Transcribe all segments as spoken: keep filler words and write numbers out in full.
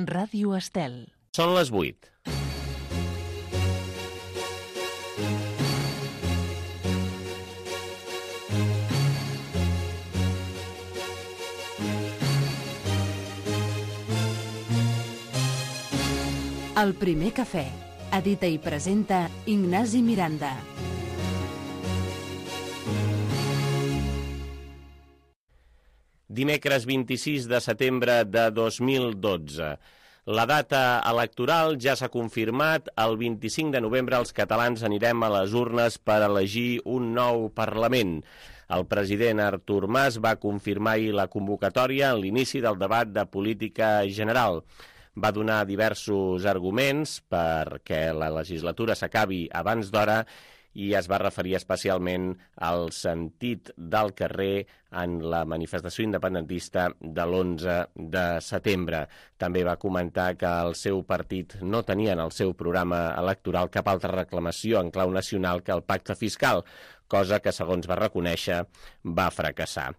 Ràdio Estel. Són les vuit. El primer cafè. Edita i presenta Ignasi Miranda. Dimecres vint-i-sis de setembre de dos mil dotze. La data electoral ja s'ha confirmat. El vint-i-cinc de novembre els catalans anirem a les urnes per elegir un nou Parlament. El president Artur Mas va confirmar ahir la convocatòria en l'inici del debat de política general. Va donar diversos arguments perquè la legislatura s'acabi abans d'hora i es va referir especialment al sentit del carrer en la manifestació independentista de l'onze de setembre. També va comentar que el seu partit no tenia en el seu programa electoral cap altra reclamació en clau nacional que el pacte fiscal, cosa que, segons va reconèixer, va fracassar.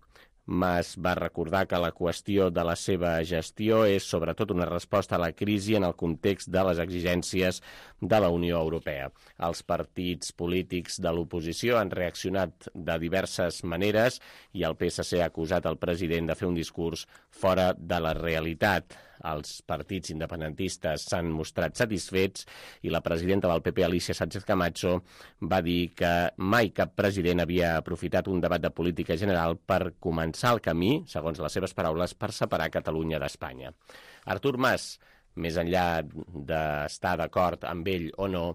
Mas va recordar que la qüestió de la seva gestió és sobretot una resposta a la crisi en el context de les exigències de la Unió Europea. Els partits polítics de l'oposició han reaccionat de diverses maneres i el P S C ha acusat el president de fer un discurs fora de la realitat. Els partits independentistes s'han mostrat satisfets i la presidenta del P P, Alicia Sánchez Camacho, va dir que mai cap president havia aprofitat un debat de política general per començar el camí, segons les seves paraules, per separar Catalunya d'Espanya. Artur Mas, més enllà d'estar d'acord amb ell o no,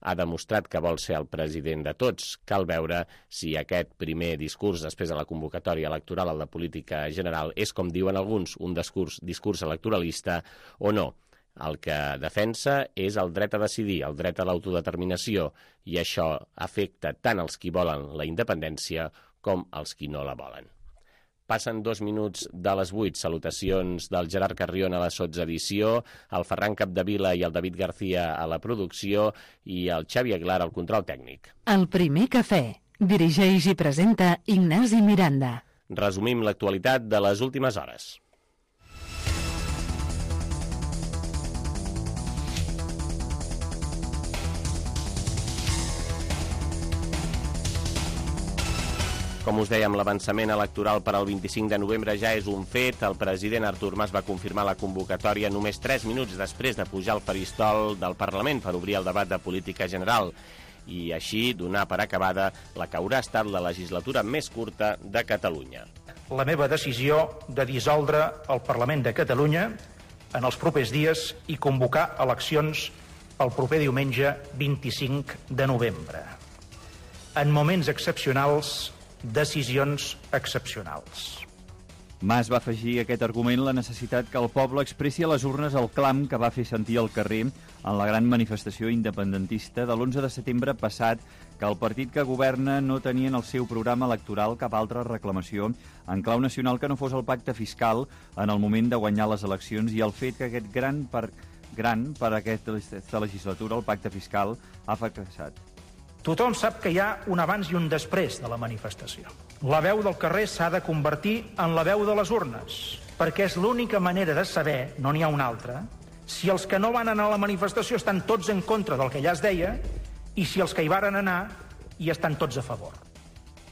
ha demostrat que vol ser el president de tots. Cal veure si aquest primer discurs després de la convocatòria electoral, el de política general, és, com diuen alguns, un discurs, discurs electoralista o no. El que defensa és el dret a decidir, el dret a l'autodeterminació, i això afecta tant els qui volen la independència com els qui no la volen. Passen dos minuts de les vuit. Salutacions del Gerard Carrion a la sotsedició, el Ferran Capdevila i el David García a la producció i el Xavi Aguilar al control tècnic. El primer cafè. Dirigeix i presenta Ignasi Miranda. Resumim l'actualitat de les últimes hores. Com us dèiem, l'avançament electoral per al vint-i-cinc de novembre ja és un fet. El president Artur Mas va confirmar la convocatòria només tres minuts després de pujar al faristol del Parlament per obrir el debat de política general i així donar per acabada la que haurà estat la legislatura més curta de Catalunya. La meva decisió de dissoldre el Parlament de Catalunya en els propers dies i convocar eleccions el proper diumenge vint-i-cinc de novembre. En moments excepcionals, decisions excepcionals. Mas va afegir a aquest argument la necessitat que el poble expressi a les urnes el clam que va fer sentir al carrer en la gran manifestació independentista de l'onze de setembre passat, que el partit que governa no tenia en el seu programa electoral cap altra reclamació en clau nacional que no fos el pacte fiscal en el moment de guanyar les eleccions, i el fet que aquest gran per, gran per a aquesta legislatura, el pacte fiscal, ha fracassat. Tothom sap que hi ha un abans i un després de la manifestació. La veu del carrer s'ha de convertir en la veu de les urnes, perquè és l'única manera de saber, no n'hi ha una altra, si els que no van anar a la manifestació estan tots en contra del que ja es deia i si els que hi varen anar hi estan tots a favor.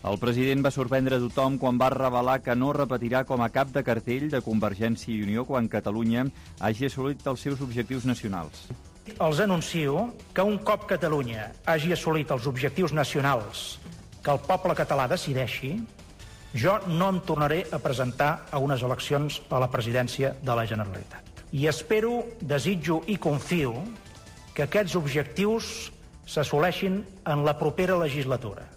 El president va sorprendre tothom quan va revelar que no repetirà com a cap de cartell de Convergència i Unió quan Catalunya hagi assolit els seus objectius nacionals. Els anuncio que un cop Catalunya hagi assolit els objectius nacionals que el poble català decideixi, jo no em tornaré a presentar a unes eleccions a la presidència de la Generalitat. I espero, desitjo i confio que aquests objectius s'assoleixin en la propera legislatura.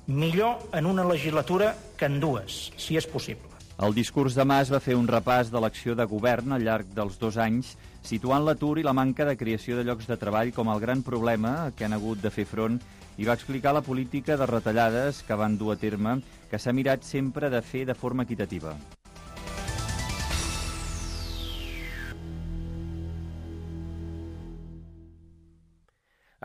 Millor en una legislatura que en dues, si és possible. El discurs de Mas va fer un repàs de l'acció de govern al llarg dels dos anys, situant l'atur i la manca de creació de llocs de treball com el gran problema que han hagut de fer front, i va explicar la política de retallades que van dur a terme, que s'ha mirat sempre de fer de forma equitativa.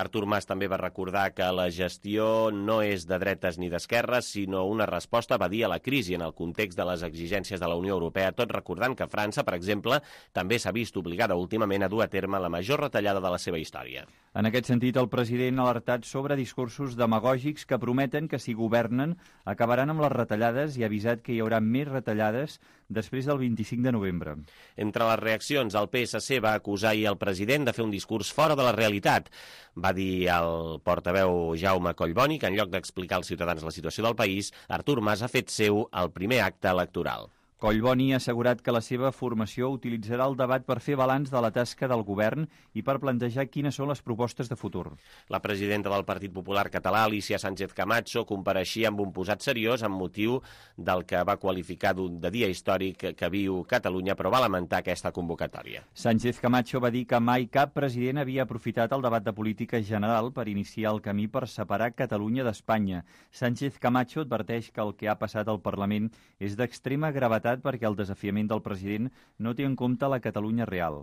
Artur Mas també va recordar que la gestió no és de dretes ni d'esquerres, sinó una resposta, va dir, a la crisi en el context de les exigències de la Unió Europea, tot recordant que França, per exemple, també s'ha vist obligada últimament a dur a terme la major retallada de la seva història. En aquest sentit, el president ha alertat sobre discursos demagògics que prometen que si governen acabaran amb les retallades i ha avisat que hi haurà més retallades després del vint-i-cinc de novembre. Entre les reaccions, el P S C va acusar ahir el president de fer un discurs fora de la realitat. Va dir el portaveu Jaume Collboni que en lloc d'explicar als ciutadans la situació del país, Artur Mas ha fet seu el primer acte electoral. Collboni ha assegurat que la seva formació utilitzarà el debat per fer balanç de la tasca del govern i per plantejar quines són les propostes de futur. La presidenta del Partit Popular Català, Alicia Sánchez Camacho, compareixia amb un posat seriós amb motiu del que va qualificar de dia històric que viu Catalunya, però va lamentar aquesta convocatòria. Sánchez Camacho va dir que mai cap president havia aprofitat el debat de política general per iniciar el camí per separar Catalunya d'Espanya. Sánchez Camacho adverteix que el que ha passat al Parlament és d'extrema gravetat perquè el desafiament del president no té en compte la Catalunya real.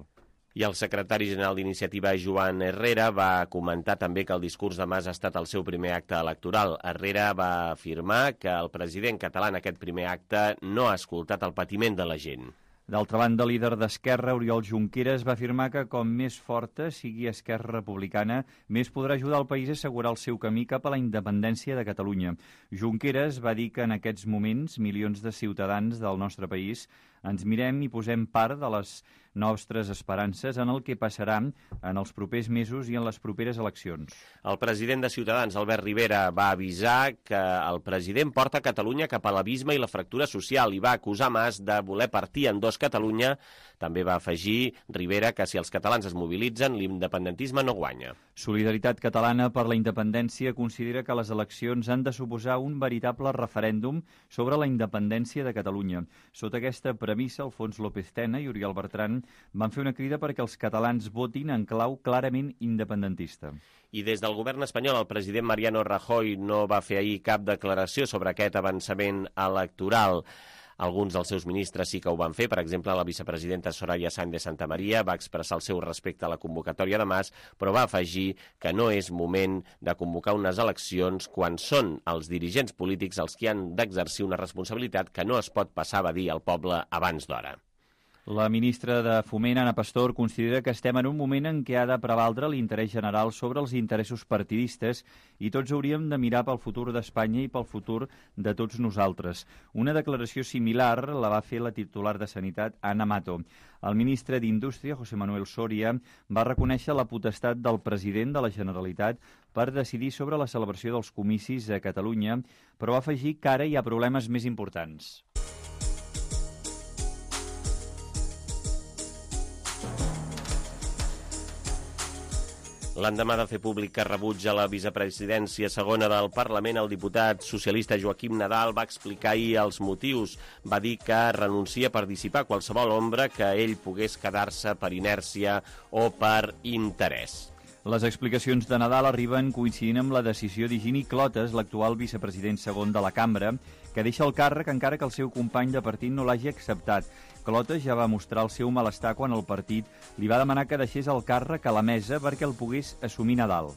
I el secretari general d'Iniciativa, Joan Herrera, va comentar també que el discurs de Mas ha estat el seu primer acte electoral. Herrera va afirmar que el president català en aquest primer acte no ha escoltat el patiment de la gent. D'altra banda, el líder d'Esquerra, Oriol Junqueras, va afirmar que com més forta sigui Esquerra Republicana, més podrà ajudar el país a assegurar el seu camí cap a la independència de Catalunya. Junqueras va dir que en aquests moments milions de ciutadans del nostre país ens mirem i posem part de les nostres esperances en el que passarà en els propers mesos i en les properes eleccions. El president de Ciutadans, Albert Rivera, va avisar que el president porta Catalunya cap a l'abisme i la fractura social i va acusar Mas de voler partir en dos Catalunya. També va afegir Rivera que si els catalans es mobilitzen, l'independentisme no guanya. Solidaritat Catalana per la Independència considera que les eleccions han de suposar un veritable referèndum sobre la independència de Catalunya. Sota aquesta premissa, Alfons López Tena i Oriol Bertran van fer una crida perquè els catalans votin en clau clarament independentista. I des del govern espanyol, el president Mariano Rajoy no va fer ahir cap declaració sobre aquest avançament electoral. Alguns dels seus ministres sí que ho van fer. Per exemple, la vicepresidenta Soraya Sáenz de Santamaría va expressar el seu respecte a la convocatòria de Mas, però va afegir que no és moment de convocar unes eleccions quan són els dirigents polítics els que han d'exercir una responsabilitat que no es pot passar a dir al poble abans d'hora. La ministra de Foment, Ana Pastor, considera que estem en un moment en què ha de prevaldre l'interès general sobre els interessos partidistes i tots hauríem de mirar pel futur d'Espanya i pel futur de tots nosaltres. Una declaració similar la va fer la titular de Sanitat, Ana Mato. El ministre d'Indústria, José Manuel Soria, va reconèixer la potestat del president de la Generalitat per decidir sobre la celebració dels comicis a Catalunya, però va afegir que ara hi ha problemes més importants. L'endemà de fer públic que rebutja la vicepresidència segona del Parlament, el diputat socialista Joaquim Nadal va explicar ahir els motius. Va dir que renuncia per dissipar qualsevol ombra que ell pogués quedar-se per inèrcia o per interès. Les explicacions de Nadal arriben coincidint amb la decisió d'Higini Clotas, l'actual vicepresident segon de la cambra, que deixa el càrrec encara que el seu company de partit no l'hagi acceptat. Clotas ja va mostrar el seu malestar quan el partit li va demanar que deixés el càrrec a la mesa perquè el pogués assumir Nadal.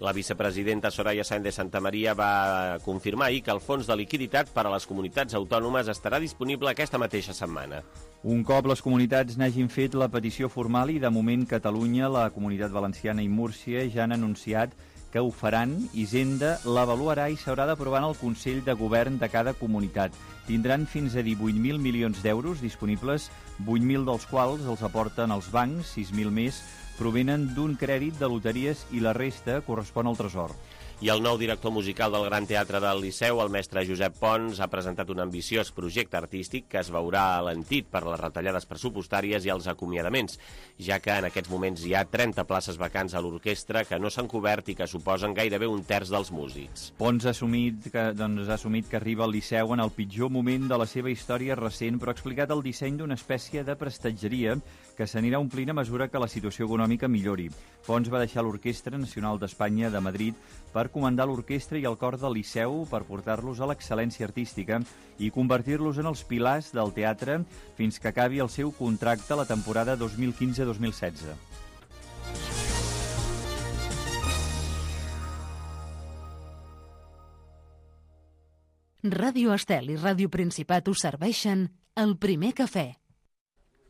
La vicepresidenta Soraya Sáenz de Santamaría va confirmar ahir que el fons de liquiditat per a les comunitats autònomes estarà disponible aquesta mateixa setmana. Un cop les comunitats n'hagin fet la petició formal i de moment Catalunya, la Comunitat Valenciana i Múrcia ja han anunciat que ho faran, Hisenda l'avaluarà i s'haurà d'aprovar en el Consell de Govern de cada comunitat. Tindran fins a divuit mil milions d'euros disponibles, vuit mil dels quals els aporten els bancs, sis mil més provenen d'un crèdit de loteries i la resta correspon al Tresor. I el nou director musical del Gran Teatre del Liceu, el mestre Josep Pons, ha presentat un ambiciós projecte artístic que es veurà alentit per les retallades pressupostàries i els acomiadaments, ja que en aquests moments hi ha trenta places vacants a l'orquestra que no s'han cobert i que suposen gairebé un terç dels músics. Pons ha assumit que, doncs, ha assumit que arriba al Liceu en el pitjor moment de la seva història recent, però ha explicat el disseny d'una espècie de prestatgeria que s'anirà omplint a mesura que la situació econòmica millori. Pons va deixar l'Orquestra Nacional d'Espanya de Madrid per comandar l'orquestra i el cor del Liceu per portar-los a l'excel·lència artística i convertir-los en els pilars del teatre fins que acabi el seu contracte la temporada dos mil quinze dos mil setze. Ràdio Estel i Ràdio Principat us serveixen el primer cafè.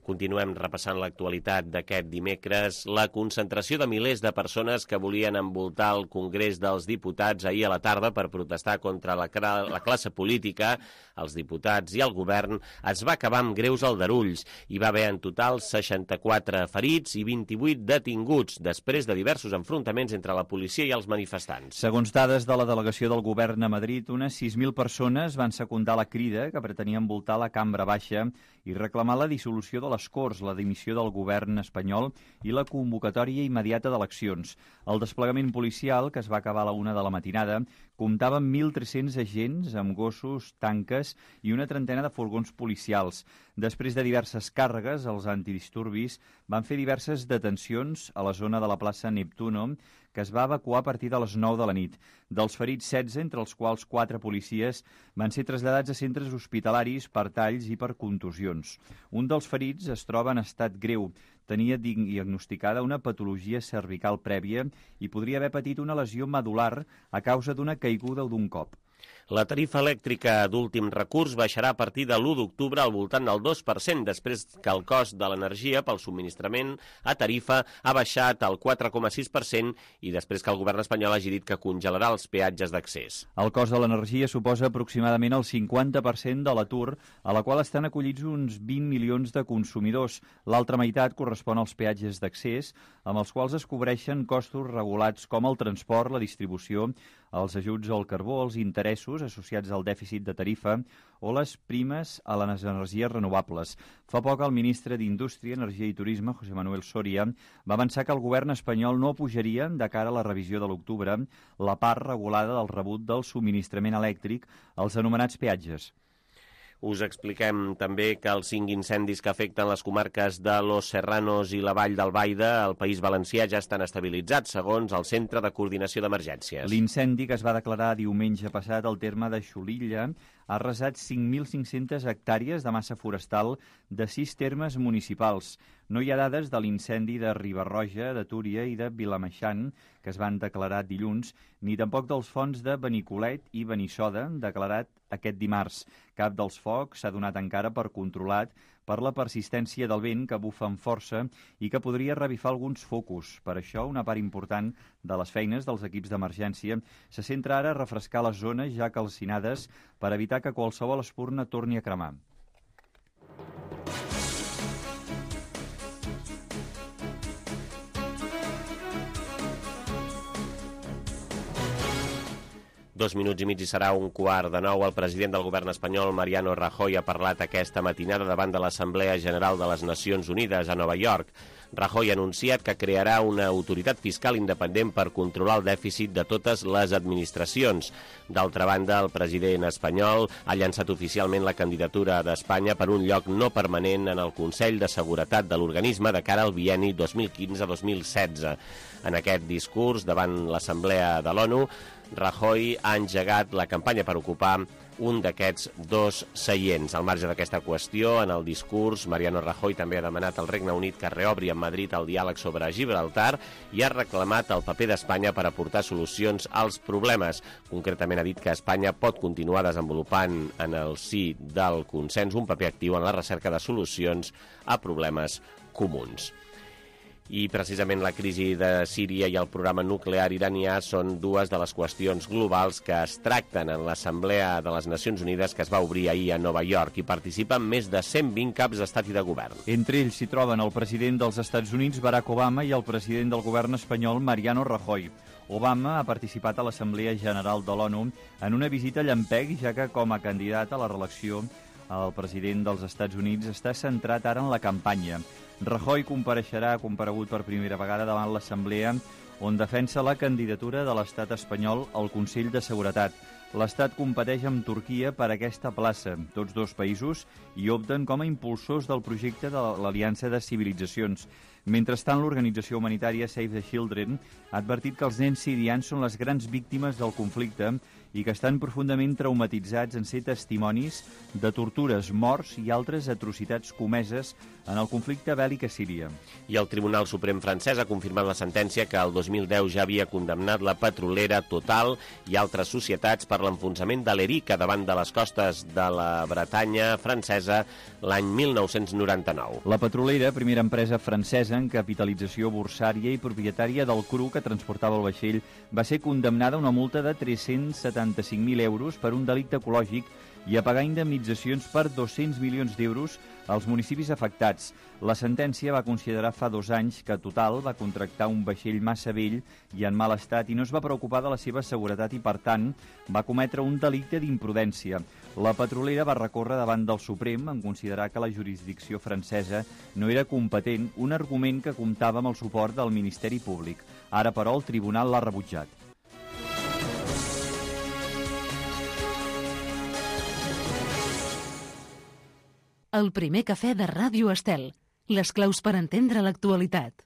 Continuem repassant l'actualitat d'aquest dimecres. La concentració de milers de persones que volien envoltar el Congrés dels Diputats ahir a la tarda per protestar contra la, la classe política, els diputats i el govern, es va acabar amb greus aldarulls. Hi va haver en total seixanta-quatre ferits i vint-i-vuit detinguts després de diversos enfrontaments entre la policia i els manifestants. Segons dades de la delegació del govern a Madrid, unes sis mil persones van secundar la crida que pretenia envoltar la cambra baixa i reclamar la dissolució de les Corts, la dimissió del govern espanyol i la convocatòria immediata d'eleccions. El desplegament policial, que es va acabar a la una de la matinada, comptava amb mil tres-cents agents amb gossos, tanques i una trentena de furgons policials. Després de diverses càrregues, els antidisturbis van fer diverses detencions a la zona de la plaça Neptuno, que es va evacuar a partir de les nou de la nit. Dels ferits, setze, entre els quals quatre policies, van ser traslladats a centres hospitalaris per talls i per contusions. Un dels ferits es troba en estat greu. Tenia diagnosticada una patologia cervical prèvia i podria haver patit una lesió medular a causa d'una caiguda o d'un cop. La tarifa elèctrica d'últim recurs baixarà a partir de l'u d'octubre al voltant del dos per cent, després que el cost de l'energia pel subministrament a tarifa ha baixat al quatre coma sis per cent i després que el govern espanyol hagi dit que congelarà els peatges d'accés. El cost de l'energia suposa aproximadament el cinquanta per cent de l'atur, a la qual estan acollits uns vint milions de consumidors. L'altra meitat correspon als peatges d'accés, amb els quals es cobreixen costos regulats com el transport, la distribució, els ajuts al carbó, els interessos associats al dèficit de tarifa o les primes a les energies renovables. Fa poc el ministre d'Indústria, Energia i Turisme, José Manuel Soria, va avançar que el govern espanyol no pujaria, de cara a la revisió de l'octubre, la part regulada del rebut del subministrament elèctric als anomenats peatges. Us expliquem també que els cinc incendis que afecten les comarques de Los Serranos i la Vall d'Albaida al País Valencià ja estan estabilitzats, segons el Centre de Coordinació d'Emergències. L'incendi que es va declarar diumenge passat al terme de Xulilla ha arrasat cinc mil cinc-centes hectàrees de massa forestal de sis termes municipals. No hi ha dades de l'incendi de Riba-roja, de Túria i de Vilameixant, que es van declarar dilluns, ni tampoc dels fonts de Benicolet i Benissoda, declarat aquest dimarts. Cap dels focs s'ha donat encara per controlat per la persistència del vent que bufa amb força i que podria revifar alguns focus. Per això, una part important de les feines dels equips d'emergència se centra ara a refrescar les zones ja calcinades per evitar que qualsevol espurna torni a cremar. Dos minuts i mig i serà un quart de nou. El president del govern espanyol, Mariano Rajoy, ha parlat aquesta matinada davant de l'Assemblea General de les Nacions Unides a Nova York. Rajoy ha anunciat que crearà una autoritat fiscal independent per controlar el dèficit de totes les administracions. D'altra banda, el president espanyol ha llançat oficialment la candidatura d'Espanya per un lloc no permanent en el Consell de Seguretat de l'organisme de cara al bienni dos mil quinze dos mil setze. En aquest discurs davant l'Assemblea de l'ONU, Rajoy ha engegat la campanya per ocupar un d'aquests dos seients. Al marge d'aquesta qüestió, en el discurs, Mariano Rajoy també ha demanat al Regne Unit que reobri amb Madrid el diàleg sobre Gibraltar i ha reclamat el paper d'Espanya per aportar solucions als problemes. Concretament ha dit que Espanya pot continuar desenvolupant en el si del consens un paper actiu en la recerca de solucions a problemes comuns. I precisament la crisi de Síria i el programa nuclear iranià són dues de les qüestions globals que es tracten en l'Assemblea de les Nacions Unides que es va obrir ahir a Nova York i participen més de cent vint caps d'estat i de govern. Entre ells s'hi troben el president dels Estats Units, Barack Obama, i el president del govern espanyol, Mariano Rajoy. Obama ha participat a l'Assemblea General de l'ONU en una visita llampec, ja que com a candidat a la reelecció el president dels Estats Units està centrat ara en la campanya. Rajoy compareixerà, ha comparegut per primera vegada davant l'Assemblea, on defensa la candidatura de l'estat espanyol al Consell de Seguretat. L'estat competeix amb Turquia per aquesta plaça. Tots dos països hi opten com a impulsors del projecte de l'Aliança de Civilitzacions. Mentrestant, l'organització humanitària Save the Children ha advertit que els nens sirians són les grans víctimes del conflicte i que estan profundament traumatitzats en ser testimonis de tortures, morts i altres atrocitats comeses en el conflicte bèl·lic a Síria. I el Tribunal Suprem francès ha confirmat la sentència que el dos mil deu ja havia condemnat la petrolera Total i altres societats per l'enfonsament de l'Erica davant de les costes de la Bretanya francesa l'any mil nou-cents noranta-nou. La petrolera, primera empresa francesa en capitalització borsària i propietària del cru que transportava el vaixell, va ser condemnada a una multa de tres-cents setanta-cinc mil euros per un delicte ecològic i a pagar indemnitzacions per dos-cents milions d'euros als municipis afectats. La sentència va considerar fa dos anys que Total va contractar un vaixell massa vell i en mal estat i no es va preocupar de la seva seguretat i, per tant, va cometre un delicte d'imprudència. La petrolera va recórrer davant del Suprem en considerar que la jurisdicció francesa no era competent, un argument que comptava amb el suport del Ministeri Públic. Ara, però, el tribunal l'ha rebutjat. El primer cafè de Ràdio Estel. Les claus per entendre l'actualitat.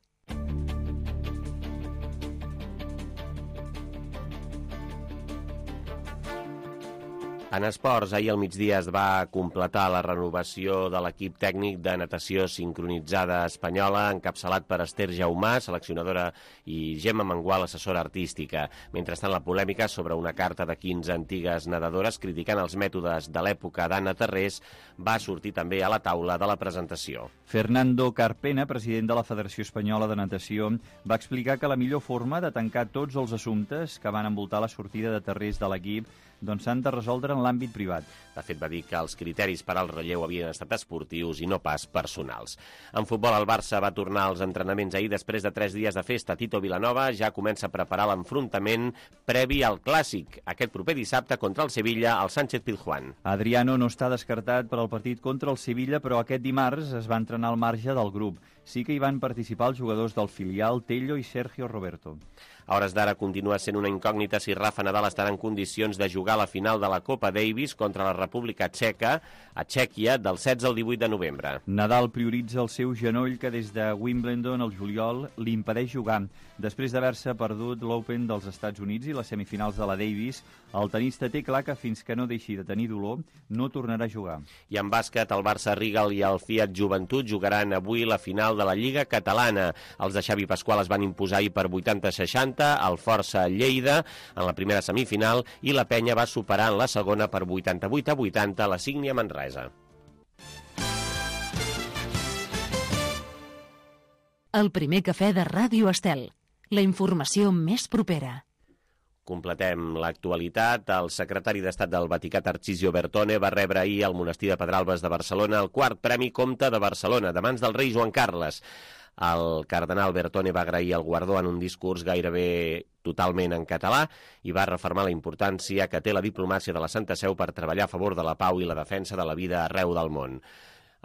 En esports, ahir al migdia es va completar la renovació de l'equip tècnic de natació sincronitzada espanyola, encapçalat per Esther Jaumà, seleccionadora, i Gemma Mengual, assessora artística. Mentrestant, la polèmica sobre una carta de quinze antigues nedadores criticant els mètodes de l'època d'Anna Terrés va sortir també a la taula de la presentació. Fernando Carpena, president de la Federació Espanyola de Natació, va explicar que la millor forma de tancar tots els assumptes que van envoltar la sortida de Terrés de l'equip doncs s'han de resoldre en l'àmbit privat. De fet, va dir que els criteris per al relleu havien estat esportius i no pas personals. En futbol, el Barça va tornar als entrenaments ahir després de tres dies de festa. Tito Vilanova ja comença a preparar l'enfrontament previ al Clàssic, aquest proper dissabte contra el Sevilla al Sánchez Pizjuán. Adriano no està descartat per al partit contra el Sevilla, però aquest dimarts es va entrenar al marge del grup. Sí que hi van participar els jugadors del filial Tello i Sergio Roberto. A hores d'ara continua sent una incògnita si Rafa Nadal estarà en condicions de jugar a la final de la Copa Davis contra la República Txeca, a Txèquia, del setze al divuit de novembre. Nadal prioritza el seu genoll que des de Wimbledon al juliol li impedeix jugar. Després d'haver-se perdut l'Open dels Estats Units i les semifinals de la Davis, el tenista té clar que fins que no deixi de tenir dolor no tornarà a jugar. I en bàsquet, el Barça Rigal i el Fiat Joventut jugaran avui la final de la Lliga Catalana. Els de Xavi Pasqual es van imposar ahir per vuitanta a seixanta al Força Lleida en la primera semifinal i la Penya va superar en la segona per vuitanta-vuit a vuitanta a la Sígnia Manresa. El primer cafè de Ràdio Estel. La informació més propera. Completem l'actualitat. El secretari d'Estat del Vaticà, Tarcisio Bertone, va rebre ahir al monestir de Pedralbes de Barcelona el quart Premi Comte de Barcelona, de mans del rei Joan Carles. El cardenal Bertone va agrair el guardó en un discurs gairebé totalment en català i va refermar la importància que té la diplomàcia de la Santa Seu per treballar a favor de la pau i la defensa de la vida arreu del món.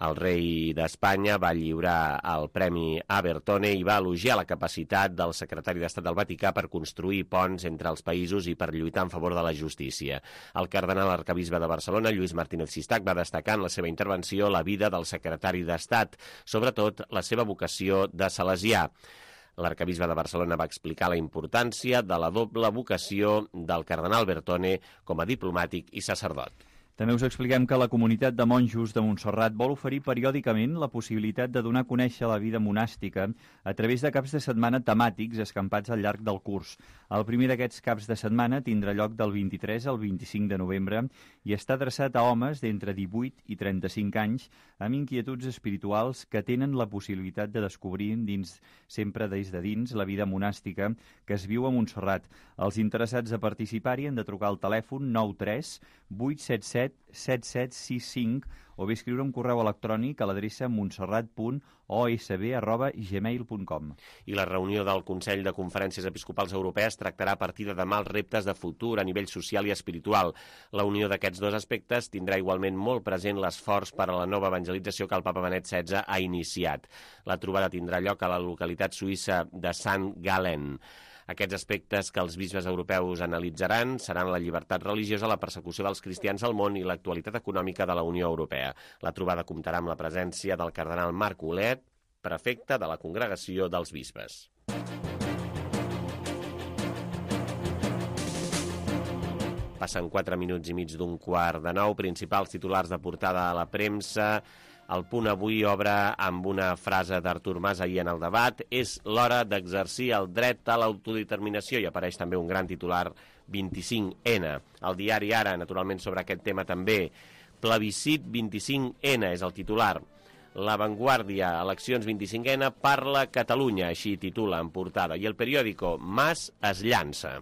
El rei d'Espanya va lliurar el Premi a Bertone i va elogiar la capacitat del secretari d'Estat del Vaticà per construir ponts entre els països i per lluitar en favor de la justícia. El cardenal arquebisbe de Barcelona, Lluís Martínez Sistac, va destacar en la seva intervenció la vida del secretari d'Estat, sobretot la seva vocació de salesià. L'arquebisbe de Barcelona va explicar la importància de la doble vocació del cardenal Bertone com a diplomàtic i sacerdot. També us expliquem que la comunitat de monjos de Montserrat vol oferir periòdicament la possibilitat de donar a conèixer la vida monàstica a través de caps de setmana temàtics escampats al llarg del curs. El primer d'aquests caps de setmana tindrà lloc del vint-i-tres al vint-i-cinc de novembre i està adreçat a homes d'entre divuit i trenta-cinc anys amb inquietuds espirituals que tenen la possibilitat de descobrir dins, sempre des de dins, la vida monàstica que es viu a Montserrat. Els interessats a participar-hi han de trucar al telèfon nou tres vuit set set set set sis cinc o bé escriure un correu electrònic a l'adreça montserrat punt o s b arroba gmail punt com. I la reunió del Consell de Conferències Episcopals Europees tractarà a partir de demà els reptes de futur a nivell social i espiritual. La unió d'aquests dos aspectes tindrà igualment molt present l'esforç per a la nova evangelització que el papa Benet setze ha iniciat. La trobada tindrà lloc a la localitat suïssa de Sant Gallen. Aquests aspectes que els bisbes europeus analitzaran seran la llibertat religiosa, la persecució dels cristians al món i l'actualitat econòmica de la Unió Europea. La trobada comptarà amb la presència del cardenal Marc Olet, prefecte de la Congregació dels Bisbes. Passen quatre minuts i mig d'un quart de nou. Principals titulars de portada a la premsa. El Punt avui obre amb una frase d'Artur Mas ahir en el debat. És l'hora d'exercir el dret a l'autodeterminació, i apareix també un gran titular, vint-i-cinc ena. El diari Ara, naturalment, sobre aquest tema també. Plebiscit vint-i-cinc ena és el titular. La Vanguardia, eleccions vint-i-cinc ena, parla Catalunya, així titula en portada. I el periòdico, Mas es llança.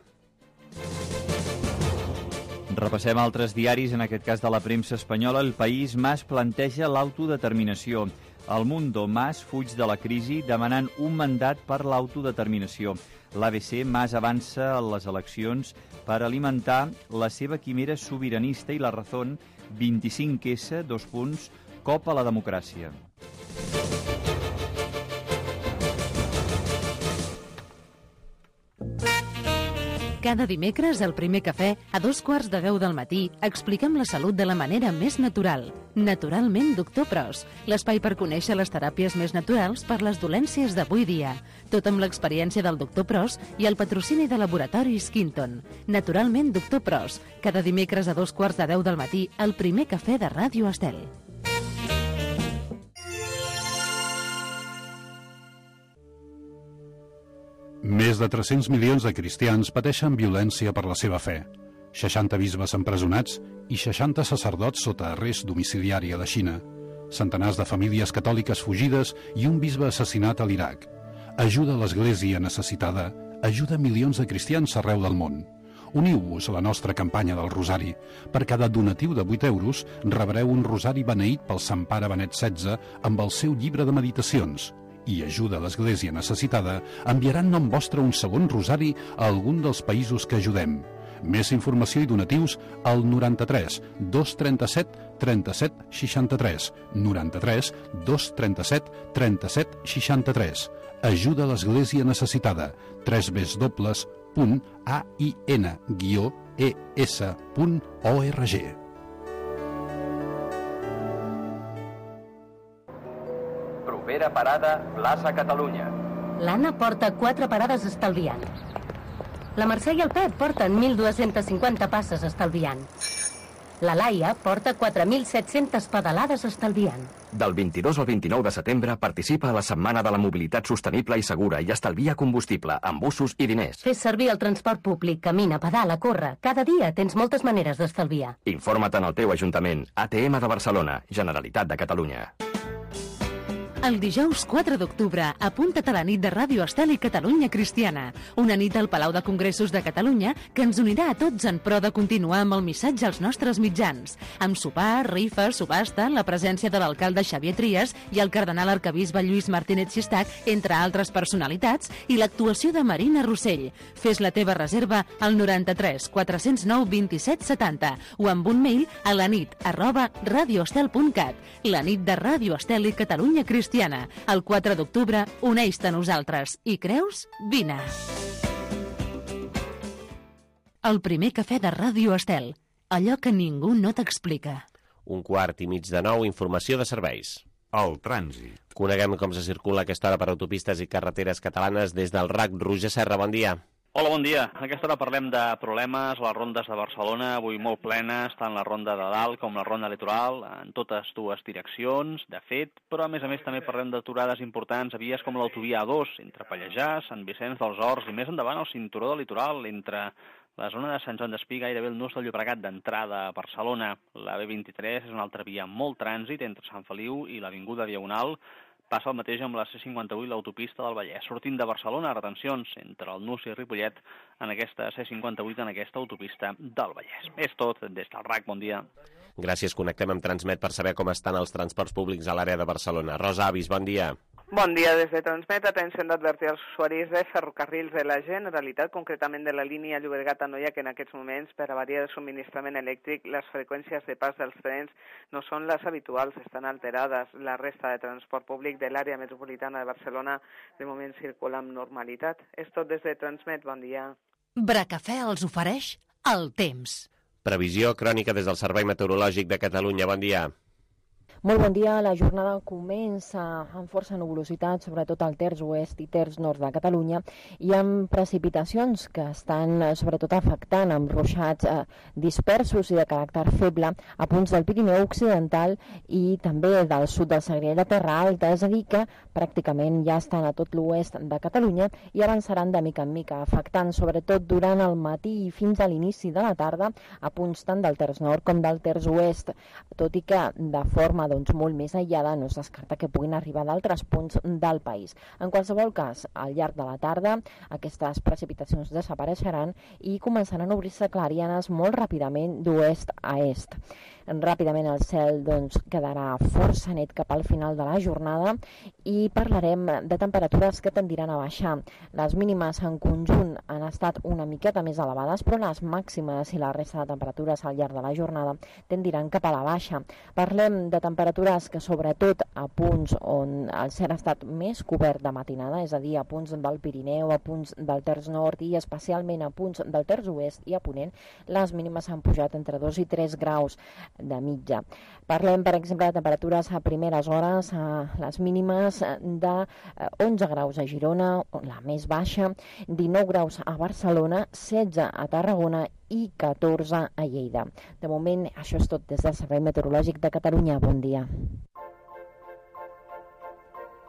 Repassem altres diaris, en aquest cas de la premsa espanyola. El País, Mas planteja l'autodeterminació. El Mundo, Mas fuig de la crisi demanant un mandat per l'autodeterminació. L'A B C, Mas avança a les eleccions per alimentar la seva quimera sobiranista, i La Razón, vint-i-cinc essa, dos punts, cop a la democràcia. Cada dimecres, al Primer Cafè, a dos quarts de deu del matí, expliquem la salut de la manera més natural. Naturalment, doctor Pros, l'espai per conèixer les teràpies més naturals per les dolències d'avui dia. Tot amb l'experiència del doctor Pros i el patrocini de Laboratoris Quinton. Naturalment, doctor Pros, cada dimecres a dos quarts de deu del matí, al Primer Cafè de Ràdio Estel. Més de tres-cents milions de cristians pateixen violència per la seva fe. seixanta bisbes empresonats i seixanta sacerdots sota arrest domiciliari a la Xina. Centenars de famílies catòliques fugides i un bisbe assassinat a l'Iraq. Ajuda a l'Església necessitada. Ajuda milions de cristians arreu del món. Uniu-vos a la nostra campanya del Rosari. Per cada donatiu de vuit euros rebreu un rosari beneït pel Sant Pare Benet setze amb el seu llibre de meditacions. I Ajuda a l'Església necessitada enviaran nom vostre un segon rosari a algun dels països que ajudem. Més informació i donatius al noranta-tres dos trenta-set trenta-set seixanta-tres, noranta-tres dos trenta-set trenta-set seixanta-tres. Ajuda a l'Església necessitada. tres w w w punt a i n guió e s punt org. Propera parada, plaça Catalunya. L'Anna porta quatre parades estalviant. La Mercè i el Pep porten mil dos-cents cinquanta passes estalviant. La Laia porta quatre mil set-centes pedalades estalviant. Del vint-i-dos al vint-i-nou de setembre participa a la Setmana de la Mobilitat Sostenible i Segura i estalvia combustible amb busos i diners. Fes servir el transport públic, camina, pedala, corre. Cada dia tens moltes maneres d'estalviar. Informa't en el teu Ajuntament. A T M de Barcelona, Generalitat de Catalunya. El dijous quatre d'octubre, apunta't a la nit de Ràdio Estel i Catalunya Cristiana. Una nit al Palau de Congressos de Catalunya que ens unirà a tots en pro de continuar amb el missatge als nostres mitjans. Amb sopar, rifa, subhasta, la presència de l'alcalde Xavier Trias i el cardenal arquebisbe Lluís Martínez Xistac, entre altres personalitats, i l'actuació de Marina Rossell. Fes la teva reserva al noranta-tres quatre-cents nou vint-i-set setanta o amb un mail a la nit arroba radioestel punt cat. La nit de Ràdio Estel i Catalunya Cristiana. El quatre d'octubre, uneix-te a nosaltres. I creus? Vine! El Primer Cafè de Ràdio Estel. Allò que ningú no t'explica. Un quart i mig de nou, informació de serveis. El trànsit. Coneguem com se circula a aquesta hora per autopistes i carreteres catalanes des del R A C. Roger Serra, bon dia. Hola, bon dia. A aquesta hora parlem de problemes a les rondes de Barcelona, avui molt plenes, tant la ronda de dalt com la ronda litoral, en totes dues direccions, de fet, però a més a més també parlem d'aturades importants a vies com l'autovia A dos, entre Pallejà, Sant Vicenç dels Horts i més endavant el cinturó del litoral, entre la zona de Sant Joan d'Espí, gairebé el nus del Llobregat d'entrada a Barcelona. La B vint-i-tres és una altra via amb molt trànsit entre Sant Feliu i l'Avinguda Diagonal. Passa el mateix amb la C cinquanta-vuit i l'autopista del Vallès. Sortint de Barcelona, retencions entre el Nus i Ripollet en aquesta C cinquanta-vuit, en aquesta autopista del Vallès. És tot des del R A C. Bon dia. Gràcies. Connectem amb Transmet per saber com estan els transports públics a l'àrea de Barcelona. Rosa Avis, bon dia. Bon dia. Des de Transmet, atenció d'advertir als usuaris de ferrocarrils de la Generalitat, concretament de la línia Llobregat-Anoia, que en aquests moments, per avaria de subministrament elèctric, les freqüències de pas dels trens no són les habituals, estan alterades. La resta de transport públic de l'àrea metropolitana de Barcelona de moment circula amb normalitat. És tot des de Transmet. Bon dia. Bracafè els ofereix el temps. Previsió crònica des del Servei Meteorològic de Catalunya. Bon dia. Molt bon dia. La jornada comença amb força nuvolositat, sobretot al terç oest i terç nord de Catalunya, i amb precipitacions que estan sobretot afectant amb ruixats eh, dispersos i de caràcter feble a punts del Pirineu occidental i també del sud del Segrià i la Terra Alta, és a dir que pràcticament ja estan a tot l'oest de Catalunya i avançaran de mica en mica, afectant sobretot durant el matí i fins a l'inici de la tarda a punts tant del terç nord com del terç oest, tot i que de forma doncs, molt més aïllada no es descarta que puguin arribar d'altres punts del país. En qualsevol cas, al llarg de la tarda aquestes precipitacions desapareixeran i començaran a obrir-se clarianes molt ràpidament d'oest a est. Ràpidament el cel doncs, quedarà força net cap al final de la jornada i parlarem de temperatures que tendiran a baixar. Les mínimes en conjunt han estat una miqueta més elevades, però les màximes i la resta de temperatures al llarg de la jornada tendiran cap a la baixa. Parlem de temperatures que sobretot a punts on el cel ha estat més cobert de matinada, és a dir, a punts del Pirineu, a punts del terç nord i especialment a punts del terç oest i a Ponent, les mínimes han pujat entre dos i tres graus de mitja. Parlem, per exemple, de temperatures a primeres hores, a les mínimes de onze graus a Girona, la més baixa, dinou graus a Barcelona, setze a Tarragona i catorze a Lleida. De moment, això és tot des del Servei Meteorològic de Catalunya. Bon dia.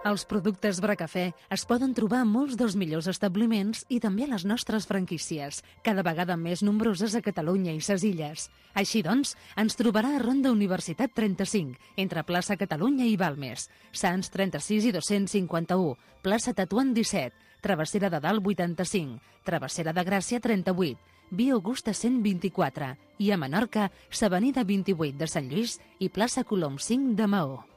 Els productes Bracafè es poden trobar a molts dels millors establiments i també a les nostres franquícies, cada vegada més nombroses a Catalunya i ses Illes. Així doncs, ens trobarà a Ronda Universitat trenta-cinc, entre plaça Catalunya i Balmes, Sants trenta-sis i dos-cents cinquanta-u, plaça Tetuan disset, Travessera de Dalt vuitanta-cinc, Travessera de Gràcia trenta-vuit, Via Augusta cent vint-i-quatre i a Menorca, s'Avenida vint-i-vuit de Sant Lluís i plaça Colom cinc de Maó.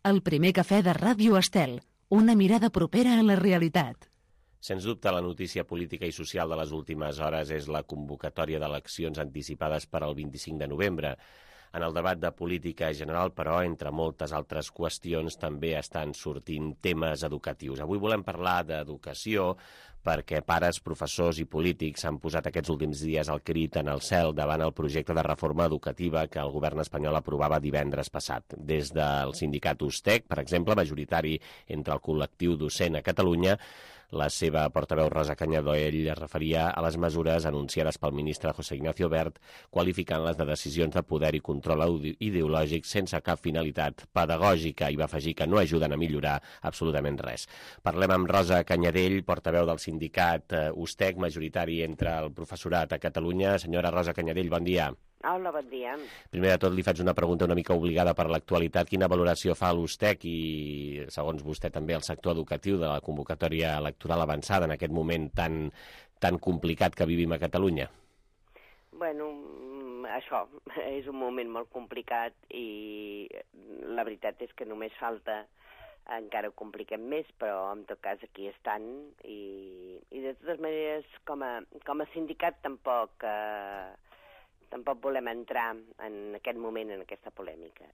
El primer cafè de Ràdio Estel, una mirada propera a la realitat. Sens dubte, la notícia política i social de les últimes hores és la convocatòria d'eleccions anticipades per al vint-i-cinc de novembre. En el debat de política general, però, entre moltes altres qüestions, també estan sortint temes educatius. Avui volem parlar d'educació perquè pares, professors i polítics han posat aquests últims dies el crit en el cel davant el projecte de reforma educativa que el govern espanyol aprovava divendres passat. Des del sindicat USTEC, per exemple, majoritari entre el col·lectiu docent a Catalunya, la seva portaveu Rosa Cañadell es referia a les mesures anunciades pel ministre José Ignacio Wert, qualificant-les de decisions de poder i control ideològic sense cap finalitat pedagògica, i va afegir que no ajuden a millorar absolutament res. Parlem amb Rosa Cañadell, portaveu del sindicat USTEC, majoritari entre el professorat a Catalunya. Senyora Rosa Cañadell, bon dia. Hola, bon dia. Primer de tot, li faig una pregunta una mica obligada per l'actualitat. Quina valoració fa l'USTEC i, segons vostè, també el sector educatiu de la convocatòria electoral avançada en aquest moment tan, tan complicat que vivim a Catalunya? Bueno, això és un moment molt complicat i la veritat és que només falta encara ho compliquem més, però en tot cas aquí estan i, i de totes maneres com a, com a sindicat tampoc... Eh, Tampoc volem entrar en aquest moment, en aquesta polèmica.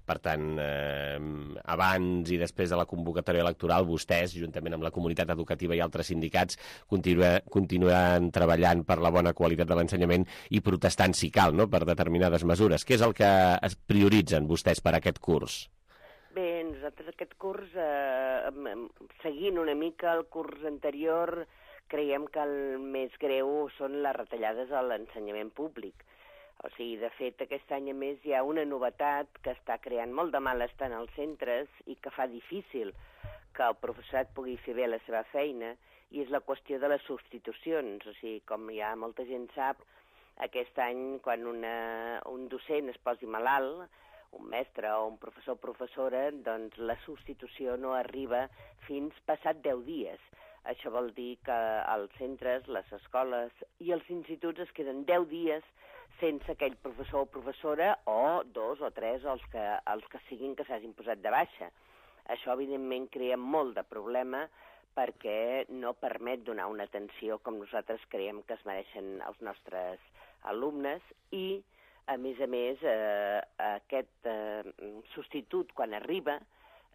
Per tant, eh, abans i després de la convocatòria electoral, vostès, juntament amb la comunitat educativa i altres sindicats, continua, continuen treballant per la bona qualitat de l'ensenyament i protestant, si cal, no?, per determinades mesures. Què és el que es prioritzen vostès per aquest curs? Bé, nosaltres aquest curs, eh, seguint una mica el curs anterior, creiem que el més greu són les retallades a l'ensenyament públic. O sigui, de fet, aquest any a més hi ha una novetat que està creant molt de malestar en els centres i que fa difícil que el professorat pugui fer bé la seva feina, i és la qüestió de les substitucions. O sigui, com ja molta gent sap, aquest any quan una, un docent es posi malalt, un mestre o un professor o professora, doncs la substitució no arriba fins passat deu dies. Això vol dir que els centres, les escoles i els instituts es queden deu dies sense aquell professor o professora, o dos o tres, els que, els que siguin que s'hagin posat de baixa. Això, evidentment, crea molt de problema perquè no permet donar una atenció com nosaltres creiem que es mereixen els nostres alumnes i, a més a més, eh, aquest eh, substitut, quan arriba,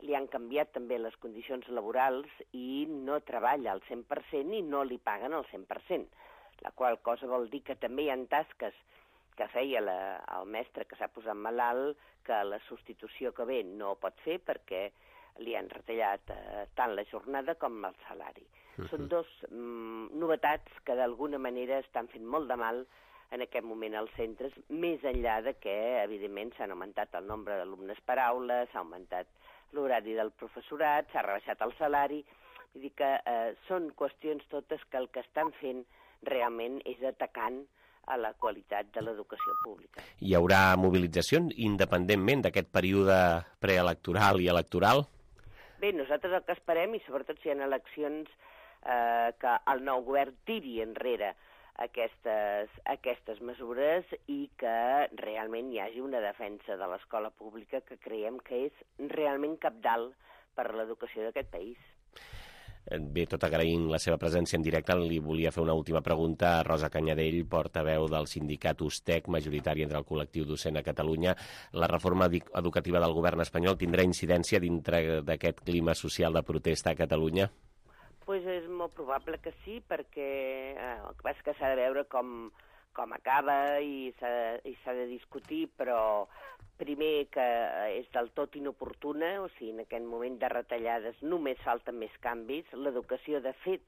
li han canviat també les condicions laborals i no treballa al cent per cent i no li paguen al cent per cent, la qual cosa vol dir que també hi ha tasques que feia la, el mestre que s'ha posat malalt, que la substitució que ve no pot fer perquè li han retallat eh, tant la jornada com el salari. Uh-huh. Són dos mm, novetats que d'alguna manera estan fent molt de mal en aquest moment als centres, més enllà de que, evidentment, s'han augmentat el nombre d'alumnes per aula, s'ha augmentat l'horari del professorat, s'ha rebaixat el salari. Vull dir que eh, són qüestions totes que el que estan fent realment és atacant a la qualitat de l'educació pública. Hi haurà mobilitzacions independentment d'aquest període preelectoral i electoral? Bé, nosaltres el que esperem, i sobretot si hi ha eleccions, eh, que el nou govern tiri enrere aquestes, aquestes mesures i que realment hi hagi una defensa de l'escola pública que creiem que és realment cabdal per a l'educació d'aquest país. Bé, tot agraint la seva presència en directe, li volia fer una última pregunta a Rosa Canyadell, portaveu del sindicat USTEC, majoritari entre el col·lectiu docent a Catalunya. La reforma educativa del govern espanyol tindrà incidència dintre d'aquest clima social de protesta a Catalunya? Pues és molt probable que sí, perquè eh, el que passa és que s'ha de veure com, com acaba i s'ha de discutir, però primer que és del tot inoportuna, o sigui, en aquest moment de retallades només falten més canvis. L'educació, de fet,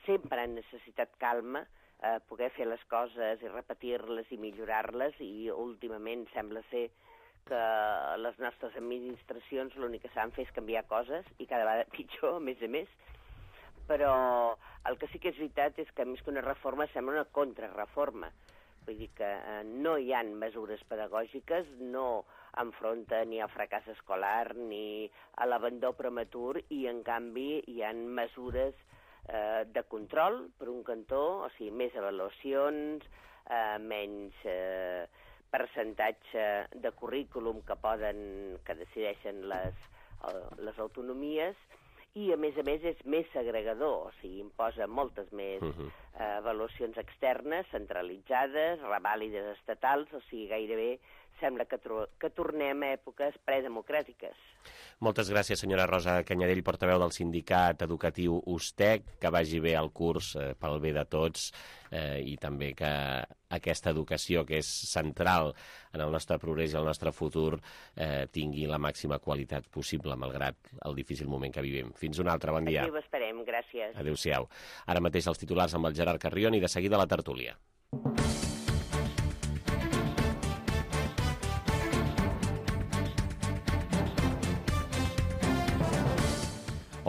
sempre ha necessitat calma, eh, poder fer les coses i repetir-les i millorar-les, i últimament sembla ser que les nostres administracions l'únic que saben fer és canviar coses, i cada vegada pitjor, a més a més. Però el que sí que és veritat és que més que una reforma sembla una contrarreforma. Vull dir que eh, no hi ha mesures pedagògiques, no enfronta ni al fracàs escolar ni a l'abandó prematur, i en canvi hi ha mesures eh, de control, per un cantó, o sigui, més avaluacions, eh, menys eh, percentatge de currículum que poden, que decideixen les, eh, les autonomies, i a més a més és més segregador, o sigui, imposa moltes més uh-huh. eh, avaluacions externes, centralitzades, revàlides estatals, o sigui, gairebé sembla que, que tornem a èpoques predemocràtiques. Moltes gràcies, senyora Rosa Canyadell, portaveu del sindicat educatiu USTEC, que vagi bé el curs eh, pel bé de tots, eh, i també que aquesta educació, que és central en el nostre progrés i el nostre futur, eh, tingui la màxima qualitat possible, malgrat el difícil moment que vivim. Fins un altre, bon dia. Aquí ho esperem, gràcies. Adéu-siau. Ara mateix els titulars amb el Gerard Carrion i de seguida la tertúlia.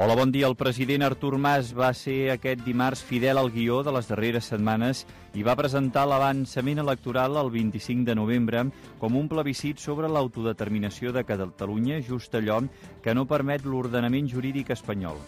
Hola, bon dia. El president Artur Mas va ser aquest dimarts fidel al guió de les darreres setmanes i va presentar l'avançament electoral el vint-i-cinc de novembre com un plebiscit sobre l'autodeterminació de Catalunya, just allò que no permet l'ordenament jurídic espanyol.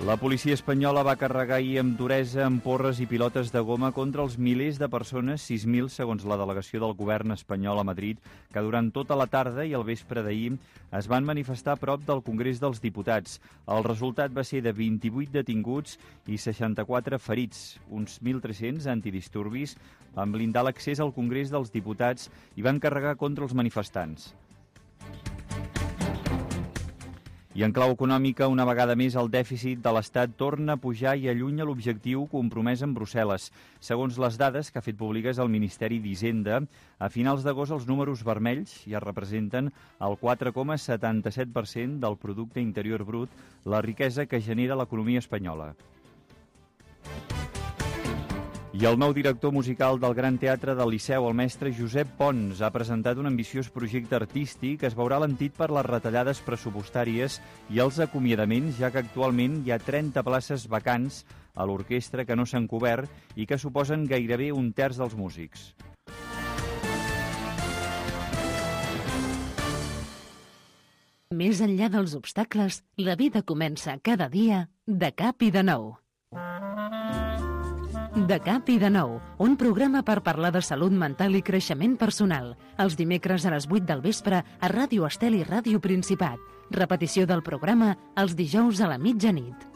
La policia espanyola va carregar ahir amb duresa amb porres i pilotes de goma contra els milers de persones, sis mil segons la delegació del govern espanyol a Madrid, que durant tota la tarda i el vespre d'ahir es van manifestar a prop del Congrés dels Diputats. El resultat va ser de vint-i-vuit detinguts i seixanta-quatre ferits. Uns mil tres-cents antidisturbis van blindar l'accés al Congrés dels Diputats i van carregar contra els manifestants. I en clau econòmica, una vegada més, el dèficit de l'Estat torna a pujar i allunya l'objectiu compromès amb Brussel·les. Segons les dades que ha fet públiques el Ministeri d'Hisenda, a finals d'agost els números vermells ja representen el quatre coma setanta-set per cent del producte interior brut, la riquesa que genera l'economia espanyola. I el nou director musical del Gran Teatre del Liceu, el mestre Josep Pons, ha presentat un ambiciós projecte artístic que es veurà alentit per les retallades pressupostàries i els acomiadaments, ja que actualment hi ha trenta places vacants a l'orquestra que no s'han cobert i que suposen gairebé un terç dels músics. Més enllà dels obstacles, la vida comença cada dia de cap i de nou. De cap i de nou, un programa per parlar de salut mental i creixement personal. Els dimecres a les vuit del vespre a Ràdio Estel i Ràdio Principat. Repetició del programa els dijous a la mitjanit.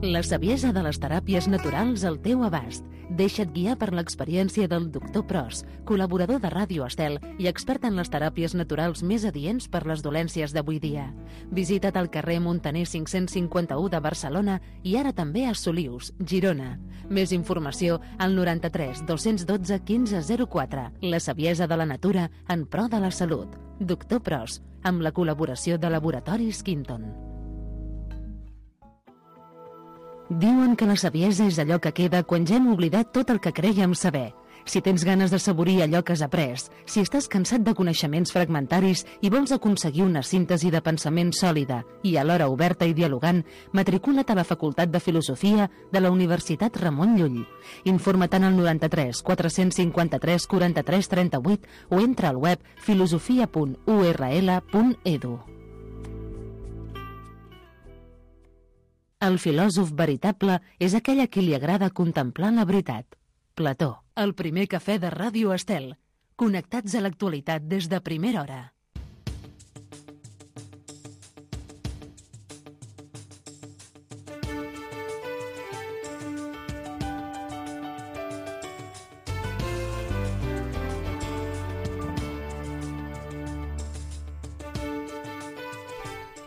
La saviesa de les teràpies naturals al teu abast. Deixa't guiar per l'experiència del doctor Pros, col·laborador de Ràdio Estel i expert en les teràpies naturals més adients per les dolències d'avui dia. Visita't al carrer Montaner cinc-cents cinquanta-u de Barcelona i ara també a Solius, Girona. Més informació al noranta-tres dos-cents dotze quinze zero quatre. La saviesa de la natura en pro de la salut. doctor Pros, amb la col·laboració de Laboratoris Quinton. Diuen que la saviesa és allò que queda quan ja hem oblidat tot el que crèiem saber. Si tens ganes de saborir allò que has après, si estàs cansat de coneixements fragmentaris i vols aconseguir una síntesi de pensament sòlida i alhora oberta i dialogant, matricula't a la Facultat de Filosofia de la Universitat Ramon Llull. Informa't al noranta-tres quatre-cents cinquanta-tres quaranta-tres trenta-vuit o entra al web filosofia punt u erra ele punt edu. El filòsof veritable és aquell a qui li agrada contemplar la veritat. Plató. El primer cafè de Ràdio Estel. Connectats a l'actualitat des de primera hora.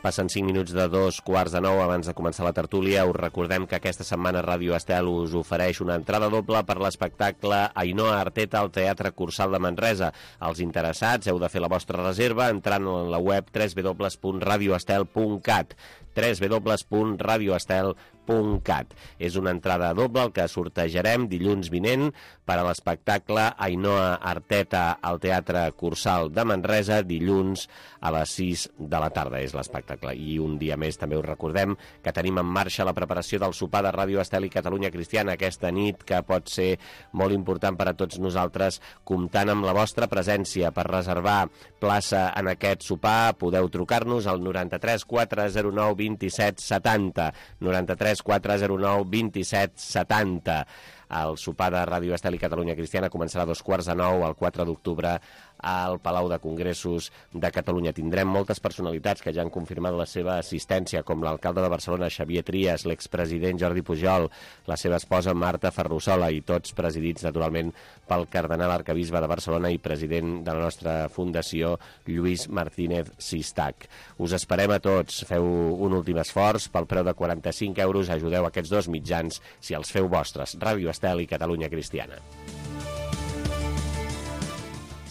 Passen cinc minuts de dos quarts de nou abans de començar la tertúlia. Us recordem que aquesta setmana Ràdio Estel us ofereix una entrada doble per l'espectacle Ainhoa Arteta al Teatre Cursal de Manresa. Els interessats heu de fer la vostra reserva entrant a la web w w w punt radio estel punt cat w w w punt radio estel punt cat. És una entrada doble el que sortejarem dilluns vinent per a l'espectacle Ainhoa Arteta al Teatre Cursal de Manresa dilluns a les sis de la tarda. És l'espectacle. I un dia més també us recordem que tenim en marxa la preparació del sopar de Ràdio Estel i Catalunya Cristiana aquesta nit, que pot ser molt important per a tots nosaltres, comptant amb la vostra presència. Per reservar plaça en aquest sopar podeu trucar-nos al noranta-tres quatre zero nou vint-i-set setanta, noranta-tres quatre zero nou vint-i-set setanta. El sopar de Ràdio Estel i Catalunya Cristiana començarà a dos quarts de nou el quatre d'octubre al Palau de Congressos de Catalunya. Tindrem moltes personalitats que ja han confirmat la seva assistència, com l'alcalde de Barcelona, Xavier Trias, l'expresident Jordi Pujol, la seva esposa Marta Ferrusola, i tots presidits, naturalment, pel cardenal arcabisbe de Barcelona i president de la nostra fundació, Lluís Martínez Sistac. Us esperem a tots. Feu un últim esforç. Pel preu de quaranta-cinc euros ajudeu aquests dos mitjans si els feu vostres. Ràdio Estel i Catalunya Cristiana.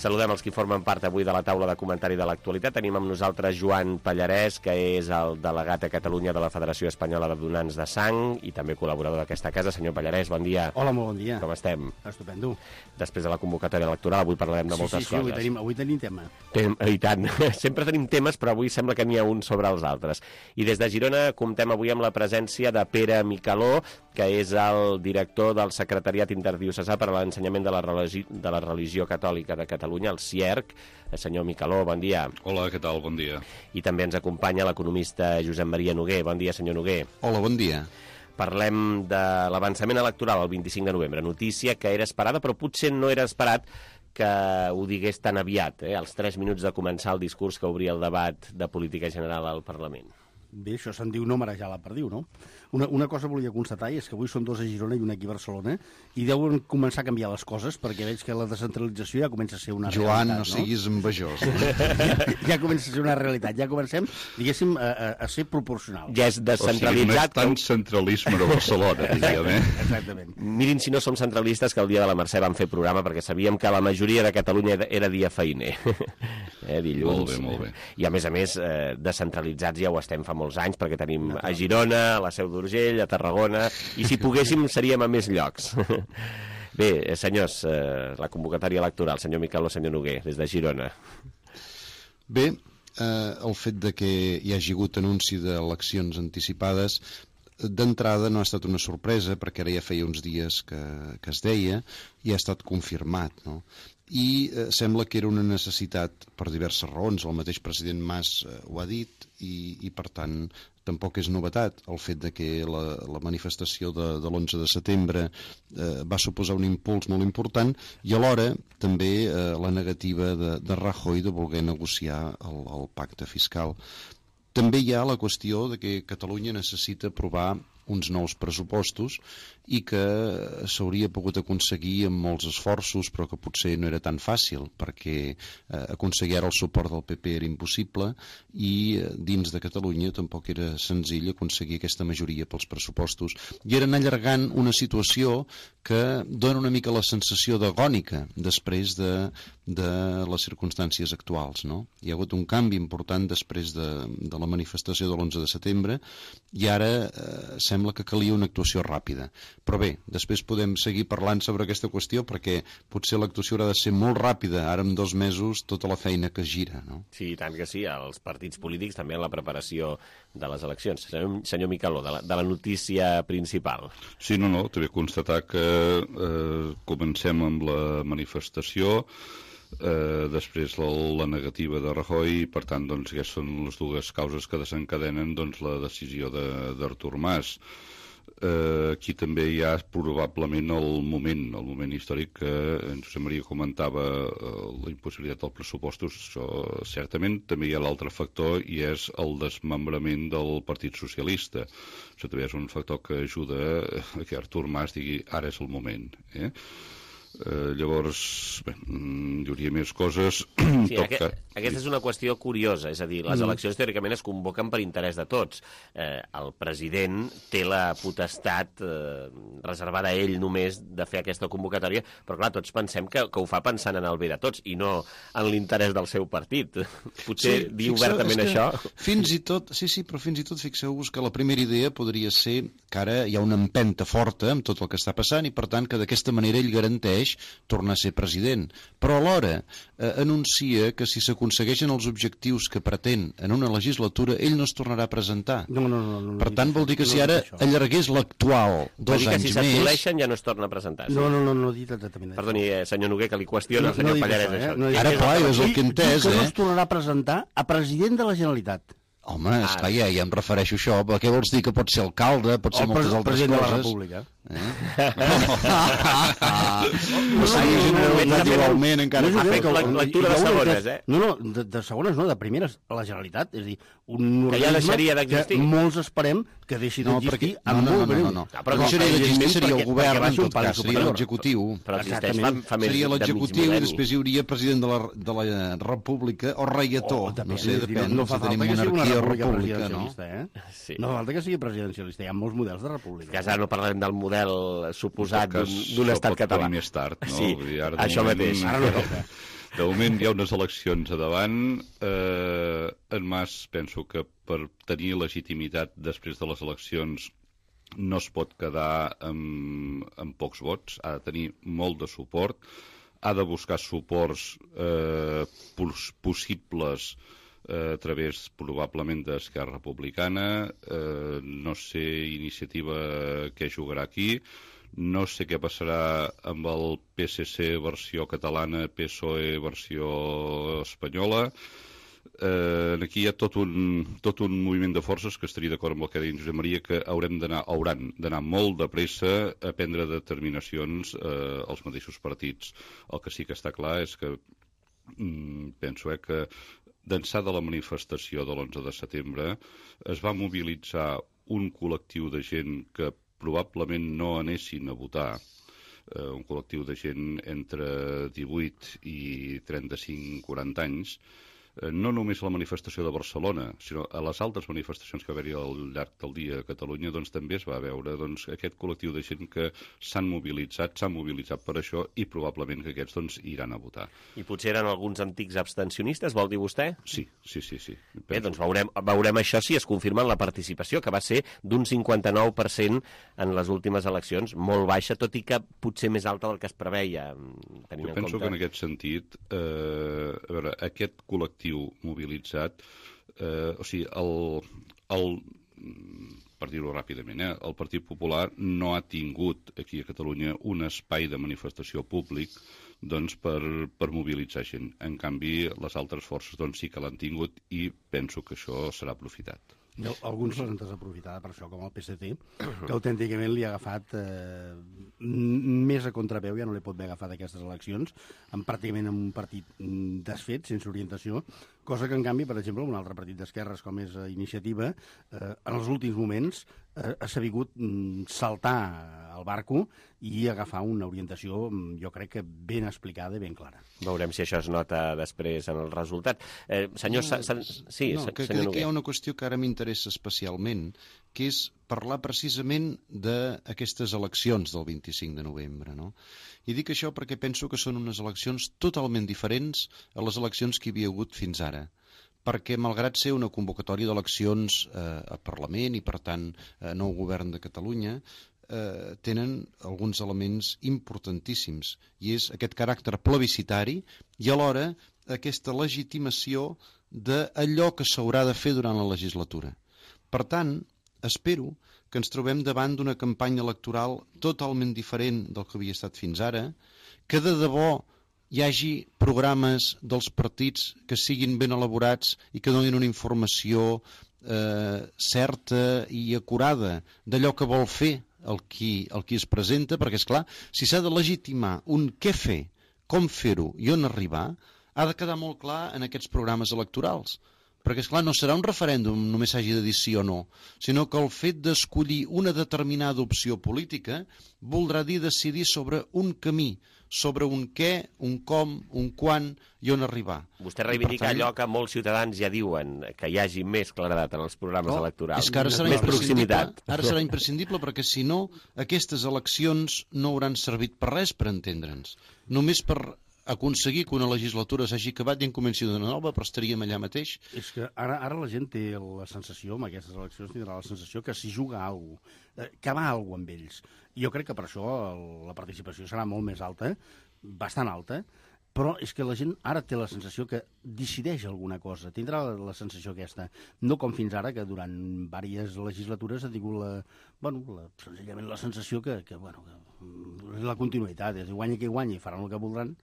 Saludem els qui formen part avui de la taula de comentari de l'actualitat. Tenim amb nosaltres Joan Pallarès, que és el delegat a Catalunya de la Federació Espanyola de Donants de Sang i també col·laborador d'aquesta casa. Senyor Pallarès, bon dia. Hola, molt bon dia. Com estem? Estupendo. Després de la convocatòria electoral, avui parlarem de sí, moltes sí, sí, coses. Avui tenim, avui tenim tema. Tem, I tant. Sempre tenim temes, però avui sembla que n'hi ha un sobre els altres. I des de Girona comptem avui amb la presència de Pere Micaló, que és el director del Secretariat Interdiocesà per a l'Ensenyament de la Religi de la Religió Catòlica de Catalunya, el C I E R C. Senyor Micaló, bon dia. Hola, què tal? Bon dia. I també ens acompanya l'economista Josep Maria Noguer. Bon dia, senyor Noguer. Hola, bon dia. Parlem de l'avançament electoral el vint-i-cinc de novembre. Notícia que era esperada, però potser no era esperat que ho digués tan aviat, eh? als tres minuts de començar el discurs que obria el debat de política general al Parlament. Bé, això se'n diu no marejar la perdiu, no? Una, una cosa volia constatar, i és que avui són dos a Girona i un aquí a Barcelona, i deuen començar a canviar les coses, perquè veig que la descentralització ja comença a ser una Joan, realitat, no siguis envejós. ja, ja comença a ser una realitat, ja comencem, diguéssim, a, a, a ser proporcionals. Ja és descentralitzat. O sigui, no és tant centralisme a Barcelona, diríem, eh? Exactament. Mirin si no som centralistes que el dia de la Mercè vam fer programa, perquè sabíem que la majoria de Catalunya era dia feiner. eh, dilluns. Molt bé, molt bé. I a més a més, eh, descentralitzats ja ho estem fa molts anys, perquè tenim a Girona, a la Seu d'Urgell, a Tarragona, i si poguéssim seríem a més llocs. Bé, senyors, eh, la convocatòria electoral, senyor Micaló, senyor Noguer, des de Girona. Bé, eh, el fet de que hi hagi hagut anunci d'eleccions anticipades d'entrada no ha estat una sorpresa, perquè ara ja feia uns dies que, que es deia i ha estat confirmat, no? I eh, sembla que era una necessitat per diverses raons. El mateix president Mas eh, ho ha dit i, i per tant tampoc és novetat el fet de que la, la manifestació de, de l'onze de setembre eh, va suposar un impuls molt important i alhora també eh, la negativa de, de Rajoy de voler negociar el, el pacte fiscal. També hi ha la qüestió de que Catalunya necessita aprovar uns nous pressupostos i que s'hauria pogut aconseguir amb molts esforços, però que potser no era tan fàcil, perquè eh, aconseguir ara el suport del P P era impossible i eh, dins de Catalunya tampoc era senzill aconseguir aquesta majoria pels pressupostos. I eren allargant una situació que dona una mica la sensació d'agònica després de, de les circumstàncies actuals, no? Hi ha hagut un canvi important després de, de la manifestació de l'onze de setembre i ara eh, sembla que calia una actuació ràpida. Però bé, després podem seguir parlant sobre aquesta qüestió perquè potser l'actuació haurà de ser molt ràpida, ara en dos mesos tota la feina que es gira, no? Sí, tant que sí, els partits polítics també en la preparació de les eleccions. Senyor, senyor Micaló, de la, de la notícia principal. Sí, no, no, també constatar que eh, comencem amb la manifestació, eh, després la, la negativa de Rajoy, i per tant doncs, aquestes són les dues causes que desencadenen doncs, la decisió d'Artur Mas. Eh, aquí també hi ha probablement el moment, el moment històric que en Josep Maria comentava, eh, la impossibilitat dels pressupostos. Això, certament també hi ha l'altre factor i és el desmembrament del Partit Socialista. Això també és un factor que ajuda a que Artur Mas digui ara és el moment. Eh? Eh, llavors, bé, hi hauria més coses. Sí, aquest, aquesta és una qüestió curiosa, és a dir, les eleccions teòricament es convoquen per interès de tots. Eh, el president té la potestat eh, reservada a ell només de fer aquesta convocatòria, però clar, tots pensem que, que ho fa pensant en el bé de tots i no en l'interès del seu partit. Potser sí, dir obertament això... Fins i tot, sí, sí, però fins i tot fixeu-vos que la primera idea podria ser que ara hi ha una empenta forta amb tot el que està passant i per tant que d'aquesta manera ell garanteix tornar a ser president, però alhora eh, anuncia que si s'aconsegueixen els objectius que pretén en una legislatura, ell no es tornarà a presentar. No, no, no, no, per tant, vol dir que si ara allargués l'actual dos anys més... Vol dir que si s'assoleixen ja no es torna a presentar. No, no, no, no he dit exactament això. Perdoni, eh, senyor Noguer, que li qüestiona el senyor Pallarès això. Eh? Ara, clar, és el que he entès, eh? Que no es tornarà a presentar a president de la Generalitat. Home, esclar, ja, ja em refereixo a això. Què vols dir? Que pot ser alcalde, pot ser moltes altres coses? O president de la República. Eh? No seria Generalitat igualment, encara. Ha fet lectura de segones, eh? No, no, de, de segones no, de primeres a la Generalitat. És a dir, un que ja deixaria d'existir. Que molts esperem que deixi d'existir amb molt breu. No, no, no. Però no seria d'existir, seria el govern, en tot cas, seria l'executiu. Però existeix fa, fa més seria l'executiu i després hi hauria president de la, de la República o reietó. No sé, depèn, no fa falta que sigui una república presidencialista, eh? Sí. No fa falta que sigui presidencialista, hi ha molts models de república. Que ara no parlem del model suposat d'un estat català. Més tard, no? Sí, això mateix. Ara no toca. De moment hi ha unes eleccions a davant. Eh, en Mas penso que per tenir legitimitat després de les eleccions no es pot quedar amb, amb pocs vots, ha de tenir molt de suport, ha de buscar suports eh, possibles eh, a través probablement d'Esquerra Republicana, eh, no sé iniciativa què jugarà aquí, no sé què passarà amb el P S C versió catalana, P S O E versió espanyola. Eh, aquí hi ha tot un, tot un moviment de forces que estaria d'acord amb el que deia Josep Maria, que haurem d'anar, hauran d'anar molt de pressa a prendre determinacions eh, als mateixos partits. El que sí que està clar és que mm, penso eh, que d'ençà de la manifestació de l'onze de setembre es va mobilitzar un col·lectiu de gent que probablement no anessin a votar, eh, un col·lectiu de gent entre divuit i trenta-cinc quaranta anys, eh, no només a la manifestació de Barcelona, sinó a les altres manifestacions que va haver-hi al llarg del dia a Catalunya, doncs també es va veure doncs, aquest col·lectiu de gent que s'han mobilitzat, s'han mobilitzat per això i probablement que aquests doncs, iran a votar. I potser eren alguns antics abstencionistes, vol dir vostè? Sí, sí, sí. sí. Bé, doncs veurem, veurem això si es confirma en la participació, que va ser d'un cinquanta-nou per cent en les últimes eleccions, molt baixa, tot i que potser més alta del que es preveia. Jo penso que en aquest sentit, eh, a veure, aquest col·lectiu mobilitzat, eh, o sigui, el, el, per dir-ho ràpidament, eh, el Partit Popular no ha tingut aquí a Catalunya un espai de manifestació públic doncs, per, per mobilitzar gent. En canvi, les altres forces doncs, sí que l'han tingut i penso que això serà aprofitat. Alguns l'han desaprofitat per això, com el P S C, que autènticament li ha agafat eh, més a contraveu, ja no li pot haver agafat aquestes eleccions, amb pràcticament un partit desfet, sense orientació, Cosa que, en canvi, per exemple, un altre partit d'esquerres com és Iniciativa, eh, en els últims moments eh, ha sabut mm, saltar al barco i agafar una orientació, jo crec que ben explicada i ben clara. Veurem si això es nota després en el resultat. Eh, senyor... No, Sa... Sí, no, que, senyor que hi ha una qüestió que ara m'interessa especialment, que és parlar precisament d'aquestes eleccions del vint-i-cinc de novembre, no? I dic això perquè penso que són unes eleccions totalment diferents a les eleccions que hi havia hagut fins ara, perquè malgrat ser una convocatòria d'eleccions eh, a Parlament i per tant eh, nou govern de Catalunya, eh, tenen alguns elements importantíssims, i és aquest caràcter plebiscitari i alhora aquesta legitimació d'allò que s'haurà de fer durant la legislatura. Per tant, espero que ens trobem davant d'una campanya electoral totalment diferent del que havia estat fins ara, que de debò hi hagi programes dels partits que siguin ben elaborats i que donin una informació eh, certa i acurada d'allò que vol fer el qui, el qui es presenta, perquè, és clar, si s'ha de legitimar un què fer, com fer-ho i on arribar, ha de quedar molt clar en aquests programes electorals. Perquè, esclar, no serà un referèndum, només s'hagi de dir sí o no, sinó que el fet d'escollir una determinada opció política voldrà dir decidir sobre un camí, sobre un què, un com, un quan i on arribar. Vostè reivindica tant... allò que molts ciutadans ja diuen, que hi hagi més claredat en els programes no, electorals. És que ara serà més proximitat. Ara serà imprescindible perquè, si no, aquestes eleccions no hauran servit per res per entendre'ns. Només per aconseguir que una legislatura s'hagi acabat i en comenci una nova, però estaríem allà mateix. És que ara, ara la gent té la sensació, amb aquestes eleccions tindrà la sensació que s'hi juga alguna cosa, que va alguna cosa amb ells. Jo crec que per això la participació serà molt més alta, bastant alta, però és que la gent ara té la sensació que decideix alguna cosa, tindrà la, la sensació aquesta, no com fins ara, que durant diverses legislatures ha tingut la, bueno, la, senzillament la sensació que, que, bueno, que la continuïtat, és dir, guanya qui guanya i faran el que voldran.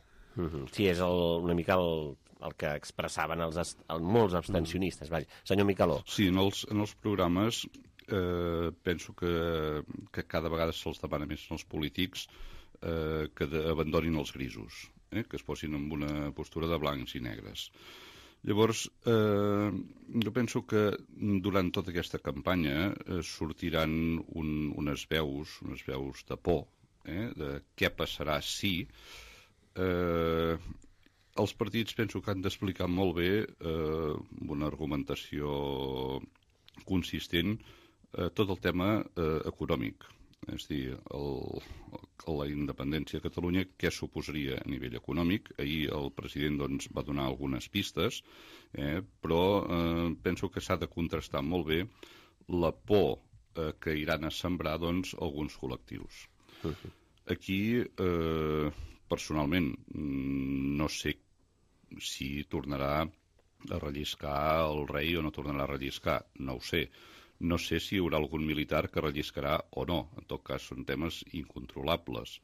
Sí, és el, una mica el, el que expressaven els, el, molts abstencionistes. Vaja. Senyor Micaló. Sí, en els, en els programes eh, penso que, que cada vegada se'ls demana més als polítics eh, que de, abandonin els grisos, eh, que es posin en una postura de blancs i negres. Llavors, eh, jo penso que durant tota aquesta campanya eh, sortiran un, unes veus, unes veus de por, eh, de què passarà si... Eh, els partits penso que han d'explicar molt bé eh, una argumentació consistent eh, tot el tema eh, econòmic, és a dir, el, el, la independència de Catalunya, què suposaria a nivell econòmic. Ahir el president doncs, va donar algunes pistes, eh, però eh, penso que s'ha de contrastar molt bé la por eh, que iran a sembrar doncs, alguns col·lectius. Aquí... Eh, personalment, no sé si tornarà a relliscar el rei o no tornarà a relliscar, no ho sé. No sé si hi haurà algun militar que relliscarà o no, en tot cas són temes incontrolables.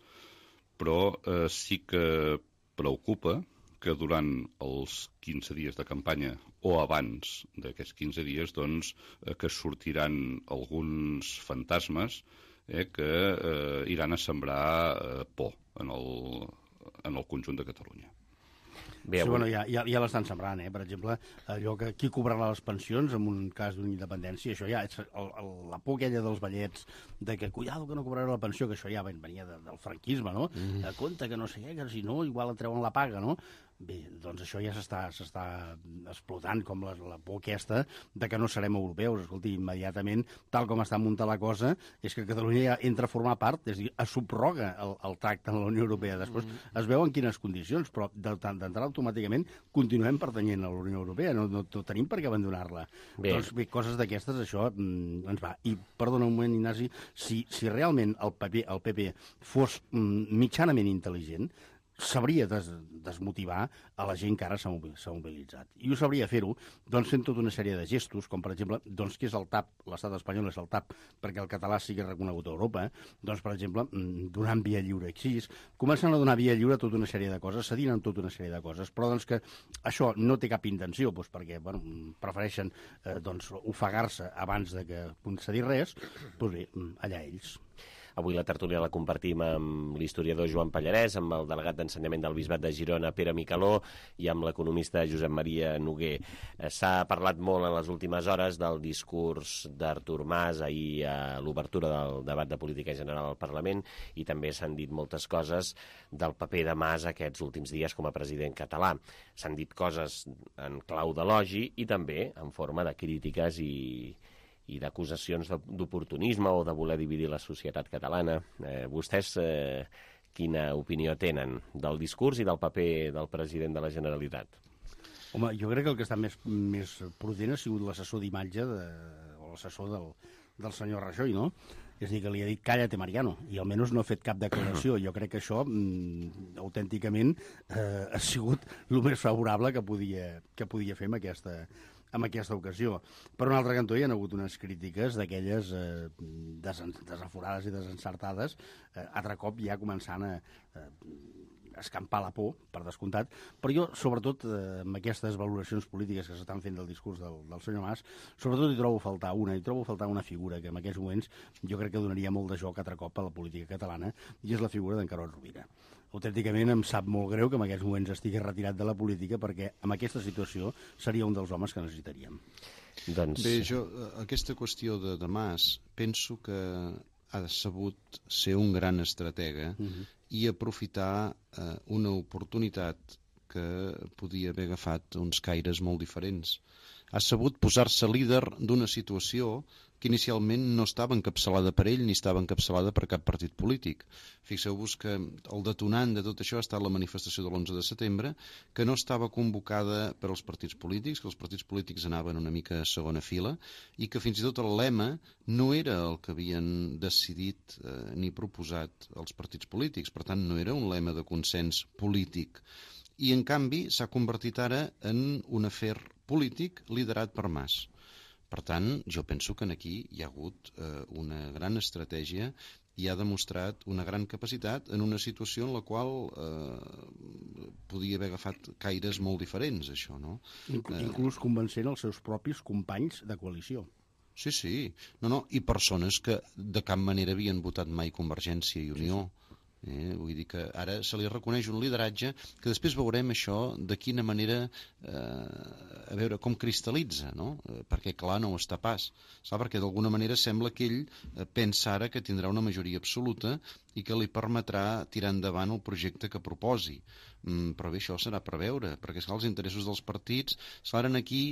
Però eh, sí que preocupa que durant els quinze dies de campanya o abans d'aquests quinze dies doncs, eh, que sortiran alguns fantasmes eh, que eh, iran a sembrar eh, por en el, en el conjunt de Catalunya. Bé, sí, bueno, ja, ja, ja l'estan sembrant, eh? Per exemple, allò que qui cobrarà les pensions en un cas d'una independència, això ja, és el, el, la por aquella dels ballets de que, cuidado que no cobrarà la pensió, que això ja venia de, del franquisme, no? Mm. De compte que no sé què, que si no, igual et treuen la paga, no? Bé, doncs això ja s'està explotant, com la, la por aquesta de que no serem europeus. Escolti, immediatament, tal com està muntada la cosa, és que Catalunya ja entra a formar part, és a dir, es subroga el, el tracte en la Unió Europea. Després mm. es veu en quines condicions, però d'entrar automàticament continuem pertanyent a la Unió Europea, no, no, no tenim per què abandonar-la. Doncs bé, coses d'aquestes, això mm, ens va. I, perdona un moment, Ignasi, si, si realment el P P, el P P fos mm, mitjanament intel·ligent, sabria des, desmotivar a la gent que ara s'ha mobilitzat. I ho sabria fer-ho doncs, fent tota una sèrie de gestos, com per exemple, doncs, que és el T A P, l'estat espanyol és el T A P perquè el català sigui reconegut a Europa, doncs, per exemple, donant via lliure així, comencen a donar via lliure a tota una sèrie de coses, cedint en tota una sèrie de coses, però doncs, que això no té cap intenció, doncs, perquè bueno, prefereixen eh, doncs, ofegar-se abans de que concedir res, doncs bé, allà ells. Avui la tertúlia la compartim amb l'historiador Joan Pallarès, amb el delegat d'ensenyament del Bisbat de Girona, Pere Micaló, i amb l'economista Josep Maria Noguer. S'ha parlat molt en les últimes hores del discurs d'Artur Mas ahir a l'obertura del debat de política general al Parlament, i també s'han dit moltes coses del paper de Mas aquests últims dies com a president català. S'han dit coses en clau d'elogi i també en forma de crítiques i, i d'acusacions d'oportunisme o de voler dividir la societat catalana. Eh, vostès eh, quina opinió tenen del discurs i del paper del president de la Generalitat? Home, jo crec que el que està més, més prudent ha sigut l'assessor d'imatge de, o l'assessor del, del senyor Rajoy, no? És a dir, que li ha dit cállate, Mariano, i almenys no ha fet cap declaració. Jo crec que això, mm, autènticament, eh, ha sigut el més favorable que podia, que podia fer amb aquesta, en aquesta ocasió. Per un altre cantó hi ha hagut unes crítiques d'aquelles eh, desen, desaforades i desencertades, eh, altre cop ja començant a eh, escampar la por, per descomptat, però jo, sobretot, eh, amb aquestes valoracions polítiques que s'estan fent del discurs del, del senyor Mas, sobretot hi trobo faltar una, hi trobo faltar una figura que en aquests moments jo crec que donaria molt de joc altre cop a la política catalana, i és la figura d'en Carod Rovira. Autènticament em sap molt greu que en aquests moments estigui retirat de la política, perquè en aquesta situació seria un dels homes que necessitaríem. Doncs... Bé, jo, aquesta qüestió de, de Mas, penso que ha sabut ser un gran estratega uh-huh. i aprofitar eh, una oportunitat que podia haver agafat uns caires molt diferents. Ha sabut posar-se líder d'una situació que inicialment no estava encapçalada per ell ni estava encapçalada per cap partit polític. Fixeu-vos que el detonant de tot això ha estat la manifestació de l'onze de setembre, que no estava convocada per als partits polítics, que els partits polítics anaven una mica a segona fila, i que fins i tot el lema no era el que havien decidit eh, ni proposat els partits polítics. Per tant, no era un lema de consens polític. I, en canvi, s'ha convertit ara en un afer polític liderat per Mas. Per tant, jo penso que aquí hi ha hagut eh, una gran estratègia i ha demostrat una gran capacitat en una situació en la qual eh, podia haver agafat caires molt diferents, això, no? Inclús, eh, inclús convencent els seus propis companys de coalició. Sí, sí. No, no. I persones que de cap manera havien votat mai Convergència i Unió. Sí, sí. Eh, vull dir que ara se li reconeix un lideratge que després veurem això de quina manera eh, a veure com cristal·litza, no? Eh, perquè clar, no ho està pas, saps? Perquè d'alguna manera sembla que ell eh, pensa ara que tindrà una majoria absoluta i que li permetrà tirar endavant el projecte que proposi. Mm, però bé, això serà per veure, perquè esclar, els interessos dels partits seran aquí.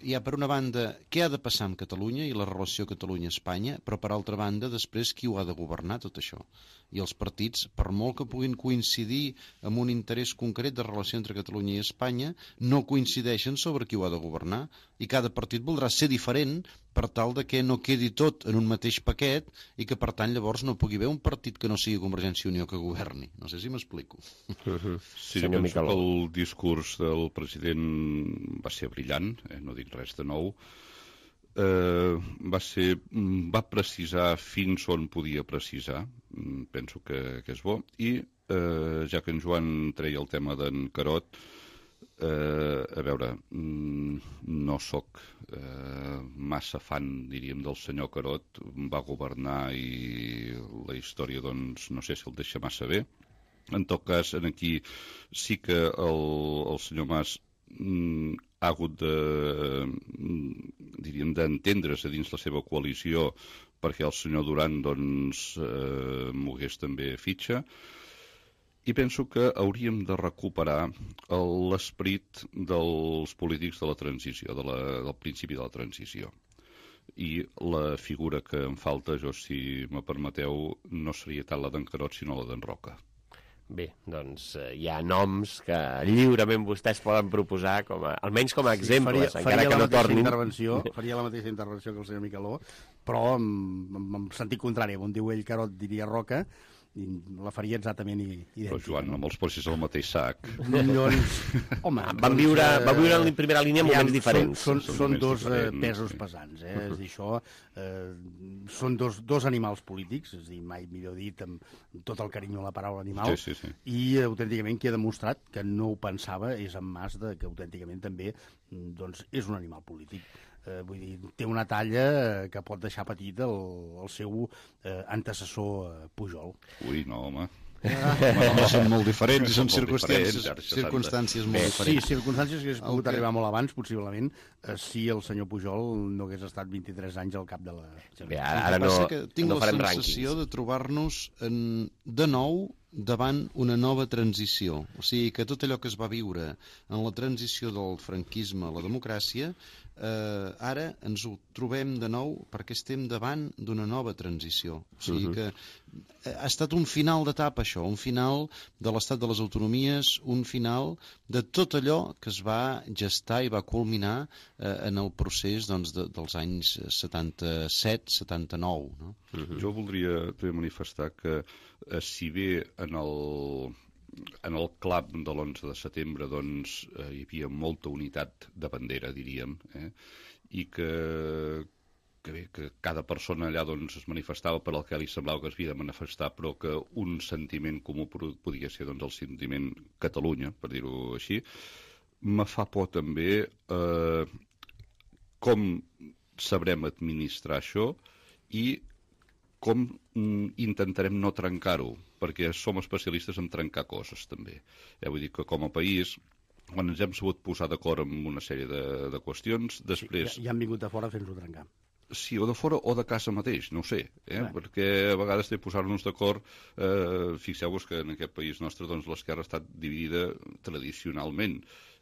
Hi ha per una banda què ha de passar amb Catalunya i la relació Catalunya-Espanya, però per altra banda després qui ho ha de governar tot això. I els partits, per molt que puguin coincidir amb un interès concret de relació entre Catalunya i Espanya, no coincideixen sobre qui ho ha de governar, i cada partit voldrà ser diferent per tal de que no quedi tot en un mateix paquet i que per tant llavors no pugui haver un partit que no sigui Convergència i Unió que governi. No sé si m'explico. Uh-huh. Sí, jo penso que el discurs del president va ser brillant, eh? No dic res de nou. Eh, va ser, va precisar fins on podia precisar, penso que, que és bo, i eh, ja que en Joan treia el tema d'en Carod, eh, a veure, no sóc eh, massa fan, diríem, del senyor Carod, va governar i la història, doncs, no sé si el deixa massa bé. En tot cas, aquí sí que el, el senyor Mas mm, ha hagut de, diríem, d'entendre's a dins la seva coalició perquè el senyor Duran doncs, eh, mogués també fitxa, i penso que hauríem de recuperar l'esperit dels polítics de la transició, de la, del principi de la transició. I la figura que em falta, jo, si me permeteu, no seria tant la d'en Carod, sinó la d'en Roca. Bé, doncs eh, hi ha noms que lliurement vostès poden proposar, com a, almenys com a exemples, sí, faria, encara faria que no tornin. Intervenció, faria la mateixa intervenció que el senyor Micaló, però en, en, en sentit contrari, on diu ell Carod diria Roca, i la faria exactament idèntica. Però, Joan, no me'ls posis al mateix sac. Doncs, home... Van viure, eh, va viure en primera línia en moments diferents. Són, són, són dos diferents, eh, pesos sí. pesants, eh? Uh-huh. És dir, això, eh, són dos, dos animals polítics, és dir, mai millor dit, amb tot el carinyo a la paraula animal, sí, sí, sí. i autènticament qui ha demostrat que no ho pensava és en Mas de que autènticament també doncs, és un animal polític. eh, vull dir, té una talla que pot deixar petit el, el seu eh, antecessor eh, Pujol. Ui, no, home. Ah. Són molt diferents i són Molt circumstàncies, diferents, circumstàncies molt Sí, diferents. circumstàncies que hagués pogut que- arribar molt abans, possiblement, eh, si el senyor Pujol no hagués estat vint-i-tres anys al cap de la... Bé, ara, El ara que no, passa que tinc no la farem sensació rànquings. de trobar-nos en, de nou davant una nova transició. O sigui, que tot allò que es va viure en la transició del franquisme a la democràcia, eh, ara ens ho trobem de nou perquè estem davant d'una nova transició. O sigui Mhm. que ha estat un final d'etapa, això, un final de l'estat de les autonomies, un final de tot allò que es va gestar i va culminar eh, en el procés doncs, de, dels anys setanta-set setanta-nou. No? Mm-hmm. Jo voldria també manifestar que eh, si bé en el, en el clap de l'onze de setembre doncs, eh, hi havia molta unitat de bandera, diríem, eh, i que, que bé, que cada persona allà doncs, es manifestava per al que li semblava que es havia de manifestar, però que un sentiment comú podia ser doncs, el sentiment Catalunya, per dir-ho així. Me fa por també eh, com sabrem administrar això i com mm, intentarem no trencar-ho, perquè som especialistes en trencar coses, també. Ja vull dir que com a país, quan ens hem sabut posar d'acord en una sèrie de, de qüestions, després... Sí, ja, ja han vingut de fora a fer-nos-ho trencar. Sí, o de fora o de casa mateix, no ho sé, eh? Bé. Perquè a vegades té posar-nos d'acord, eh, fixeu-vos que en aquest país nostre doncs, l'esquerra ha estat dividida tradicionalment,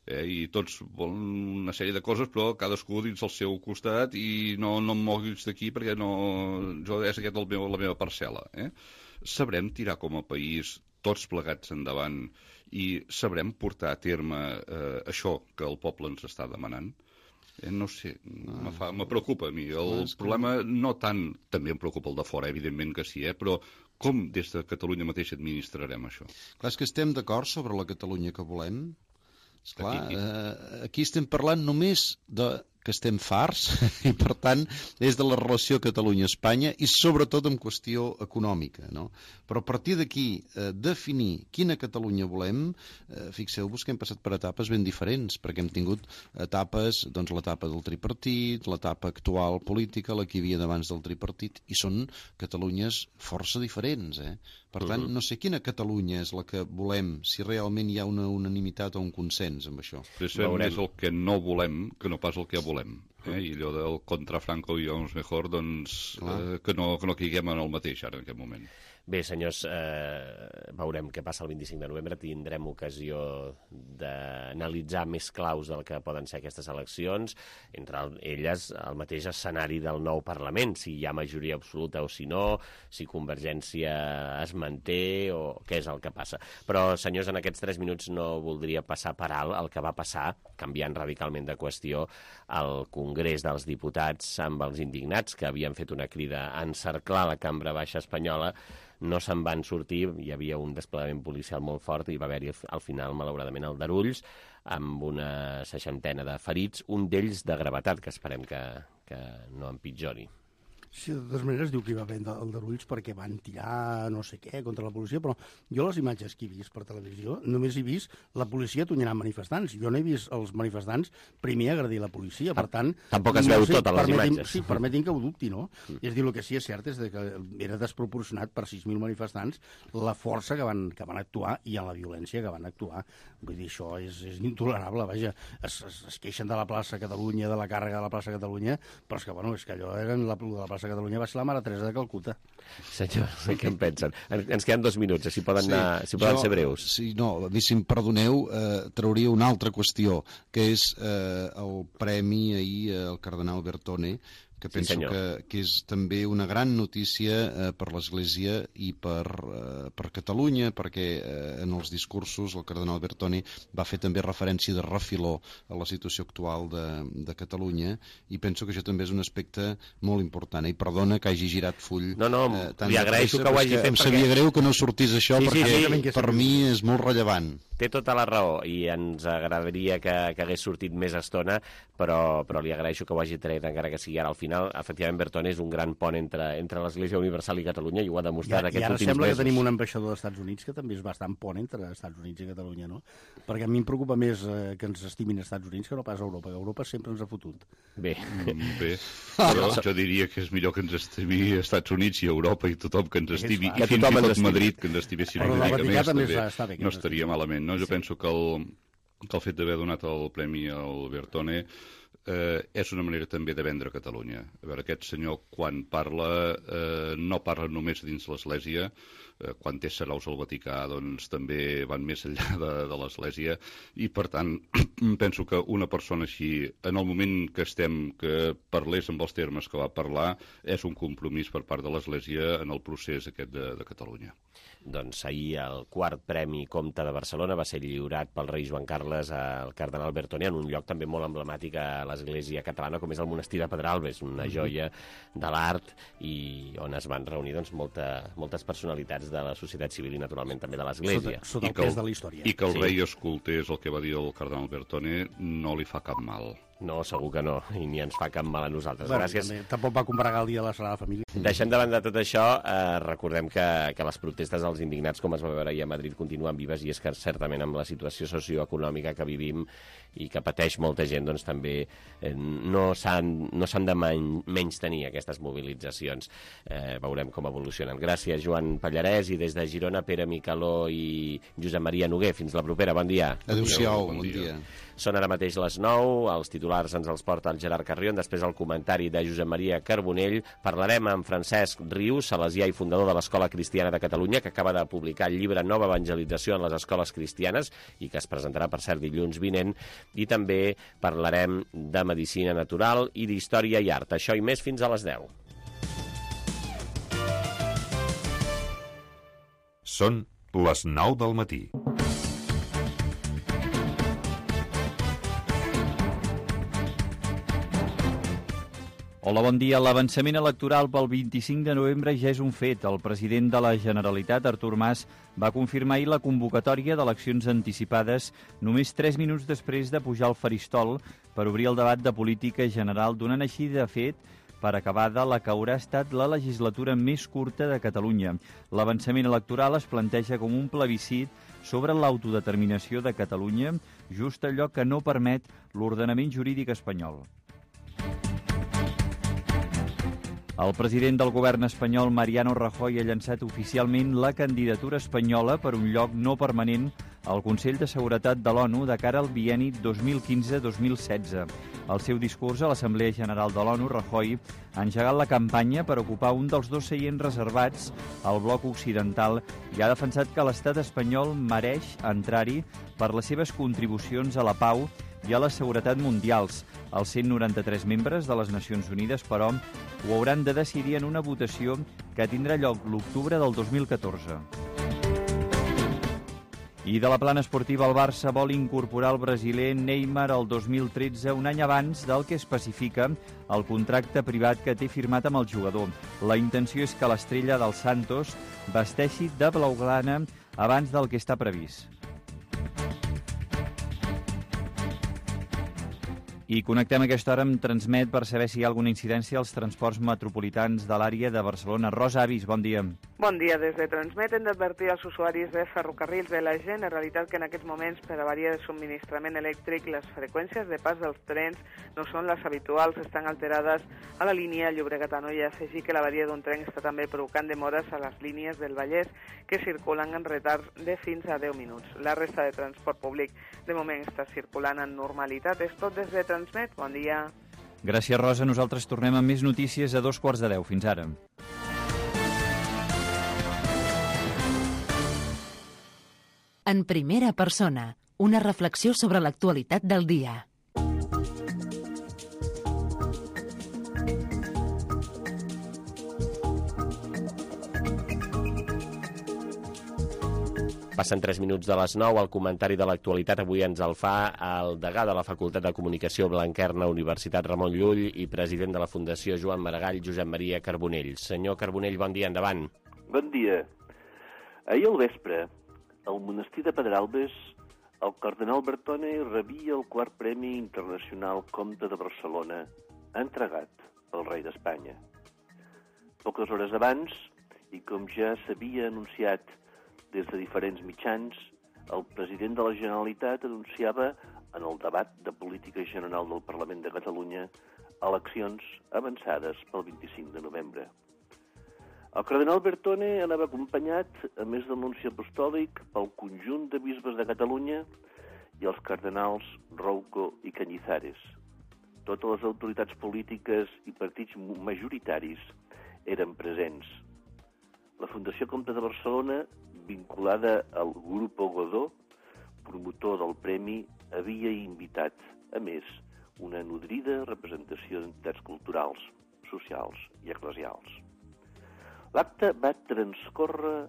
eh? I tots volen una sèrie de coses, però cadascú dins el seu costat i no, no em moguis d'aquí perquè no, jo és aquest el meu, la meva parcel·la. Eh? Sabrem tirar com a país tots plegats endavant i sabrem portar a terme eh, això que el poble ens està demanant? Eh, no sé, me, fa, me preocupa a mi. El és que- problema no tant, també em preocupa el de fora, evidentment que sí, eh, però com des de Catalunya mateix administrarem això? Clar, és que estem d'acord sobre la Catalunya que volem. Esclar, Aquí. eh, aquí estem parlant només de que estem farts i, per tant, és de la relació Catalunya-Espanya i, sobretot, en qüestió econòmica. No? Però a partir d'aquí, eh, definir quina Catalunya volem, eh, fixeu-vos que hem passat per etapes ben diferents, perquè hem tingut etapes, doncs l'etapa del tripartit, l'etapa actual política, la que hi havia d'abans del tripartit, i són Catalunyes força diferents, eh? Per tant, no sé quina Catalunya és la que volem, si realment hi ha una unanimitat o un consens amb això. Precisament és el que no volem que no pas el que volem. Eh? I allò del contra Franco i uns mejor, doncs, eh, que, no, que no caiguem en el mateix ara, en aquest moment. Bé, senyors, eh, veurem què passa el vint-i-cinc de novembre. Tindrem ocasió d'analitzar més claus del que poden ser aquestes eleccions, entre elles el mateix escenari del nou Parlament, si hi ha majoria absoluta o si no, si Convergència es manté o què és el que passa. Però, senyors, en aquests tres minuts no voldria passar per alt el que va passar, canviant radicalment de qüestió, al Congrés dels Diputats amb els indignats, que havien fet una crida a encerclar la cambra baixa espanyola. No se'n van sortir, hi havia un desplegament policial molt fort i va haver-hi al final, malauradament, el d'Arulls, amb una seixantena de ferits, un d'ells de gravetat, que esperem que, que no empitjori. Sí, de totes maneres diu que hi va haver el d'Arulls perquè van tirar no sé què contra la policia, però jo les imatges que he vist per televisió només he vist la policia tonyinant manifestants. Jo no he vist els manifestants primer agredir la policia, per tant... Tampoc es no veu sé, tot a les permetin, imatges. Sí, permetin que ho dubti, no? Mm. És a dir, el que sí és cert és que era desproporcionat per sis mil manifestants la força que van, que van actuar i en la violència que van actuar. Vull dir, això és, és intolerable, vaja. Es, es, es queixen de la plaça Catalunya, de la càrrega de la plaça Catalunya, però és que, bueno, és que allò eren la, de la plaça Catalunya va ser la Mare Teresa de Calcuta. Senyor, què en pensen? Ens queden dos minuts, si poden, anar, si poden jo, ser breus. Sí, no, a mi, si em perdoneu, eh, trauria una altra qüestió, que és eh, el premi ahir al cardenal Bertone, que penso Sí, que, que és també una gran notícia eh, per l'Església i per, eh, per Catalunya, perquè eh, en els discursos el cardenal Bertone va fer també referència de refiló a la situació actual de, de Catalunya, i penso que això també és un aspecte molt important. I perdona que hagi girat full No, no, eh, tan li de agraeixo pressa, que ho però hagi és fet em perquè- sabia greu que no sortís això, Sí, sí, perquè sí, per mi és molt rellevant. té tota la raó i ens agradaria que, que hagués sortit més estona, però, però li agraeixo que ho hagi tret, encara que sigui ara al final. Efectivament, Bertone és un gran pont entre, entre l'Església Universal i Catalunya i ho ha demostrat I, aquests últims mesos. I ara sembla mesos. que tenim un ambaixador dels Estats Units que també és bastant pont entre Estats Units i Catalunya, no? Perquè a mi em preocupa més eh, que ens estimin els Estats Units que no pas Europa, que Europa sempre ens ha fotut. Bé. Mm, bé, però jo diria que és millor que ens estimi els Estats Units i Europa i tothom que ens estimi, i fins i tot Madrid que ens estimessin una mica més, també no estaria malament. No? Jo penso que el, que el fet d'haver donat el premi al Bertone eh, és una manera també de vendre Catalunya. A veure, aquest senyor, quan parla, eh, no parla només dins l'Església, eh, quan té saraus al Vaticà, doncs també van més enllà de, de l'Església, i per tant, penso que una persona així, en el moment que estem, que parlés amb els termes que va parlar, és un compromís per part de l'Església en el procés aquest de, de Catalunya. Doncs ahir el quart Premi Comte de Barcelona va ser lliurat pel rei Joan Carles al cardenal Bertone en un lloc també molt emblemàtic a l'Església catalana, com és el monestir de Pedralbes, una joia de l'art i on es van reunir doncs, molta, moltes personalitats de la societat civil i naturalment també de l'Església. Sota, sota el pes de la història. I que el sí. rei escoltés el que va dir el cardenal Bertone no li fa cap mal. No, segur que no, i ni ens fa cap mal a nosaltres. Bueno, Gràcies. També, tampoc va combregar el dia de la Sagrada Família. Deixem de banda tot això, eh, recordem que, que les protestes dels indignats, com es va veure ahir a Madrid, continuen vives, i és que certament amb la situació socioeconòmica que vivim i que pateix molta gent, doncs també eh, no s'han no s'han de menys tenir aquestes mobilitzacions. Eh, veurem com evolucionen. Gràcies, Joan Pallarès, i des de Girona, Pere Micaló i Josep Maria Noguer. Fins la propera, bon dia. Adéu-siau, bon, bon dia. dia. Són ara mateix les nou, els titulars ens els porta el Gerard Carrion, després el comentari de Josep Maria Carbonell. Parlarem amb Francesc Rius, salesià i fundador de l'Escola Cristiana de Catalunya, que acaba de publicar el llibre Nova Evangelització en les Escoles Cristianes i que es presentarà, per cert, dilluns vinent. I també parlarem de medicina natural i d'història i art. Això i més fins a les deu. Són les nou del matí. Hola, bon dia. L'avançament electoral pel vint-i-cinc de novembre ja és un fet. El president de la Generalitat, Artur Mas, va confirmar ahir la convocatòria d'eleccions anticipades només tres minuts després de pujar al faristol per obrir el debat de política general, donant així, de fet, per acabada la que haurà estat la legislatura més curta de Catalunya. L'avançament electoral es planteja com un plebiscit sobre l'autodeterminació de Catalunya, just allò que no permet l'ordenament jurídic espanyol. El president del govern espanyol, Mariano Rajoy, ha llançat oficialment la candidatura espanyola per un lloc no permanent al Consell de Seguretat de l'ONU de cara al bienni dos mil quinze dos mil setze. Al seu discurs a l'Assemblea General de l'ONU, Rajoy ha engegat la campanya per ocupar un dels dos seients reservats al bloc occidental i ha defensat que l'estat espanyol mereix entrar-hi per les seves contribucions a la pau i a la seguretat mundials. Els cent noranta-tres membres de les Nacions Unides, però, ho hauran de decidir en una votació que tindrà lloc l'octubre del dos mil catorze. I de la plana esportiva, el Barça vol incorporar el brasiler Neymar el dos mil tretze, un any abans del que especifica el contracte privat que té firmat amb el jugador. La intenció és que l'estrella del Santos vesteixi de blaugrana abans del que està previst. I connectem a aquesta hora amb Transmet per saber si hi ha alguna incidència als transports metropolitans de l'àrea de Barcelona. Rosa Avis, bon dia. Bon dia. Des de Transmet hem d'advertir als usuaris de ferrocarrils de la Generalitat que en aquests moments, per avaria de subministrament elèctric, les freqüències de pas dels trens no són les habituals, estan alterades a la línia Llobregat-Anoia. Afegir que l'avaria d'un tren està també provocant demores a les línies del Vallès que circulen en retard de fins a deu minuts. La resta de transport públic de moment està circulant en normalitat. És tot des de Transmet. Bon dia. Gràcies, Rosa. Nosaltres tornem amb més notícies a dos quarts de deu. Fins ara. En primera persona, una reflexió sobre l'actualitat del dia. Passen tres minuts de les nou, el comentari de l'actualitat avui ens el fa el degà de la Facultat de Comunicació Blanquerna, Universitat Ramon Llull, i president de la Fundació Joan Maragall, Josep Maria Carbonell. Senyor Carbonell, bon dia, endavant. Bon dia. Ahir al vespre, al monestir de Pedralbes el cardenal Bertone rebia el quart Premi Internacional Comte de Barcelona, entregat pel rei d'Espanya. Poques hores abans, i com ja s'havia anunciat des de diferents mitjans, el president de la Generalitat anunciava en el debat de política general del Parlament de Catalunya eleccions avançades pel vint-i-cinc de novembre. El cardenal Bertone anava acompanyat, a més del nunci apostòlic, pel conjunt de bisbes de Catalunya i els cardenals Rouco i Cañizares. Totes les autoritats polítiques i partits majoritaris eren presents. La Fundació Comte de Barcelona, vinculada al Grupo Godó, promotor del premi, havia invitat, a més, una nodrida representació d'entitats culturals, socials i eclesials. L'acte va transcórrer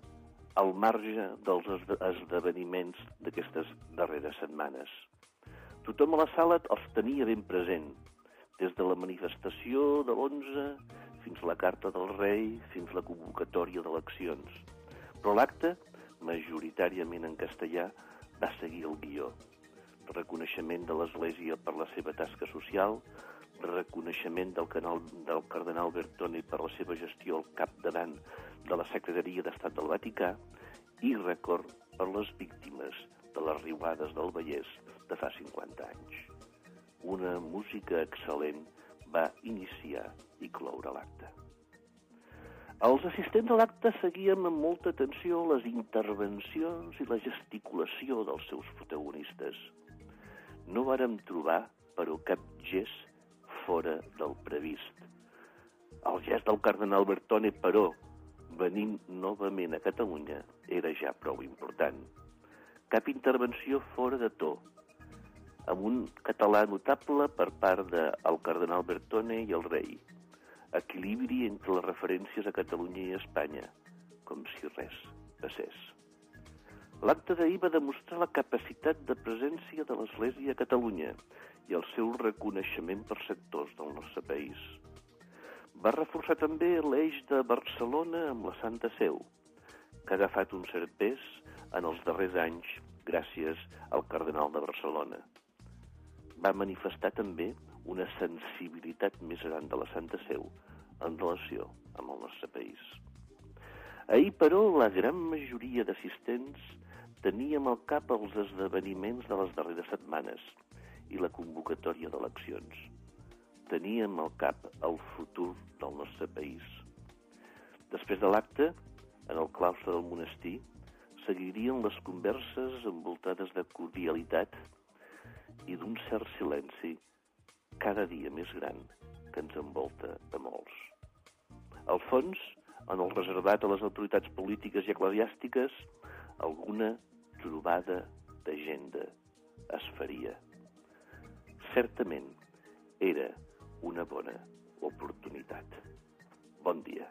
al marge dels esdeveniments d'aquestes darreres setmanes. Tothom a la sala els tenia ben present, des de la manifestació de l'onze fins a la carta del rei, fins a la convocatòria d'eleccions. Però l'acte, majoritàriament en castellà, va seguir el guió. Reconeixement de l'Església per la seva tasca social, reconeixement del, canal, del cardenal Bertone per la seva gestió al capdavant de la Secretaria d'Estat del Vaticà i record per les víctimes de les riuades del Vallès de fa cinquanta anys. Una música excel·lent va iniciar i cloure l'acte. Els assistents a l'acte seguien amb molta atenció les intervencions i la gesticulació dels seus protagonistes. No vàrem trobar, però, cap gest fora del previst. El gest del cardenal Bertone, però, venint novament a Catalunya, era ja prou important. Cap intervenció fora de to, amb un català notable per part del cardenal Bertone i el rei. Equilibri entre les referències a Catalunya i Espanya, com si res passés. L'acte d'ahir va demostrar la capacitat de presència de l'Església a Catalunya i el seu reconeixement per sectors del nostre país. Va reforçar també l'eix de Barcelona amb la Santa Seu, que ha agafat un cert pes en els darrers anys gràcies al cardenal de Barcelona. Va manifestar també una sensibilitat més gran de la Santa Seu en relació amb el nostre país. Ahir, però, la gran majoria d'assistents teníem al cap els esdeveniments de les darreres setmanes i la convocatòria d'eleccions. Teníem al cap el futur del nostre país. Després de l'acte, en el claustre del monestir, seguirien les converses envoltades de cordialitat i d'un cert silenci cada dia més gran que ens envolta a molts. Al fons, en el reservat a les autoritats polítiques i eclesiàstiques, alguna trobada d'agenda es faria. Certament era una bona oportunitat. Bon dia.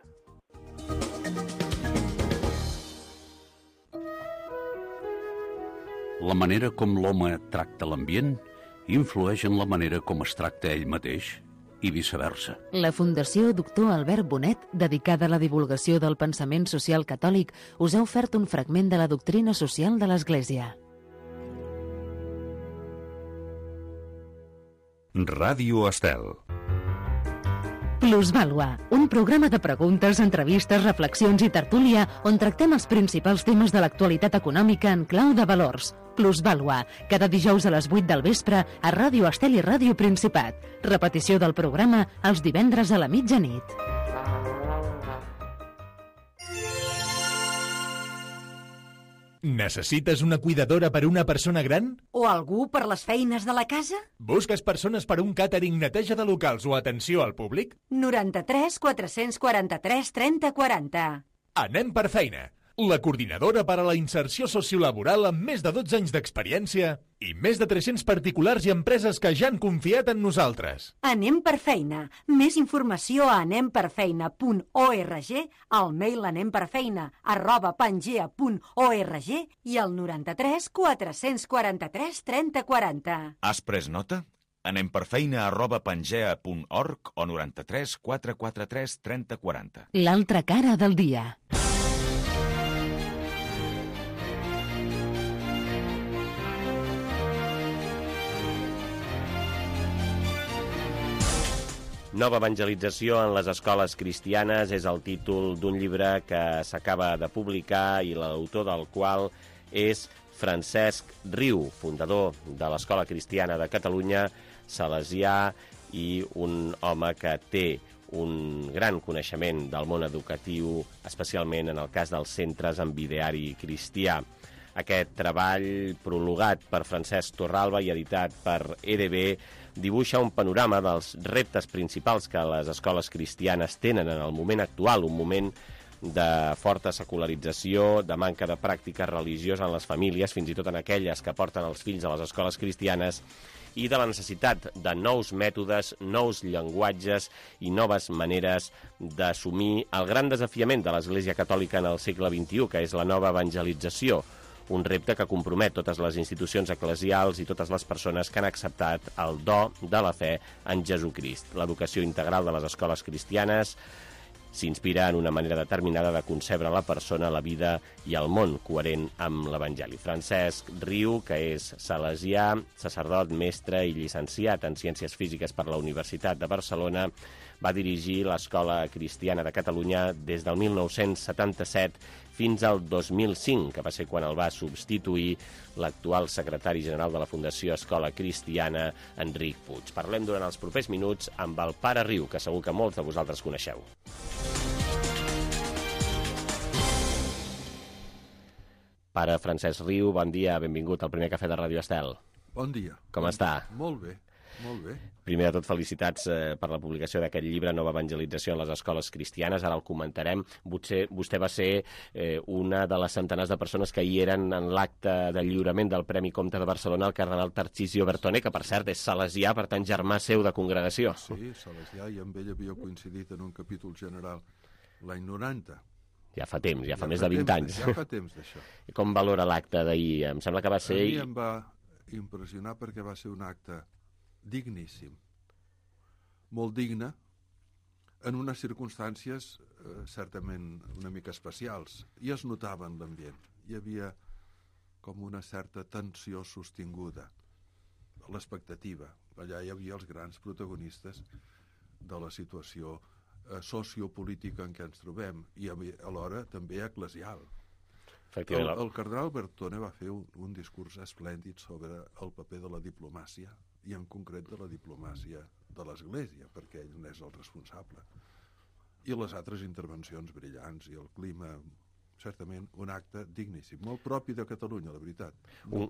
La manera com l'home tracta l'ambient influeix en la manera com es tracta ell mateix i viceversa. La Fundació Doctor Albert Bonet, dedicada a la divulgació del pensament social catòlic, us ha ofert un fragment de la doctrina social de l'Església. Ràdio Estel. Plusvàlua, un programa de preguntes, entrevistes, reflexions i tertúlia on tractem els principals temes de l'actualitat econòmica en clau de valors. Plusvàlua, cada dijous a les vuit del vespre a Ràdio Estel i Ràdio Principat. Repetició del programa els divendres a la mitjanit. Necessites una cuidadora per a una persona gran? O algú per les feines de la casa? Busques persones per a un càtering, neteja de locals o atenció al públic? noranta-tres quatre-cents quaranta-tres trenta quaranta. Anem per feina. La coordinadora per a la inserció sociolaboral amb més de dotze anys d'experiència i més de tres-cents particulars i empreses que ja han confiat en nosaltres. Anem per feina. Més informació a anem per feina punt org, al mail anemperfeina arroba pangea punt org i al noranta-tres quatre-cents quaranta-tres trenta quaranta. Has pres nota? Anem per feina arroba pangea punt org o noranta-tres quatre-cents quaranta-tres trenta quaranta. L'altra cara del dia. Nova evangelització en les escoles cristianes és el títol d'un llibre que s'acaba de publicar i l'autor del qual és Francesc Riu, fundador de l'Escola Cristiana de Catalunya, salesià i un home que té un gran coneixement del món educatiu, especialment en el cas dels centres amb ideari cristià. Aquest treball, prologat per Francesc Torralba i editat per E D B, dibuixa un panorama dels reptes principals que les escoles cristianes tenen en el moment actual, un moment de forta secularització, de manca de pràctica religiosa en les famílies, fins i tot en aquelles que porten els fills a les escoles cristianes, i de la necessitat de nous mètodes, nous llenguatges i noves maneres d'assumir el gran desafiament de l'Església Catòlica en el segle vint-i-u, que és la nova evangelització, un repte que compromet totes les institucions eclesials i totes les persones que han acceptat el do de la fe en Jesucrist. L'educació integral de les escoles cristianes s'inspira en una manera determinada de concebre la persona, la vida i el món coherent amb l'Evangeli. Francesc Riu, que és salesià, sacerdot, mestre i llicenciat en Ciències Físiques per la Universitat de Barcelona, va dirigir l'Escola Cristiana de Catalunya des del mil nou-cents setanta-set fins al dos mil cinc, que va ser quan el va substituir l'actual secretari general de la Fundació Escola Cristiana, Enric Puig. Parlem durant els propers minuts amb el pare Riu, que segur que molts de vosaltres coneixeu. Pare Francesc Riu, bon dia, benvingut al primer cafè de Ràdio Estel. Bon dia. Com bon està? Dia. Molt bé, molt bé. Primer de tot, felicitats eh, per la publicació d'aquest llibre, Nova evangelització en les escoles cristianes. Ara el comentarem. Vostè, vostè va ser eh, una de les centenars de persones que hi eren en l'acte de lliurament del Premi Comte de Barcelona al cardenal Tarcisio Bertone, que per cert és salesià, per tant germà seu de congregació. Sí, salesià, i amb ell havia coincidit en un capítol general l'any noranta. Ja fa temps, ja fa ja més fa de vint temps, anys. Ja fa temps d'això. Com valora l'acte d'ahir? Em sembla que va ser... A mi em va impressionar perquè va ser un acte digníssim, molt digne, en unes circumstàncies eh, certament una mica especials, i es notava en l'ambient. Hi havia com una certa tensió sostinguda, l'expectativa. Allà hi havia els grans protagonistes de la situació eh, sociopolítica en què ens trobem, i alhora també eclesial. El, el cardenal Bertone va fer un, un discurs esplèndid sobre el paper de la diplomàcia, i en concret de la diplomàcia de l'Església, perquè ell n'és el responsable. I les altres intervencions brillants, i el clima, certament un acte digníssim, molt propi de Catalunya, la veritat. No,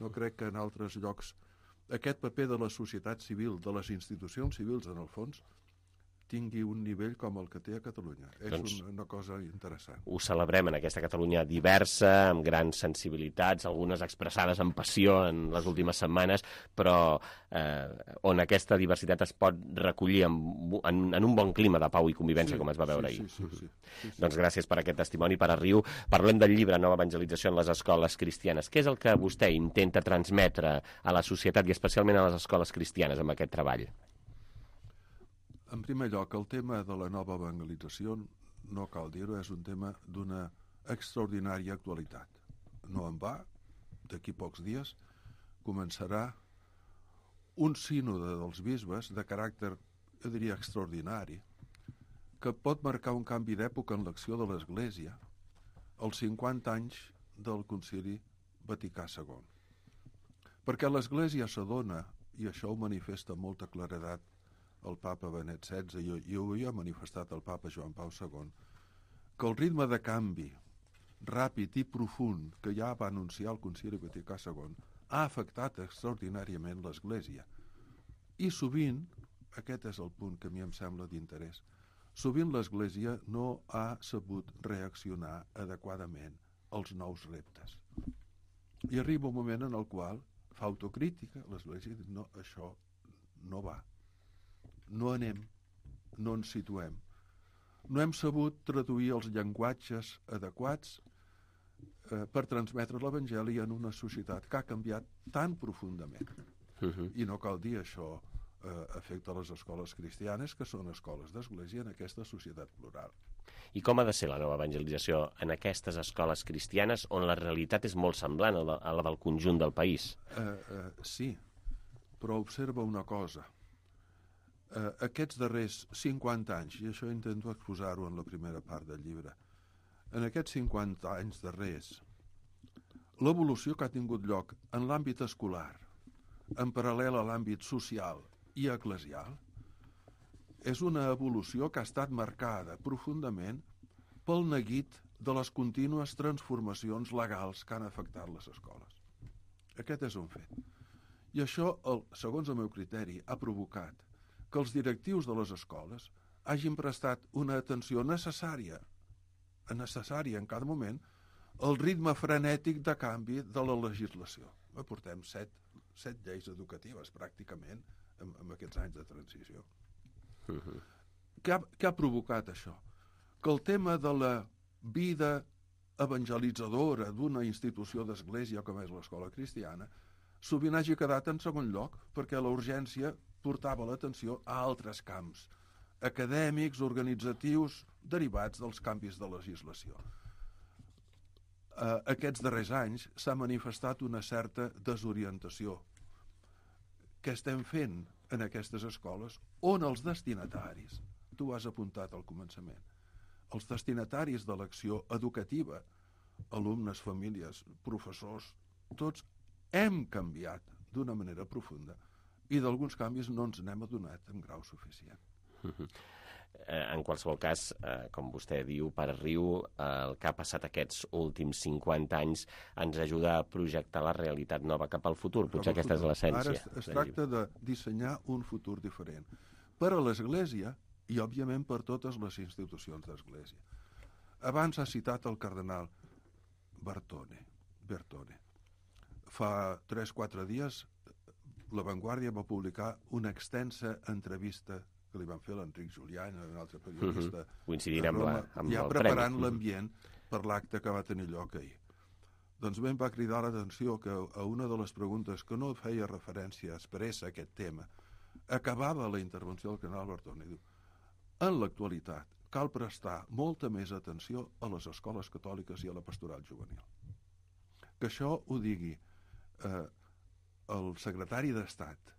no crec que en altres llocs aquest paper de la societat civil, de les institucions civils, en el fons, tingui un nivell com el que té a Catalunya. És doncs, una, una cosa interessant. Ho celebrem en aquesta Catalunya diversa, amb grans sensibilitats, algunes expressades amb passió en les últimes setmanes, però eh, on aquesta diversitat es pot recollir en, en, en un bon clima de pau i convivència, sí, com es va veure sí, ahir. Sí, sí, sí, sí, sí. Doncs gràcies per aquest testimoni, Pare Riu. Parlem del llibre Nova evangelització en les escoles cristianes. Què és el que vostè intenta transmetre a la societat i especialment a les escoles cristianes amb aquest treball? En primer lloc, el tema de la nova evangelització, no cal dir-ho, és un tema d'una extraordinària actualitat. No en va, d'aquí pocs dies, començarà un sínode dels bisbes de caràcter, jo diria, extraordinari, que pot marcar un canvi d'època en l'acció de l'Església als cinquanta anys del Concili Vaticà segon. Perquè l'Església s'adona, i això ho manifesta amb molta claredat el papa Benet setze, i ho havia manifestat el papa Joan Pau segon, que el ritme de canvi ràpid i profund que ja va anunciar el Concili Vaticà segon ha afectat extraordinàriament l'Església. I sovint, aquest és el punt que a mi em sembla d'interès, sovint l'Església no ha sabut reaccionar adequadament als nous reptes. I arriba un moment en el qual fa autocrítica, l'Església diu, no, això no va. No anem, no ens situem. No hem sabut traduir els llenguatges adequats eh, per transmetre l'Evangeli en una societat que ha canviat tan profundament. Uh-huh. I no cal dir això eh, afecta les escoles cristianes, que són escoles d'església en aquesta societat plural. I com ha de ser la nova evangelització en aquestes escoles cristianes on la realitat és molt semblant a la, a la del conjunt del país? Eh, eh, sí, però observa una cosa. eh, aquests darrers cinquanta anys, i això intento exposar-ho en la primera part del llibre, en aquests cinquanta anys darrers, l'evolució que ha tingut lloc en l'àmbit escolar, en paral·lel a l'àmbit social i eclesial, és una evolució que ha estat marcada profundament pel neguit de les contínues transformacions legals que han afectat les escoles. Aquest és un fet. I això, el, segons el meu criteri, ha provocat que els directius de les escoles hagin prestat una atenció necessària, necessària en cada moment, al ritme frenètic de canvi de la legislació. Portem set, set lleis educatives, pràcticament, en, en aquests anys de transició. Uh-huh. Què ha, què ha provocat això? Que el tema de la vida evangelitzadora d'una institució d'església com és l'escola cristiana sovint hagi quedat en segon lloc perquè la urgència portava l'atenció a altres camps acadèmics, organitzatius, derivats dels canvis de legislació. Uh, aquests darrers anys s'ha manifestat una certa desorientació. Què estem fent en aquestes escoles on els destinataris, tu ho has apuntat al començament, els destinataris de l'acció educativa, alumnes, famílies, professors, tots hem canviat d'una manera profunda i d'alguns canvis no ens n'hem adonat en grau suficient. Uh-huh. En qualsevol cas, eh, com vostè diu, Pare Riu, eh, el que ha passat aquests últims cinquanta anys ens ajuda a projectar la realitat nova cap al futur. Potser aquesta és l'essència. Ara es, es tracta de dissenyar un futur diferent per a l'Església i, òbviament, per totes les institucions d'Església. Abans ha citat el cardenal Bertone. Bertone. Fa tres o quatre dies La Vanguardia va publicar una extensa entrevista que li van fer l'Enric Julián, un altre periodista, uh-huh. coincidint amb, la, amb ja el preparant premi. l'ambient per l'acte que va tenir lloc ahir. Doncs bé, em va cridar l'atenció que a una de les preguntes que no feia referència expressa a aquest tema, acabava la intervenció del cardenal Bertone i diu: en l'actualitat cal prestar molta més atenció a les escoles catòliques i a la pastoral juvenil. Que això ho digui eh, el secretari d'Estat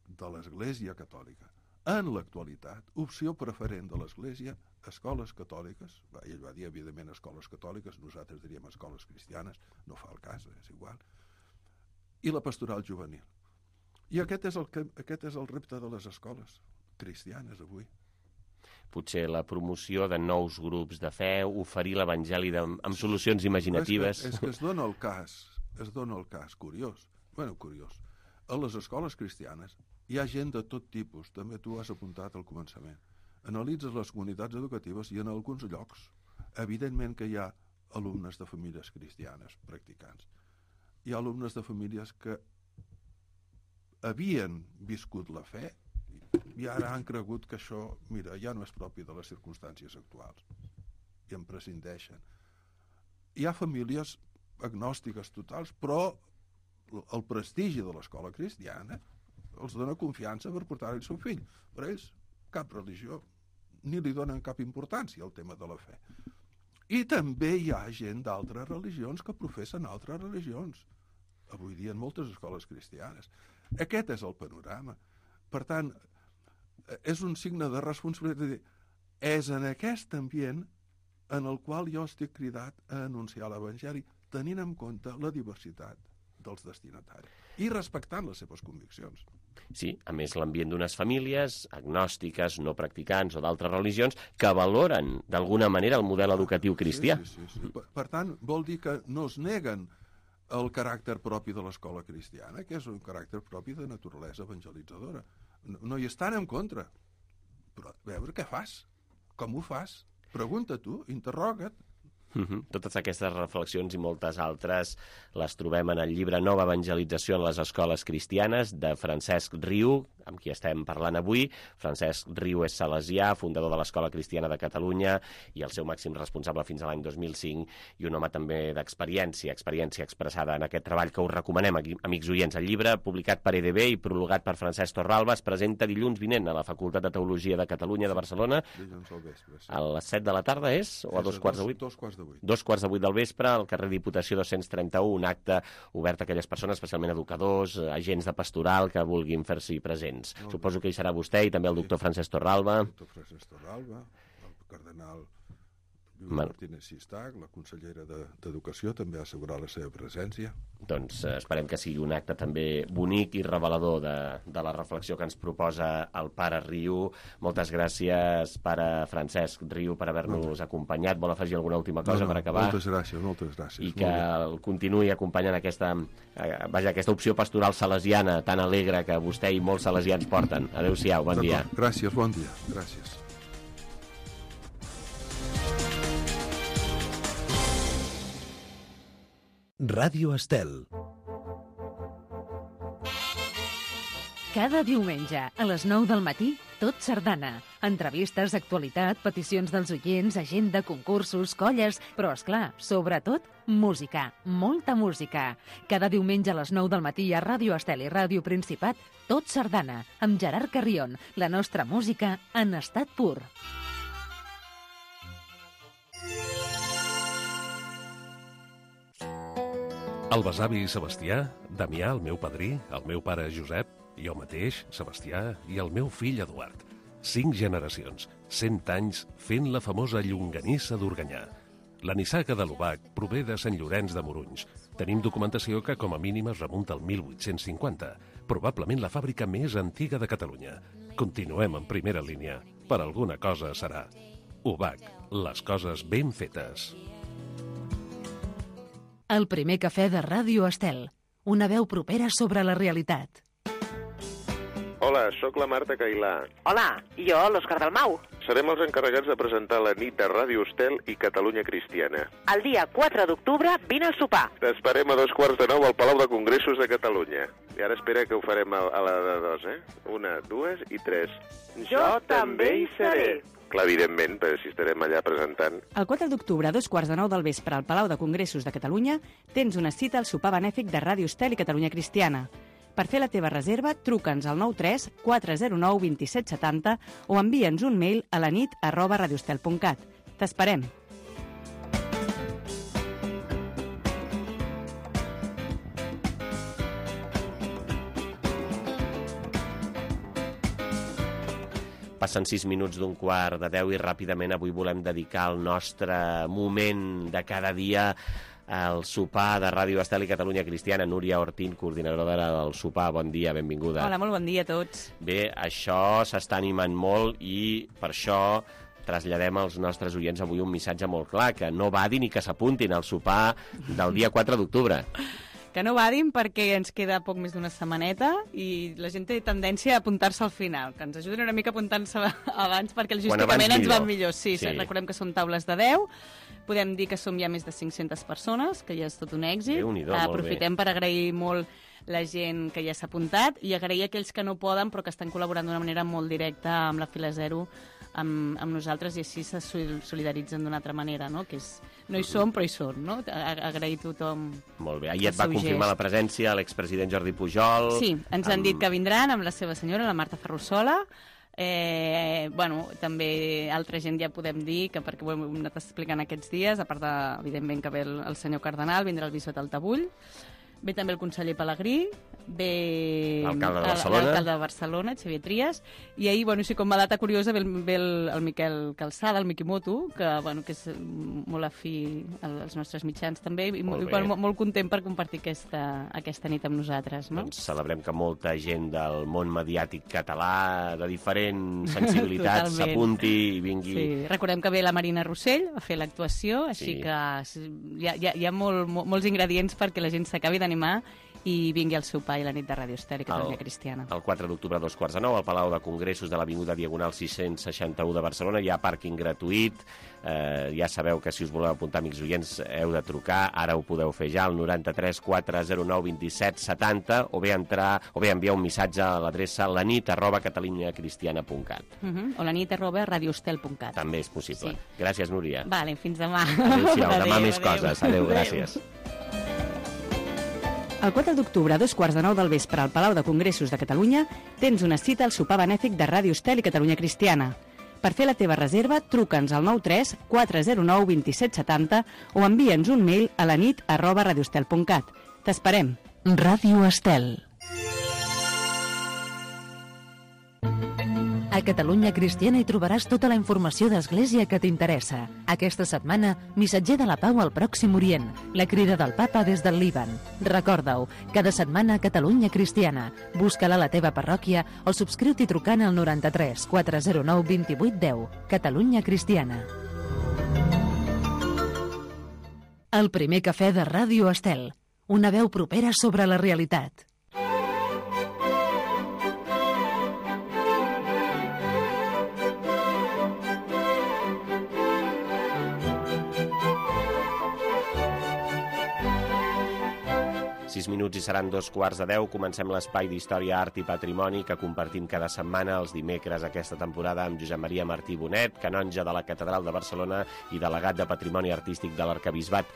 de l'Església Catòlica. En l'actualitat, opció preferent de l'Església, escoles catòliques, va, ell va dir, evidentment, escoles catòliques, nosaltres diríem escoles cristianes, no fa el cas, és igual, i la pastoral juvenil. I aquest és el, aquest és el repte de les escoles cristianes avui. Potser la promoció de nous grups de fe, oferir l'evangeli amb solucions imaginatives. És que, és que es dona el cas, es dona el cas, curiós, bueno, curiós. A les escoles cristianes hi ha gent de tot tipus, també tu has apuntat al començament. Analitzes les comunitats educatives i en alguns llocs, evidentment que hi ha alumnes de famílies cristianes practicants. Hi ha alumnes de famílies que havien viscut la fe i ara han cregut que això, mira, ja no és propi de les circumstàncies actuals i en prescindeixen. Hi ha famílies agnòstiques totals, però el prestigi de l'escola cristiana els dona confiança per portar el seu fill. Per ells, cap religió, ni li donen cap importància al tema de la fe. I també hi ha gent d'altres religions que professen altres religions. Avui dia en moltes escoles cristianes. Aquest és el panorama. Per tant, és un signe de responsabilitat. És en aquest ambient en el qual jo estic cridat a anunciar l'Evangeli, tenint en compte la diversitat dels destinataris i respectant les seves conviccions. Sí, a més l'ambient d'unes famílies agnòstiques, no practicants o d'altres religions que valoren d'alguna manera el model educatiu cristià. Sí, sí, sí, sí. Per, per tant, vol dir que no es neguen el caràcter propi de l'escola cristiana, que és un caràcter propi de naturalesa evangelitzadora. No, no hi estan en contra. Però a veure què fas, com ho fas, pregunta tu, interroga't. Uh-huh. Totes aquestes reflexions i moltes altres les trobem en el llibre Nova evangelització en les escoles cristianes de Francesc Riu, amb qui estem parlant avui. Francesc Riu és salesià, fundador de l'Escola Cristiana de Catalunya i el seu màxim responsable fins a l'any dos mil cinc, i un home també d'experiència, experiència expressada en aquest treball que us recomanem, amics oients. El llibre, publicat per E D B i prologat per Francesc Torralba, es presenta dilluns vinent a la Facultat de Teologia de Catalunya de Barcelona. Dilluns al vespre, sí. A les set de la tarda és? O a dos quarts de vuit? Dos quarts de vuit. Dos quarts de vuit del vespre, al carrer Diputació dos-cents trenta-u, un acte obert a aquelles persones, especialment educadors, agents de pastoral, que vulguin fer-s'hi presents. oients. Suposo que hi serà vostè i també el doctor Francesc Torralba. El doctor Francesc Torralba, el cardenal Lluís Martínez Sistac, la consellera d'Educació, també ha assegurat la seva presència. Doncs eh, esperem que sigui un acte també bonic i revelador de, de la reflexió que ens proposa el pare Riu. Moltes gràcies, pare Francesc Riu, per haver-nos acompanyat. Vol afegir alguna última cosa no, no, per acabar? Moltes gràcies, moltes gràcies. I que el continuï acompanyant aquesta, eh, vaja, aquesta opció pastoral salesiana tan alegre que vostè i molts salesians porten. Adéu-siau, bon dia. Gràcies, bon dia. Gràcies. Ràdio Estel. Cada diumenge, a les nou del matí, Tot Sardana. Entrevistes, actualitat, peticions dels oients, agenda, concursos, colles, però, esclar, sobretot, música. Molta música. Cada diumenge a les nou del matí a Ràdio Estel i Ràdio Principat, Tot Sardana, amb Gerard Carrion, la nostra música en estat pur. El besavi Sebastià, Damià, el meu padrí, el meu pare Josep, jo mateix, Sebastià, i el meu fill Eduard. Cinc generacions, cent anys, fent la famosa llonganissa d'Organyà. La nissaga de l'Obac prové de Sant Llorenç de Morunys. Tenim documentació que com a mínim es remunta al mil vuit-cents cinquanta, probablement la fàbrica més antiga de Catalunya. Continuem en primera línia. Per alguna cosa serà. Obac, les coses ben fetes. El primer cafè de Ràdio Estel. Una veu propera sobre la realitat. Hola, sóc la Marta Cailà. Hola, i jo, l'Òscar Dalmau. Serem els encarregats de presentar la nit de Ràdio Estel i Catalunya Cristiana. El dia quatre d'octubre vine al sopar. T'esperem a dos quarts de nou al Palau de Congressos de Catalunya. I ara espera que ho farem a, a la de dos, eh? Una, dues i tres. Jo, jo també hi seré. Clar, evidentment, però si estarem allà presentant. El quatre d'octubre, a dos quarts de nou del vespre, al Palau de Congressos de Catalunya, tens una cita al sopar benèfic de Ràdio Estel i Catalunya Cristiana. Per fer la teva reserva, truca'ns al nou tres quatre zero nou dos set set zero o envia'ns un mail a la nit arroba radiostel punt cat. T'esperem! Passen sis minuts d'un quart de deu i ràpidament avui volem dedicar el nostre moment de cada dia al sopar de Ràdio Estel i Catalunya Cristiana. Núria Ortín, coordinadora del sopar, bon dia, benvinguda. Hola, molt bon dia a tots. Bé, això s'està animant molt i per això traslladem als nostres oients avui un missatge molt clar, que no badin i que s'apuntin al sopar del dia quatre d'octubre. Que no badin perquè ens queda poc més d'una setmaneta i la gent té tendència a apuntar-se al final, que ens ajudin una mica a apuntar-se abans perquè logísticament ens va millor. Sí, sí, recordem que són taules de deu, podem dir que som ja més de cinc-centes persones, que ja és tot un èxit. Aprofitem per agrair molt la gent que ja s'ha apuntat i agrair a aquells que no poden però que estan col·laborant d'una manera molt directa amb la Fila Zero, amb, amb nosaltres, i així se solidaritzen d'una altra manera, no? Que és, no hi som però hi són, no? Agrair a tothom. Molt bé, ahir et va confirmar gest. La presència l'expresident Jordi Pujol. Sí, ens amb... han dit que vindran amb la seva senyora, la Marta Ferrusola. Eh, bueno, també altra gent ja podem dir, que perquè ho hem anat explicant aquests dies, a part de, evidentment, que ve el, el senyor Cardenal, vindrà el bisbat Altabull, ve també el conseller Pelegrí, ve l'alcalde de Barcelona, l'alcalde de Barcelona, Xavier Trias, i ahir, bueno, sí, com a data curiosa, ve el, ve el, el Miquel Calçada, el Miquimoto, que, bueno, que és molt afí als nostres mitjans també, i molt, molt, molt content per compartir aquesta, aquesta nit amb nosaltres. No? Doncs celebrem que molta gent del món mediàtic català, de diferents sensibilitats, s'apunti i vingui. Sí, recordem que ve la Marina Rossell a fer l'actuació, així sí. que hi ha, hi ha, hi ha molt, molts ingredients perquè la gent s'acabi d'animar i vingui al sopar i la nit de Ràdio Estel i Catalunya el, Cristiana. El quatre d'octubre a dos quarts de nou al Palau de Congressos de l'Avinguda Diagonal sis-cents seixanta-u de Barcelona. Hi ha pàrquing gratuït. Eh, ja sabeu que si us voleu apuntar, amics oients, heu de trucar. Ara ho podeu fer ja al noranta-tres quatre zero nou dos set set zero o bé entrar o bé enviar un missatge a l'adreça lanit arroba catalunyacristiana punt cat. Uh -huh. O lanit arroba radiostel punt cat. També és possible. Sí. Gràcies, Núria. Vale, fins demà. Adéu-siau, demà adéu, més adéu. Coses. Adéu, adéu. Gràcies. El quatre d'octubre, a dos quarts de nou del vespre, al Palau de Congressos de Catalunya, tens una cita al sopar benèfic de Ràdio Estel i Catalunya Cristiana. Per fer la teva reserva, truca'ns al nou tres quatre zero nou dos set set zero o envia'ns un mail a la nit arroba radiostel punt cat. T'esperem. Ràdio Estel. A Catalunya Cristiana hi trobaràs tota la informació d'Església que t'interessa. Aquesta setmana, missatger de la pau al Pròxim Orient, la crida del papa des del Líban. Recorda-ho, cada setmana a Catalunya Cristiana. Busca-la a la teva parròquia o subscriu-t'hi trucant al noranta-tres quatre zero nou vint vuit deu. Catalunya Cristiana. El primer cafè de Ràdio Estel. Una veu propera sobre la realitat. Sis minuts i seran dos quarts de deu. Comencem l'espai d'Història, Art i Patrimoni que compartim cada setmana els dimecres aquesta temporada amb Josep Maria Martí Bonet, canonge de la Catedral de Barcelona i delegat de Patrimoni Artístic de l'Arquebisbat.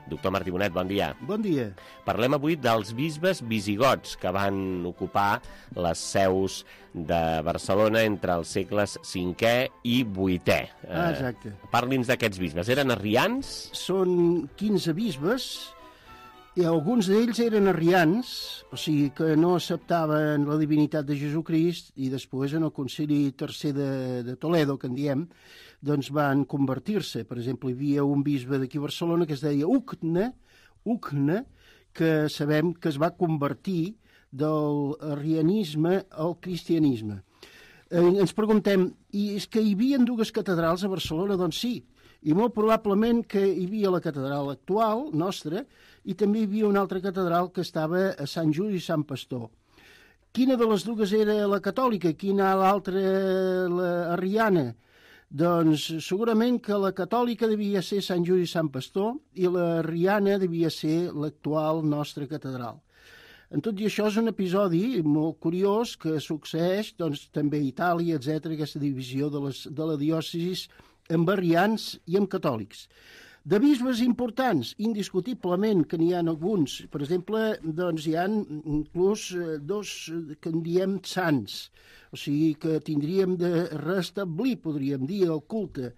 Doctor Martí Bonet, bon dia. Bon dia. Parlem avui dels bisbes visigots que van ocupar les seus de Barcelona entre els segles cinquè i vuitè. Ah, exacte. Eh, Parli'ns d'aquests bisbes. Eren arrians? Són quinze bisbes i alguns d'ells eren arrians, o sigui que no acceptaven la divinitat de Jesucrist, i després en el concili tercer de, de Toledo, que en diem, doncs van convertir-se. Per exemple, hi havia un bisbe d'aquí a Barcelona que es deia Ucne, Ucne, que sabem que es va convertir del arrianisme al cristianisme. Eh, ens preguntem, i és que hi havia dues catedrals a Barcelona? Doncs sí, i molt probablement que hi havia la catedral actual, nostra, i també hi havia una altra catedral que estava a Sant Just i Sant Pastor. Quina de les dues era la catòlica? Quina l'altra la arriana? Doncs segurament que la catòlica devia ser Sant Just i Sant Pastor i la arriana devia ser l'actual nostra catedral. En tot i això és un episodi molt curiós que succeeix doncs, també a Itàlia, etcètera, aquesta divisió de, les, de la diòcesis amb arrians i amb catòlics. De bisbes importants, indiscutiblement que n'hi ha alguns. Per exemple, doncs hi ha inclús dos que en diem sants, o sigui que tindríem de restablir, podríem dir, el culte.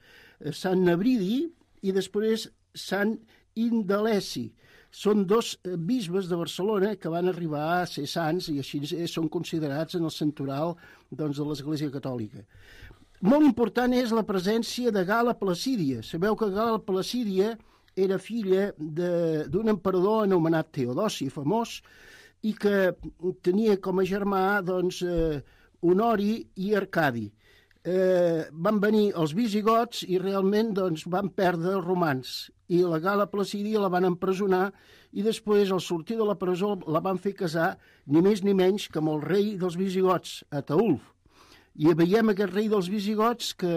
Sant Nebridi i després Sant Indaleci. Són dos bisbes de Barcelona que van arribar a ser sants i així són considerats en el santoral doncs, de l'Església Catòlica. Molt important és la presència de Gala Placídia. Sabeu que Gala Placídia era filla d'un emperador anomenat Teodosi, famós, i que tenia com a germà doncs, eh, Honori i Arcadi. Eh, van venir els visigots i realment doncs, van perdre els romans. I la Gala Placídia la van empresonar i després, al sortir de la presó, la van fer casar ni més ni menys que amb el rei dels visigots, Ataulf. I veiem aquest rei dels visigots que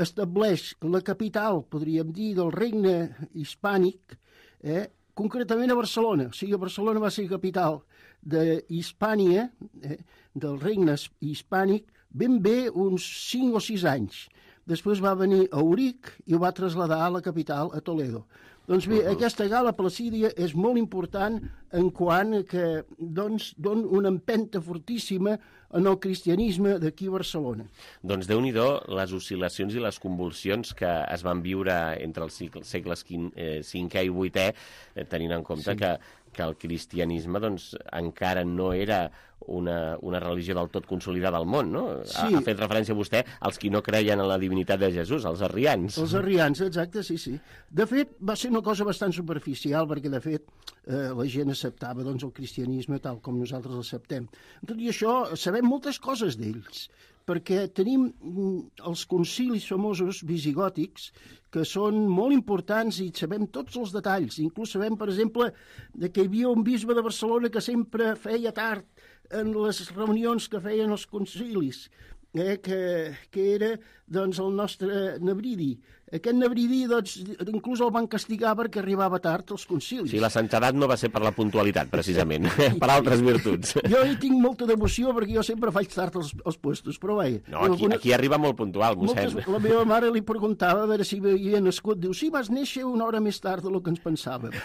estableix la capital, podríem dir, del regne hispànic, eh, concretament a Barcelona. O sigui, Barcelona va ser capital d'Hispània, eh, del regne hispànic, ben bé uns cinc o sis anys. Després va venir a Auric i ho va traslladar a la capital, a Toledo. Doncs bé, uh-huh. aquesta Gala Placídia és molt important en quant que doncs, don una empenta fortíssima en el cristianisme d'aquí a Barcelona. Doncs déu-n'hi-do les oscil·lacions i les convulsions que es van viure entre els segles cinquè i vuitè, tenint en compte sí. que, que el cristianisme doncs, encara no era una, una religió del tot consolidada al món, no? Sí. Ha, ha fet referència vostè als qui no creien en la divinitat de Jesús, els arrians. Els arrians, exacte, sí, sí. De fet, va ser una cosa bastant superficial, perquè, de fet, eh, la gent acceptava doncs, el cristianisme tal com nosaltres l'acceptem. Tot i això, sabem moltes coses d'ells, perquè tenim els concilis famosos visigòtics, que són molt importants i sabem tots els detalls. Inclús sabem, per exemple, que hi havia un bisbe de Barcelona que sempre feia tard en les reunions que feien els concilis, eh, que, que era doncs, el nostre Nebridi. Aquest Nebridi, doncs, inclús el van castigar perquè arribava tard als concilis. Sí, la santedat no va ser per la puntualitat, precisament, per altres virtuts. Jo hi tinc molta devoció perquè jo sempre faig tard als, als puestos, però vaja. No, aquí, alguna... aquí arriba molt puntual, mossèn. Moltes, la meva mare li preguntava a veure si havia nascut. Diu, sí, vas néixer una hora més tard del que ens pensàvem.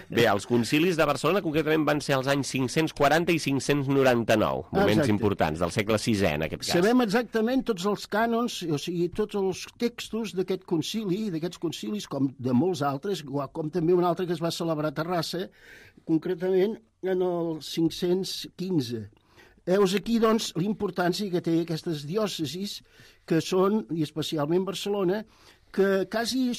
Bé, els concilis de Barcelona concretament van ser als anys cinc-cents quaranta i cinc-cents noranta-nou, moments Exacte. importants, del segle sisè, en aquest cas. Sabem exactament tots els cànons, o sigui, tots els textos d'aquest concili, d'aquests concilis, com de molts altres, com també un altre que es va celebrar a Terrassa, concretament en el cinc-cents quinze. Heus aquí, doncs, l'importància que té aquestes diòcesis, que són, i especialment Barcelona, que quasi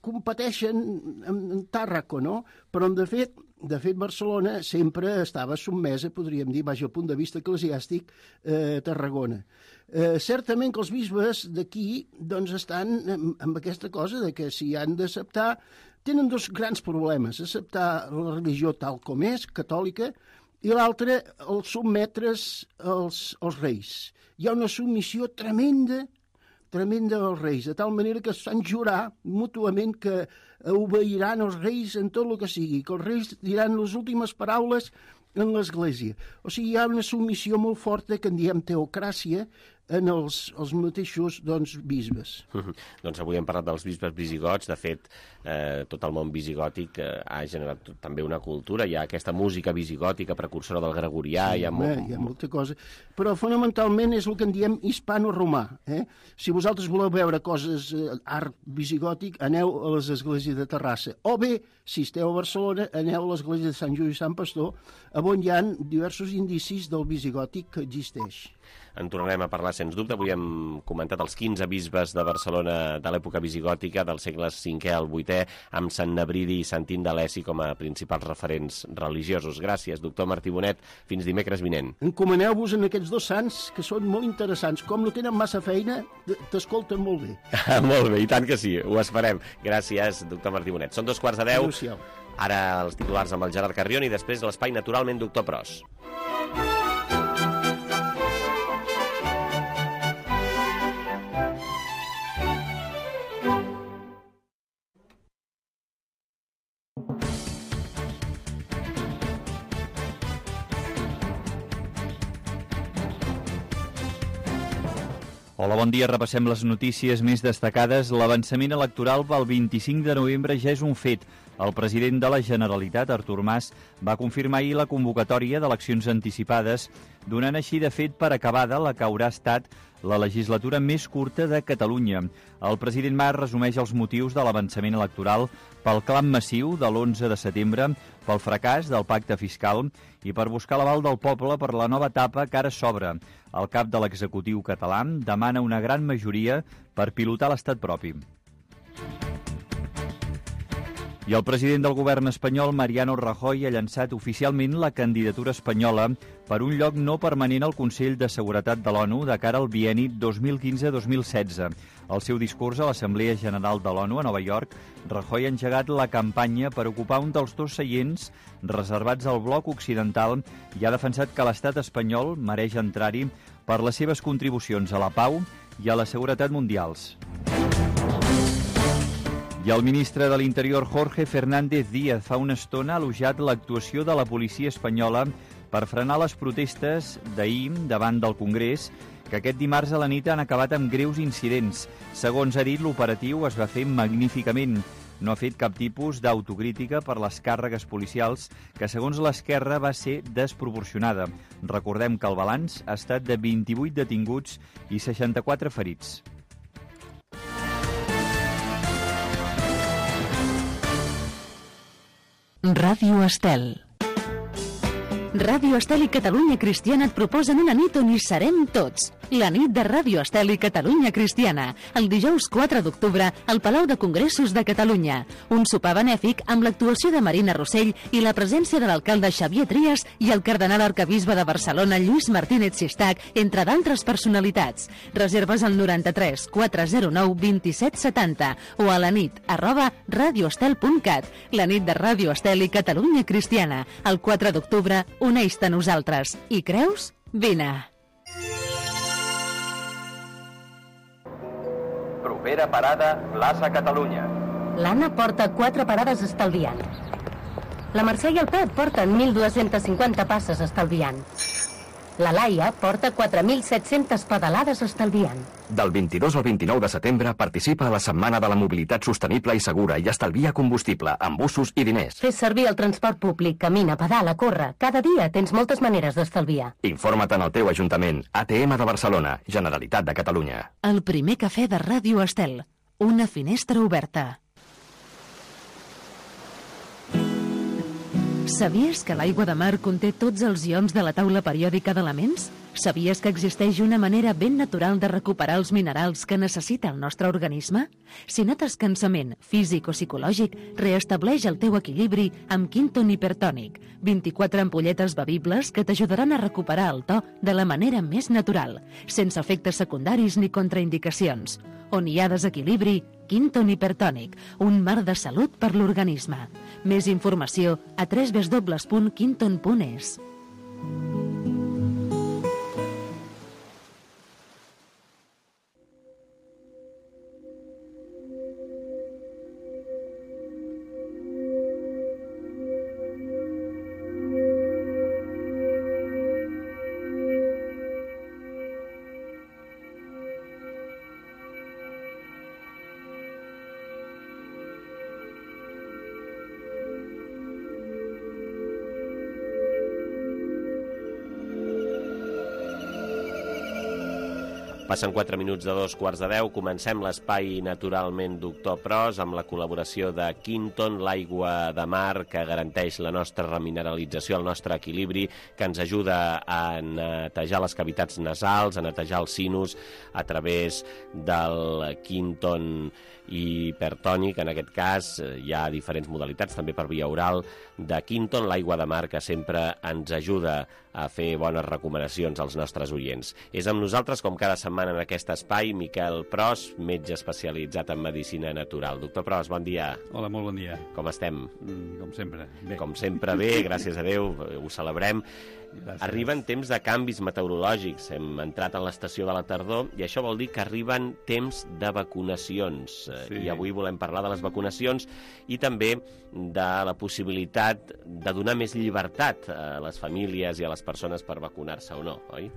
competeixen amb Tàrraco, no? Però, de fet, de fet, Barcelona sempre estava sotmesa, podríem dir, vaja, al punt de vista eclesiàstic, eh, a Tarragona. Eh, certament que els bisbes d'aquí doncs, estan amb, amb aquesta cosa de que si han d'acceptar, tenen dos grans problemes, acceptar la religió tal com és, catòlica, i l'altre, el sotmetre's als, als reis. Hi ha una submissió tremenda tremenda dels reis, de tal manera que es fan jurar mútuament que obeiran els reis en tot el que sigui, que els reis diran les últimes paraules en l'Església. O sigui, hi ha una submissió molt forta que en diem teocràcia en els, els mateixos doncs, bisbes. Uh-huh. Doncs avui hem parlat dels bisbes visigots. De fet, eh, tot el món visigòtic eh, ha generat també una cultura. Hi ha aquesta música visigòtica precursora del gregorià. Sí, hi, ha molt... hi ha molta cosa. Però fonamentalment és el que en diem hispano-romà. Eh? Si vosaltres voleu veure coses, eh, art visigòtic, aneu a les esglésies de Terrassa. O bé, si esteu a Barcelona, aneu a l'església de Sant Lluís i Sant Pastor, on hi ha diversos indicis del visigòtic que existeix. En tornarem a parlar, sens dubte. Avui hem comentat els quinze bisbes de Barcelona de l'època visigòtica, dels segles cinquè al vuitè, amb Sant Nebridi i Sant Indaleci com a principals referents religiosos. Gràcies, doctor Martí Bonet. Fins dimecres vinent. Encomaneu-vos en aquests dos sants, que són molt interessants. Com no tenen massa feina, t'escolten molt bé. Molt bé, i tant que sí. Ho esperem. Gràcies, doctor Martí Bonet. Són dos quarts de deu. Adéu-siau. Ara els titulars amb el Gerard Carrion i després l'espai Naturalment Doctor Pros. Hola, bon dia. Repassem les notícies més destacades. L'avançament electoral pel vint-i-cinc de novembre ja és un fet. El president de la Generalitat, Artur Mas, va confirmar ahir la convocatòria d'eleccions anticipades, donant així de fet per acabada la que haurà estat la legislatura més curta de Catalunya. El president Mas resumeix els motius de l'avançament electoral pel clam massiu de l'onze de setembre, pel fracàs del pacte fiscal i per buscar l'aval del poble per la nova etapa que ara s'obre. El cap de l'executiu català demana una gran majoria per pilotar l'estat propi. I el president del govern espanyol, Mariano Rajoy, ha llançat oficialment la candidatura espanyola per un lloc no permanent al Consell de Seguretat de l'ONU de cara al bienni dos mil quinze dos mil setze. Al seu discurs a l'Assemblea General de l'ONU a Nova York, Rajoy ha engegat la campanya per ocupar un dels dos seients reservats al bloc occidental i ha defensat que l'estat espanyol mereix entrar-hi per les seves contribucions a la pau i a la seguretat mundials. I el ministre de l'Interior, Jorge Fernández Díaz, fa una estona ha elogiat l'actuació de la policia espanyola per frenar les protestes d'ahir davant del Congrés, que aquest dimarts a la nit han acabat amb greus incidents. Segons ha dit, l'operatiu es va fer magníficament. No ha fet cap tipus d'autocrítica per les càrregues policials, que segons l'esquerra va ser desproporcionada. Recordem que el balanç ha estat de vint-i-vuit detinguts i seixanta-quatre ferits. Ràdio Estel. Ràdio Estel i Catalunya Cristiana et proposen una nit on hi serem tots. La nit de Ràdio Estel i Catalunya Cristiana, el dijous quatre d'octubre al Palau de Congressos de Catalunya. Un sopar benèfic amb l'actuació de Marina Rossell i la presència de l'alcalde Xavier Trias i el cardenal arquebisbe de Barcelona, Lluís Martínez Sistac, entre d'altres personalitats. Reserves al noranta-tres quatre zero nou vint-i-set setanta o a la nit arroba radioestel punt cat. La nit de Ràdio Estel i Catalunya Cristiana, el quatre d'octubre, uneix-te a nosaltres. I creus? Vine! Propera parada, plaça Catalunya. L'Anna porta quatre parades estalviant. La Mercè i el Pep porten mil dues-centes cinquanta passes estalviant. La Laia porta quatre mil set-centes pedalades estalviant. Del vint-i-dos al vint-i-nou de setembre participa a la Setmana de la Mobilitat Sostenible i Segura i estalvia combustible amb busos i diners. Fes servir el transport públic, camina, pedala, corre. Cada dia tens moltes maneres d'estalviar. Informa't en el teu ajuntament. A T M de Barcelona, Generalitat de Catalunya. El primer cafè de Ràdio Estel. Una finestra oberta. Sabies que l'aigua de mar conté tots els ions de la taula periòdica d'elements? Sabies que existeix una manera ben natural de recuperar els minerals que necessita el nostre organisme? Si notes cansament, físic o psicològic, reestableix el teu equilibri amb Quinton Hipertònic. vint-i-quatre ampolletes bevibles que t'ajudaran a recuperar el to de la manera més natural, sense efectes secundaris ni contraindicacions. On hi ha desequilibri, Quinton Hipertònic, un mar de salut per l'organisme. Més informació a w w w punt quinton punt e s. Passen quatre minuts de dos quarts de deu. Comencem l'espai Naturalment Doctor Pros amb la col·laboració de Quinton, l'aigua de mar que garanteix la nostra remineralització, el nostre equilibri, que ens ajuda a netejar les cavitats nasals, a netejar el sinus a través del Quinton Hipertònic. En aquest cas hi ha diferents modalitats, també per via oral, de Quinton, l'aigua de mar, que sempre ens ajuda a fer bones recomanacions als nostres oients. És amb nosaltres, com cada setmana en aquest espai, Miquel Pros, metge especialitzat en medicina natural. Doctor Pros, bon dia. Hola, molt bon dia. Com estem? Mm, com sempre, bé. Com sempre bé, gràcies a Déu, ho celebrem. Gràcies. Arriben temps de canvis meteorològics. Hem entrat en l'estació de la tardor i això vol dir que arriben temps de vacunacions. Sí. I avui volem parlar de les vacunacions i també de la possibilitat de donar més llibertat a les famílies i a les persones per vacunar-se o no, oi?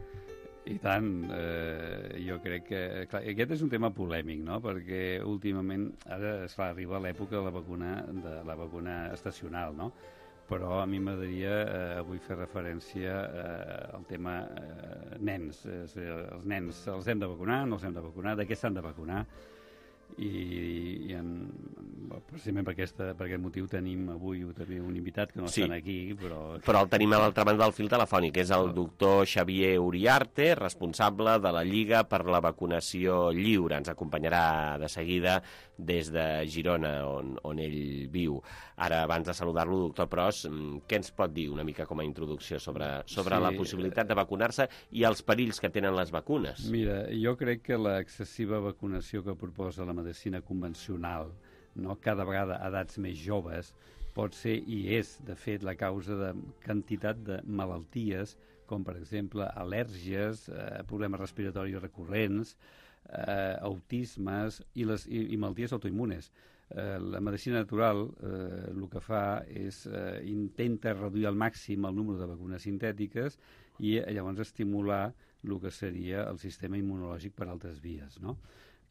I tant. Eh, jo crec que... Clar, aquest és un tema polèmic, no?, perquè últimament ara es fa arribar l'època de la vacuna, de la vacuna estacional, no?, però a mi m'agradaria eh, avui fer referència eh, al tema eh, nens. És a dir, els nens els hem de vacunar, no els hem de vacunar, de què s'han de vacunar? I, i en, precisament per, aquesta, per aquest motiu tenim avui també un invitat que no sí. estan aquí, però... Però el tenim a l'altra banda del fil telefònic, és el doctor Xavier Uriarte, responsable de la Lliga per la Vacunació Lliure. Ens acompanyarà de seguida des de Girona, on, on ell viu. Ara, abans de saludar-lo, doctor Pros, què ens pot dir una mica com a introducció sobre, sobre sí. la possibilitat de vacunar-se i els perills que tenen les vacunes? Mira, jo crec que l'excessiva vacunació que proposa la medicina convencional, no, cada vegada a edats més joves, pot ser i és, de fet, la causa de quantitat de malalties, com per exemple al·lèrgies, eh, problemes respiratoris recurrents, eh, autismes i, les, i, i malalties autoimmunes. Eh, la medicina natural eh, el que fa és eh, intenta reduir al màxim el número de vacunes sintètiques i eh, llavors estimular el que seria el sistema immunològic per altres vies, no?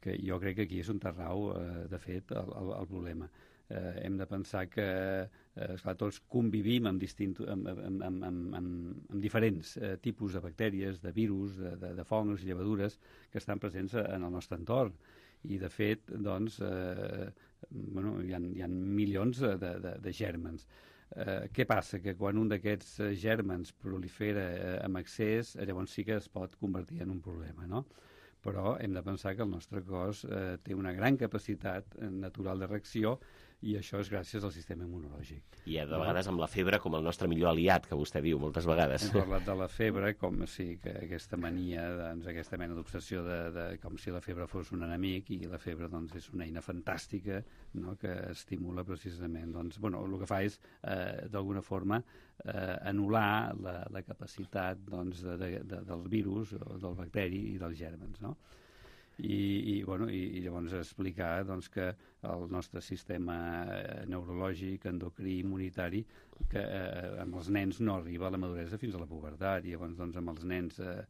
Que jo crec que aquí és on rau, eh, de fet, el, el, el problema. Eh, hem de pensar que eh, esclar, tots convivim amb, distint, amb, amb, amb, amb, amb, amb diferents eh, tipus de bactèries, de virus, de, de, de fongs i llevadures que estan presents en el nostre entorn. I, de fet, doncs, eh, bueno, hi ha, hi ha milions de, de, de gèrmens. Eh, què passa? Que quan un d'aquests gèrmens prolifera eh, amb excés, llavors sí que es pot convertir en un problema, no? Però hem de pensar que el nostre cos eh, té una gran capacitat natural de reacció i això és gràcies al sistema immunològic. I de vegades amb la febre com el nostre millor aliat, que vostè diu moltes vegades. Hem parlat de la febre com sí, que aquesta mania, doncs, aquesta mena d'obsessió de, de, com si la febre fos un enemic, i la febre doncs, és una eina fantàstica, no?, que estimula precisament, doncs, bueno, el que fa és eh, d'alguna forma eh, anul·lar la, la capacitat doncs, de, de, de, del virus o del bacteri i dels gèrmens, no? I, i, bueno, i, i llavors explicar doncs, que el nostre sistema neurològic, endocrí, immunitari, que eh, amb els nens no arriba a la maduresa fins a la pubertat, i llavors doncs, amb els nens eh,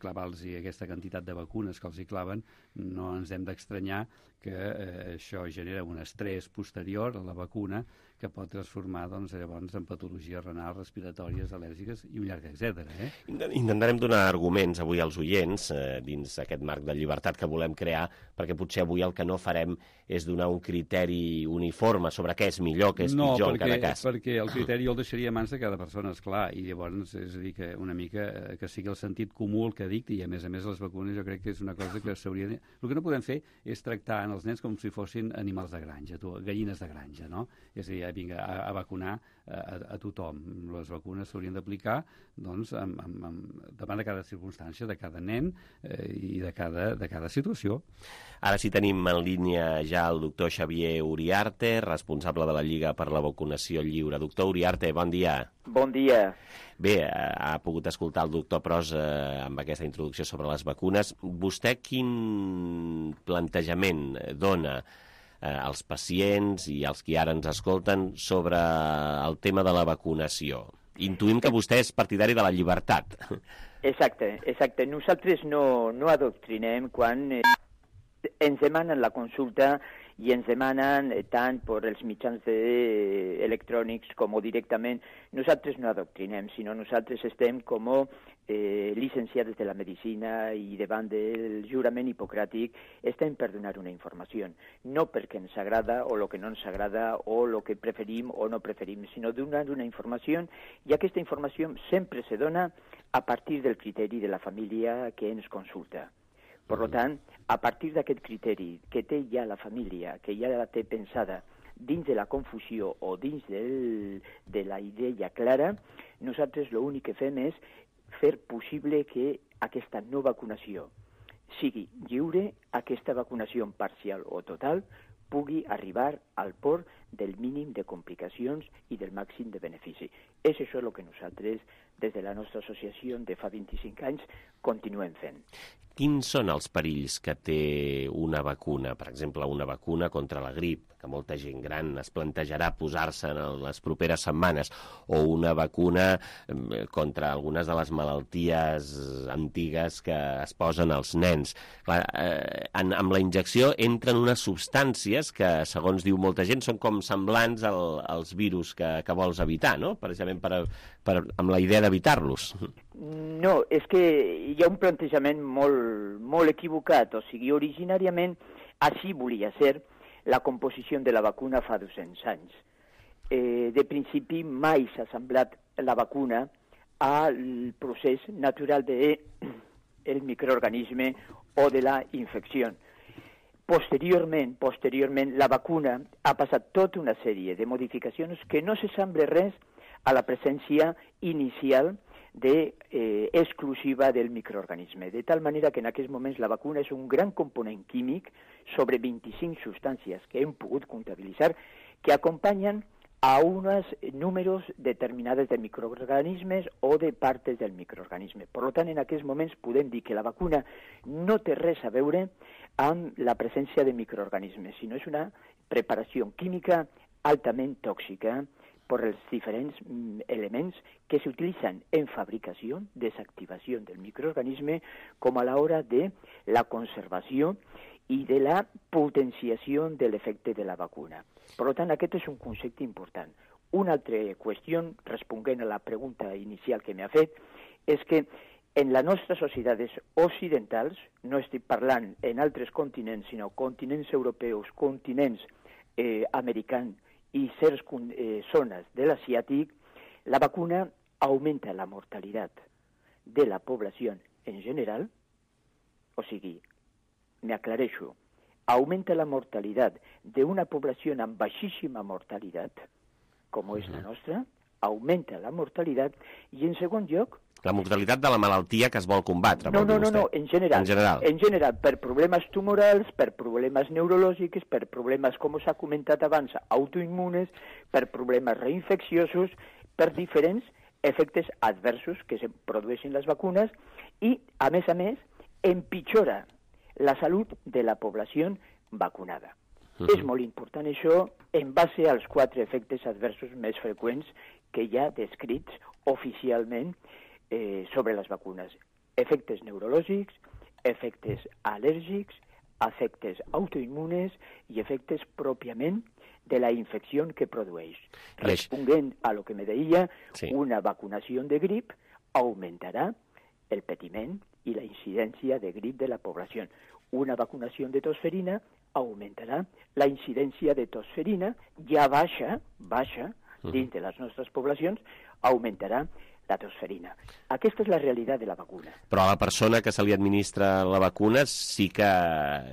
clavar-los aquesta quantitat de vacunes que els hi claven, no ens hem d'estranyar que eh, això genera un estrès posterior a la vacuna que pot transformar doncs, llavors en patologies renals, respiratòries, al·lèrgiques i un llarg etcètera. Eh? Intentarem donar arguments avui als oients eh, dins aquest marc de llibertat que volem crear, perquè potser avui el que no farem és donar un un criteri uniforme sobre què és millor, què és no, pitjor perquè, en cada cas. No, perquè el criteri jo el deixaria a mans de cada persona, esclar, i llavors, és a dir, que una mica que sigui el sentit comú el que dicti, i a més a més les vacunes jo crec que és una cosa que s'hauria de... El que no podem fer és tractar en els nens com si fossin animals de granja, gallines de granja, no? És a dir, vinga, a, a vacunar a, a tothom. Les vacunes s'haurien d'aplicar, doncs, amb, amb, amb, davant de cada circumstància, de cada nen eh, i de cada, de cada situació. Ara sí tenim en línia ja el doctor Xavier Uriarte, responsable de la Lliga per la Vacunació Lliure. Doctor Uriarte, bon dia. Bon dia. Bé, ha pogut escoltar el doctor Pros eh, amb aquesta introducció sobre les vacunes. Vostè quin plantejament dona eh, als pacients i als qui ara ens escolten sobre el tema de la vacunació? Intuïm que vostè és partidari de la llibertat. Exacte, exacte. Nosaltres no, no adoctrinem quan eh, ens demanen la consulta i ens demanen eh, tant per els mitjans de, eh, electrònics com directament. Nosaltres no adoctrinem, sinó nosaltres estem com eh, llicenciats de la medicina i davant del jurament hipocràtic estem per donar una informació. No perquè ens agrada o el que no ens agrada o el que preferim o no preferim, sinó donar una informació i aquesta informació sempre se dona a partir del criteri de la família que ens consulta. Per tant, a partir d'aquest criteri que té ja la família, que ja la té pensada dins de la confusió o dins del, de la idea clara, nosaltres l'únic que fem és fer possible que aquesta no vacunació sigui lliure, aquesta vacunació parcial o total pugui arribar al port del mínim de complicacions i del màxim de benefici. És això el que nosaltres, des de la nostra associació de fa vint-i-cinc anys, continuem fent. Quins són els perills que té una vacuna? Per exemple, una vacuna contra la grip, que molta gent gran es plantejarà posar-se en les properes setmanes, o una vacuna contra algunes de les malalties antigues que es posen als nens. Clar, eh, en, amb la injecció entren unes substàncies que, segons diu molta gent, són com semblants al, als virus que, que vols evitar, no? Precisament per, per, amb la idea d'evitar-los. No, és que hi ha un plantejament molt, molt equivocat. O sigui, originàriament, així volia ser la composició de la vacuna fa dos-cents anys. Eh, de principi, mai s'ha semblat la vacuna al procés natural del microorganisme o de la infecció. Posteriorment, posteriorment, la vacuna ha passat tota una sèrie de modificacions que no s'assembla res a la presència inicial de, eh, exclusiva del microorganisme. De tal manera que en aquests moments la vacuna és un gran component químic sobre vint-i-cinc substàncies que hem pogut comptabilitzar que acompanyen a uns números determinades de microorganismes o de partes del microorganisme. Per tant, en aquests moments podem dir que la vacuna no té res a veure amb la presència de microorganismes, sinó és una preparació química altament tòxica per els diferents elements que s'utilitzen en fabricació, desactivació del microorganisme, com a l'hora de la conservació i de la potenciació de l'efecte de la vacuna. Per tant, aquest és un concepte important. Una altra qüestió, responent a la pregunta inicial que m'ha fet, és que en les nostres societats occidentals, no estic parlant en altres continents, sinó continents europeus, continents eh, americans, i certes eh, zones de l'asiàtic, la vacuna augmenta la mortalitat de la població en general, o sigui, m'aclareixo, augmenta la mortalitat d'una població amb baixíssima mortalitat, com és la nostra, augmenta la mortalitat, i en segon lloc... La mortalitat de la malaltia que es vol combatre. No, no, no, no, en general. En general. En general, per problemes tumorals, per problemes neurològics, per problemes, com s'ha comentat abans, autoimmunes, per problemes reinfecciosos, per diferents efectes adversos que se produeixen les vacunes i, a més a més, empitjora la salut de la població vacunada. Uh-huh. És molt important això en base als quatre efectes adversos més freqüents que hi ha descrits oficialment eh, sobre les vacunes. Efectes neurològics, efectes al·lèrgics, efectes autoimmunes i efectes pròpiament de la infecció que produeix. Responent a lo que me deia, sí. Una vacunació de grip augmentarà el patiment i la incidència de grip de la població. Una vacunació de tosferina augmentarà la incidència de tosferina, ja baixa, baixa, dins de les nostres poblacions, augmentarà la tosferina. Aquesta és la realitat de la vacuna. Però a la persona que se li administra la vacuna sí que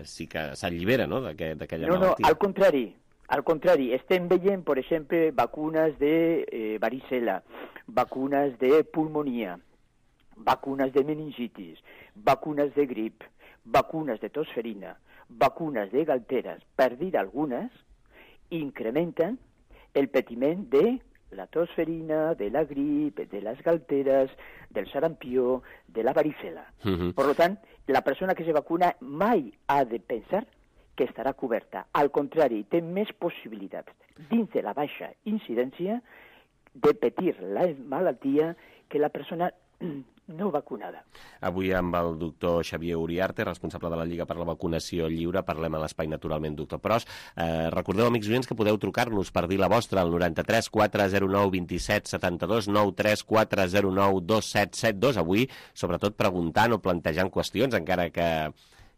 sí que s'allibera, no?, d'aquella no, malaltia. No, al contrari. Al contrari, estem veient, per exemple, vacunes de eh, varicela, vacunes de pulmonia, vacunes de meningitis, vacunes de grip, vacunes de tosferina, vacunes de galteres, per dir algunes, incrementen el patiment de la tosferina, de la grip, de les galteres, del sarampió, de la varicela. Uh-huh. Per tant, la persona que se vacuna mai ha de pensar que estarà coberta. Al contrari, té més possibilitats, dins de la baixa incidència, de patir la malaltia que la persona no vacunada. Avui amb el doctor Xavier Uriarte, responsable de la Lliga per la Vacunació Lliure, parlem a l'Espai Naturalment, doctor Pros. Eh, recordeu, amics oients, que podeu trucar-nos per dir la vostra al noranta-tres quatre zero nou vint set setanta-dos, nou tres quatre zero nou dos set set dos. Avui, sobretot, preguntant o plantejant qüestions, encara que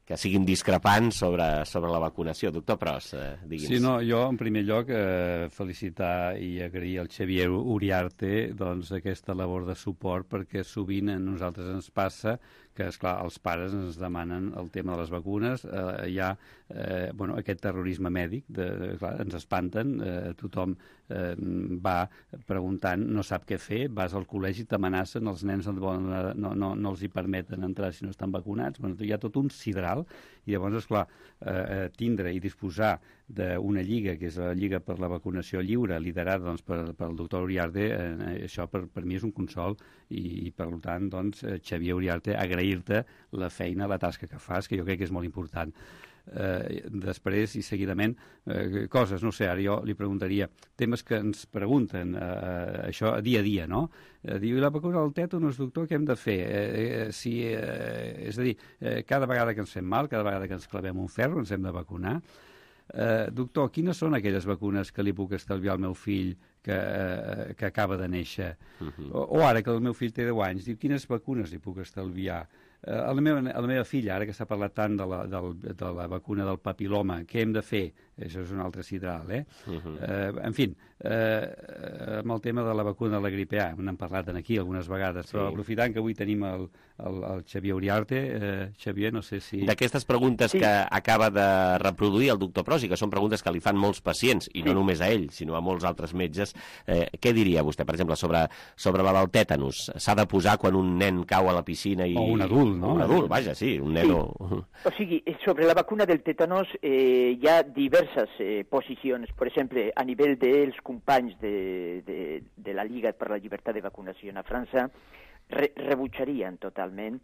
que siguin discrepants sobre, sobre la vacunació. Doctor Pros, eh, digui'ns. Sí, no, jo, en primer lloc, eh, felicitar i agrair al Xavier Uriarte doncs, aquesta labor de suport, perquè sovint a nosaltres ens passa que, esclar, els pares ens demanen el tema de les vacunes, eh, hi ha eh, bueno, aquest terrorisme mèdic, de, clar, ens espanten, eh, tothom eh, va preguntant, no sap què fer, vas al col·legi, t'amenacen, els nens no, no, no, no els hi permeten entrar si no estan vacunats, bueno, hi ha tot un sidral, i llavors, esclar, eh, tindre i disposar d'una lliga, que és la Lliga per la Vacunació Lliure, liderada doncs, per, pel doctor Uriarte, eh, això per, per mi és un consol, i, i per tant, doncs, Xavier Uriarte, agrair-te la feina, la tasca que fas, que jo crec que és molt important. Eh, després i seguidament eh, coses, no sé, ara jo li preguntaria temes que ens pregunten eh, això dia a dia, no? Eh, diu, la vacuna del tètanus, doctor, què hem de fer? Eh, eh, si, eh, és a dir, eh, cada vegada que ens fem mal, cada vegada que ens clavem un ferro, ens hem de vacunar. Eh, doctor, quines són aquelles vacunes que li puc estalviar al meu fill que, eh, que acaba de néixer? Uh-huh. o, o ara que el meu fill té deu anys, diu, quines vacunes li puc estalviar? Eh, a, la meva, a la meva filla, ara que s'ha parlat tant de la, del, de la vacuna del papiloma, què hem de fer? Això és un altre sidral, eh? Uh-huh. eh en fi, eh, amb el tema de la vacuna de la grip A, n'hem parlat aquí algunes vegades, sí. Però aprofitant que avui tenim el, el, el Xavier Uriarte, eh, Xavier, no sé si... D'aquestes preguntes sí. que acaba de reproduir el doctor Pros, i que són preguntes que li fan molts pacients, i sí. no només a ell, sinó a molts altres metges, eh, què diria vostè, per exemple, sobre, sobre la del tètanus? S'ha de posar quan un nen cau a la piscina i... O un adult, no? Un adult, vaja, sí, un nen sí. o... O sigui, sobre la vacuna del tètanus eh, hi ha diverses eh, posicions. Per exemple, a nivell dels companys de, de, de la Lliga per la Llibertat de Vacunació a França, re rebutjarien totalment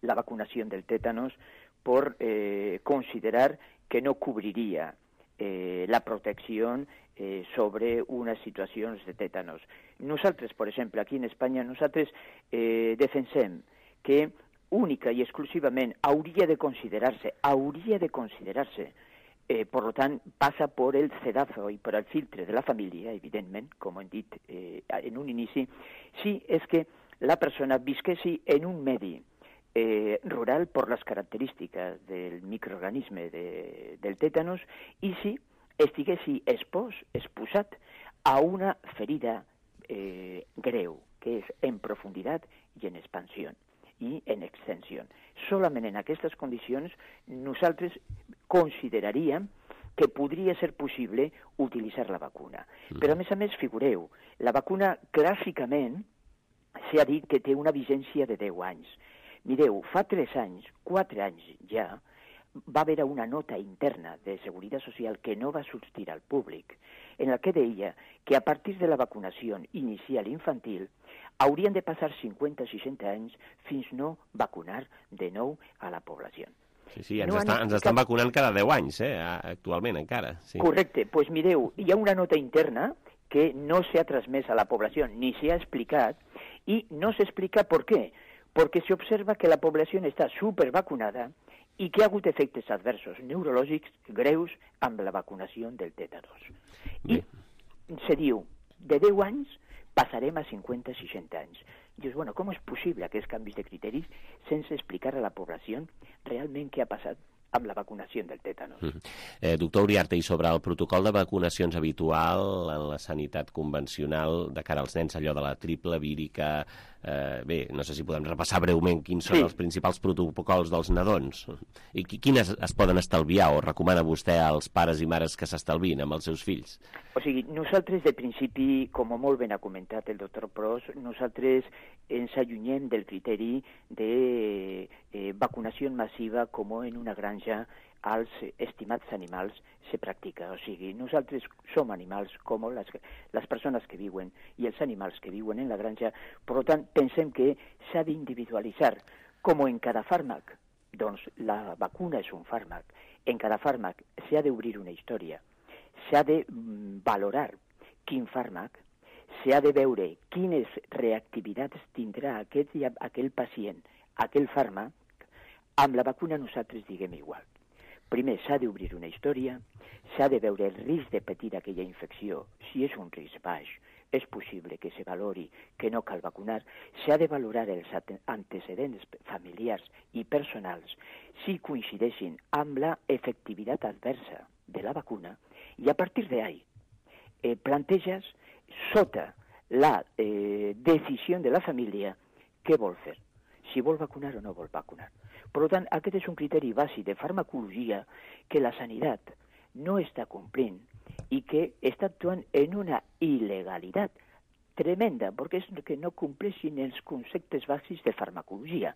la vacunació del tètanus per eh, considerar que no cobriria eh, la protecció eh, sobre unes situacions de tètanus. Nosaltres, per exemple, aquí en Espanya, nosaltres eh, defensem que única i exclusivament hauria de considerar-se, hauria de considerar-se, eh, per tant, passa per el cedazo i per el filtre de la família, evidentment, com hem dit eh, en un inici, si és que la persona visquessi en un medi eh, rural per les característiques del microorganisme de, del tètanus i si estiguessi expós, exposat a una ferida eh, greu, que és en profunditat i en expansió i en extensió. Solament en aquestes condicions nosaltres consideraríem que podria ser possible utilitzar la vacuna. Mm. Però, a més a més, figureu, la vacuna clàssicament s'ha dit que té una vigència de deu anys. Mireu, fa tres anys, quatre anys ja, va haver una nota interna de Seguretat Social que no va sortir al públic, en la que deia que a partir de la vacunació inicial infantil haurien de passar cinquanta a seixanta anys fins no vacunar de nou a la població. Sí, sí, ens, no està, ens estan vacunant cada deu anys, eh, actualment encara. Sí. Correcte, doncs pues mireu, hi ha una nota interna que no s'ha transmès a la població, ni s'ha explicat, i no s'explica per què. Perquè s'observa que la població està supervacunada i que ha hagut efectes adversos neurològics greus amb la vacunació del tètanus. I se diu, de deu anys passarem a cinquanta a seixanta anys. Dius, bueno, com és possible aquests canvis de criteris sense explicar a la població realment què ha passat amb la vacunació del tètanos. Mm. Eh, doctor Uriarte, i sobre el protocol de vacunacions habitual en la sanitat convencional de cara als nens, allò de la triple vírica, eh, bé, no sé si podem repassar breument quins són sí. els principals protocols dels nadons i quines es poden estalviar o recomana vostè als pares i mares que s'estalvin amb els seus fills? O sigui, nosaltres de principi, com molt ben ha comentat el doctor Pros, nosaltres ens allunyem del criteri de eh, vacunació massiva com en una granja als estimats animals se practica. O sigui, nosaltres som animals com les, les persones que viuen i els animals que viuen en la granja, per tant, pensem que s'ha d'individualitzar, com en cada fàrmac. Doncs la vacuna és un fàrmac. En cada fàrmac s'ha d'obrir una història, s'ha de valorar quin fàrmac, s'ha de veure quines reactivitats tindrà aquest, aquell pacient, aquell fàrmac. Amb la vacuna nosaltres diguem igual. Primer s'ha d'obrir una història, s'ha de veure el risc de patir aquella infecció. Si és un risc baix, és possible que se valori que no cal vacunar. S'ha de valorar els antecedents familiars i personals si coincideixin amb la efectivitat adversa de la vacuna i a partir d'ahí eh, planteges sota la eh, decisió de la família què vol fer, si vol vacunar o no vol vacunar. Per tant, aquest és un criteri bàsic de farmacologia que la sanitat no està complint i que està actuant en una il·legalitat tremenda, perquè és que no compleixin els conceptes bàsics de farmacologia.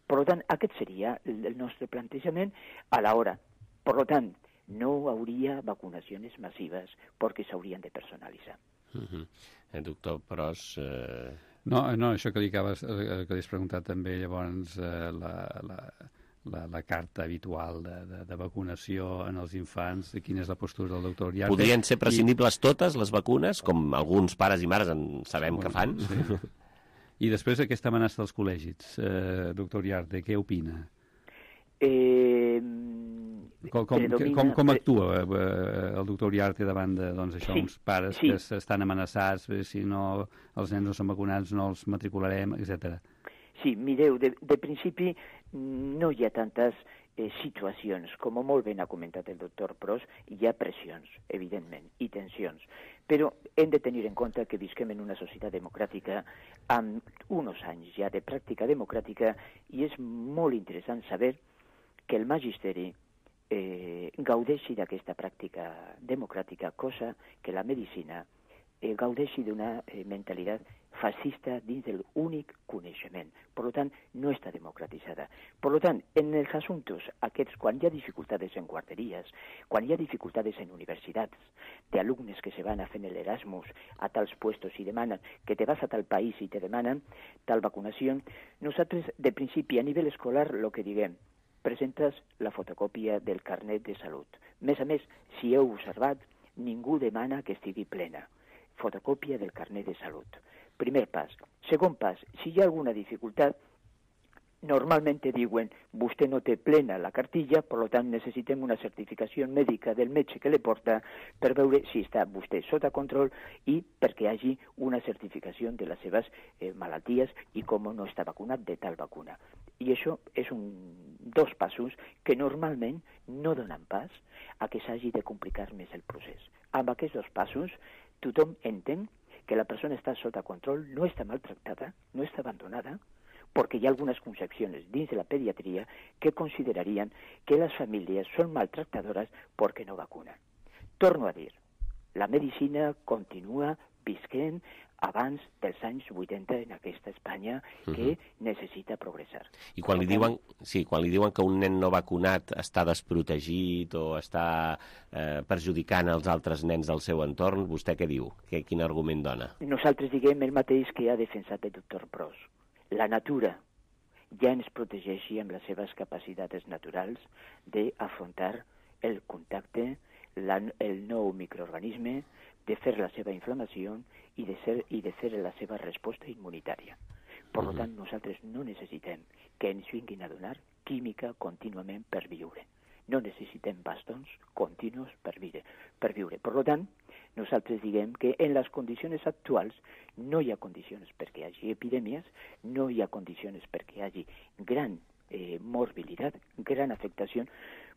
Per tant, aquest seria el nostre plantejament a l'hora. Per tant, no hauria vacunacions massives perquè s'haurien de personalitzar. Uh-huh. El doctor Pros... Eh... No, no, això que li acabes, eh, que li has preguntat també, llavors, eh, la, la, la, la carta habitual de, de, de vacunació en els infants, quina és la postura del doctor Uriarte. Podrien ser prescindibles I... totes les vacunes, com alguns pares i mares en sabem sí, que fan? Sí. I després aquesta amenaça dels col·legis, eh, doctor Uriarte, què opina? Eh... Com, com, predomina... com, com actua eh, el doctor Uriarte davant de doncs, això, sí, uns pares sí. que estan amenaçats, si no els nens no són vacunats no els matricularem, etcètera? Sí, mireu, de, de principi no hi ha tantes eh, situacions, com molt ben ha comentat el doctor Pros, hi ha pressions, evidentment, i tensions, però hem de tenir en compte que visquem en una societat democràtica amb uns anys ja de pràctica democràtica i és molt interessant saber que el magisteri eh, gaudeixi d'aquesta pràctica democràtica, cosa que la medicina eh, gaudeixi d'una eh, mentalitat fascista dins de l'únic coneixement. Per tant, no està democratitzada. Per tant, en els assumptes aquests, quan hi ha dificultats en guarderies, quan hi ha dificultats en universitats, d'alumnes que se van a fer l'Erasmus a tals puestos i demanen que te vas a tal país i te demanen tal vacunació, nosaltres, de principi, a nivell escolar, el que diguem, presentes la fotocòpia del carnet de salut. A més a més, si heu observat, ningú demana que estigui plena. Fotocòpia del carnet de salut. Primer pas. Segon pas, si hi ha alguna dificultat, normalment te diuen vostè no té plena la cartilla, per tant necessitem una certificació mèdica del metge que le porta per veure si està vostè sota control i perquè hi hagi una certificació de les seves eh, malalties i com no està vacunat de tal vacuna. I això és un dos passos que normalment no donen pas a que s'hagi de complicar més el procés. Amb aquests dos passos tothom entén que la persona està sota control, no està maltractada, no està abandonada, perquè hi ha algunes concepcions dins de la pediatria que considerarien que les famílies són maltractadores perquè no vacunen. Torno a dir, la medicina continua visquent abans dels anys vuitanta en aquesta Espanya que uh-huh. necessita progressar. I quan li, diuen, sí, quan li diuen que un nen no vacunat està desprotegit o està eh, perjudicant els altres nens del seu entorn, vostè què diu? Que, quin argument dona? Nosaltres diguem el mateix que ha defensat el doctor Pros. La natura ja ens protegeixi amb les seves capacitats naturals d'afrontar el contacte, la, el nou microorganisme, de fer la seva inflamació i de, ser, i de fer la seva resposta immunitària. Per uh-huh. tant, nosaltres no necessitem que ens vinguin a donar química contínuament per viure. No necessitem bastons continus per viure. Per viure. Per tant, nosaltres diguem que en les condicions actuals no hi ha condicions perquè hi hagi epidèmies, no hi ha condicions perquè hi hagi gran eh, morbilidad, gran afectación.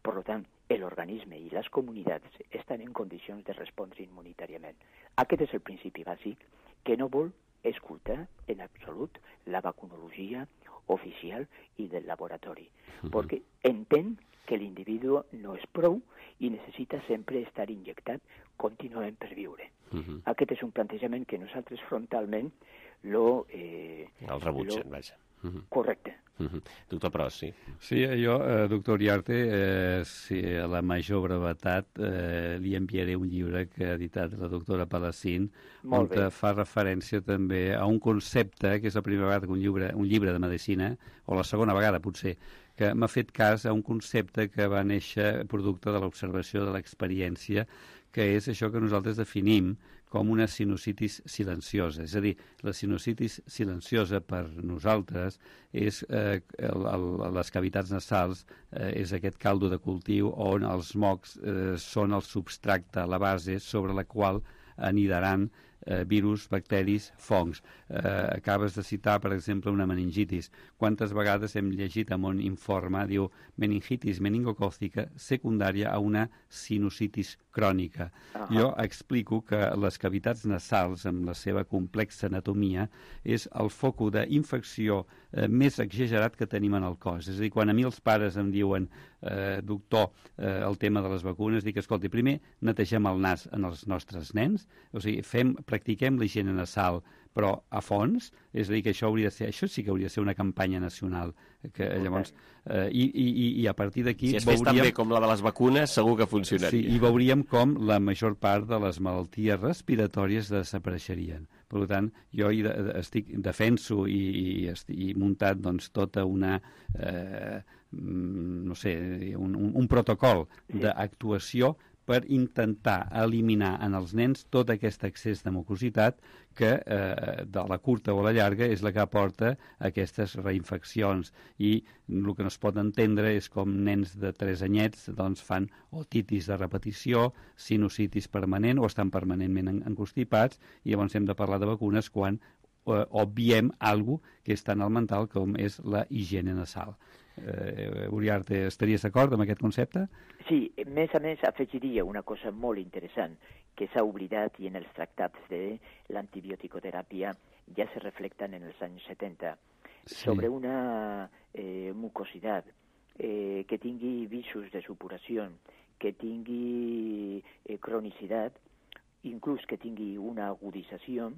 Por lo tant, l'organisme i les comunitats estan en condicions de respondre inmunitàriament. Aquest és el principi bàsic que no vol escoltar en absolut la vacunologia oficial i del laboratori, uh-huh. perquè entén que l'individu no és prou i necessita sempre estar injectat contínuament per viure. Uh-huh. Aquest és un plantejament que nosaltres frontalment lo... Eh, el rebutgen, lo... vaja. Uh-huh. Correcte. Uh-huh. Doctor Pros, sí. Sí, jo, eh, doctor Iriarte, eh, si a la major brevetat eh, li enviaré un llibre que ha editat la doctora Palacín, on fa referència també a un concepte, que és la primera vegada que un llibre, un llibre de medicina, o la segona vegada potser, que m'ha fet cas a un concepte que va néixer producte de l'observació de l'experiència, que és això que nosaltres definim com una sinusitis silenciosa. És a dir, la sinusitis silenciosa per nosaltres és eh, el, el, les cavitats nasals, eh, és aquest caldo de cultiu on els mocs eh, són el substracte, la base sobre la qual anidaran eh, virus, bacteris, fongs. Eh, acabes de citar, per exemple, una meningitis. Quantes vegades hem llegit en un informe, diu, meningitis meningocòcica secundària a una sinusitis crònica. Uh-huh. Jo explico que les cavitats nasals, amb la seva complexa anatomia, és el foco d'infecció eh, més exagerat que tenim en el cos. És a dir, quan a mi els pares em diuen, eh, doctor, eh, el tema de les vacunes, dic, escolti, primer netegem el nas en els nostres nens, o sigui, fem, practiquem la higiene nasal, però a fons, és a dir, que això hauria de ser, això sí que hauria de ser una campanya nacional, que llavors, eh, i, i, i a partir d'aquí... Si es fes tan bé com la de les vacunes, segur que funcionaria. Sí, i veuríem com la major part de les malalties respiratòries desapareixerien. Per tant, jo hi de, estic, defenso i, i estic i muntat doncs, tota una... Eh, no sé, un, un, un protocol d'actuació per intentar eliminar en els nens tot aquest excés de mucositat que eh, de la curta o la llarga és la que aporta aquestes reinfeccions, i el que no es pot entendre és com nens de tres anyets doncs, fan otitis de repetició, sinusitis permanent o estan permanentment encostipats, i llavors hem de parlar de vacunes quan eh, obviem alguna que és tan elemental com és la higiene nasal. Eh, Uriarte, estaries d'acord amb aquest concepte? Sí, més a més afegiria una cosa molt interessant que s'ha oblidat i en els tractats de l'antibioticoteràpia ja se reflecten en els anys setanta, sí. Sobre una eh, mucositat eh, que tingui visos de supuració, que tingui eh, cronicitat, inclús que tingui una agudització,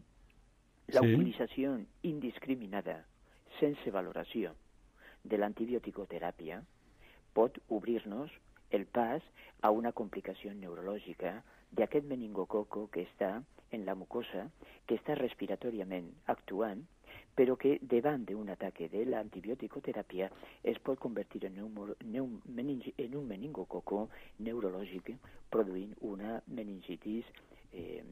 la sí. Utilització indiscriminada, sense valoració, de l'antibioticoteràpia pot obrir-nos el pas a una complicació neurològica d'aquest meningococo que està en la mucosa, que està respiratòriament actuant, però que davant d'un ataque de l'antibioticoteràpia es pot convertir en un, en un meningococo neurològic produint una meningitis eh,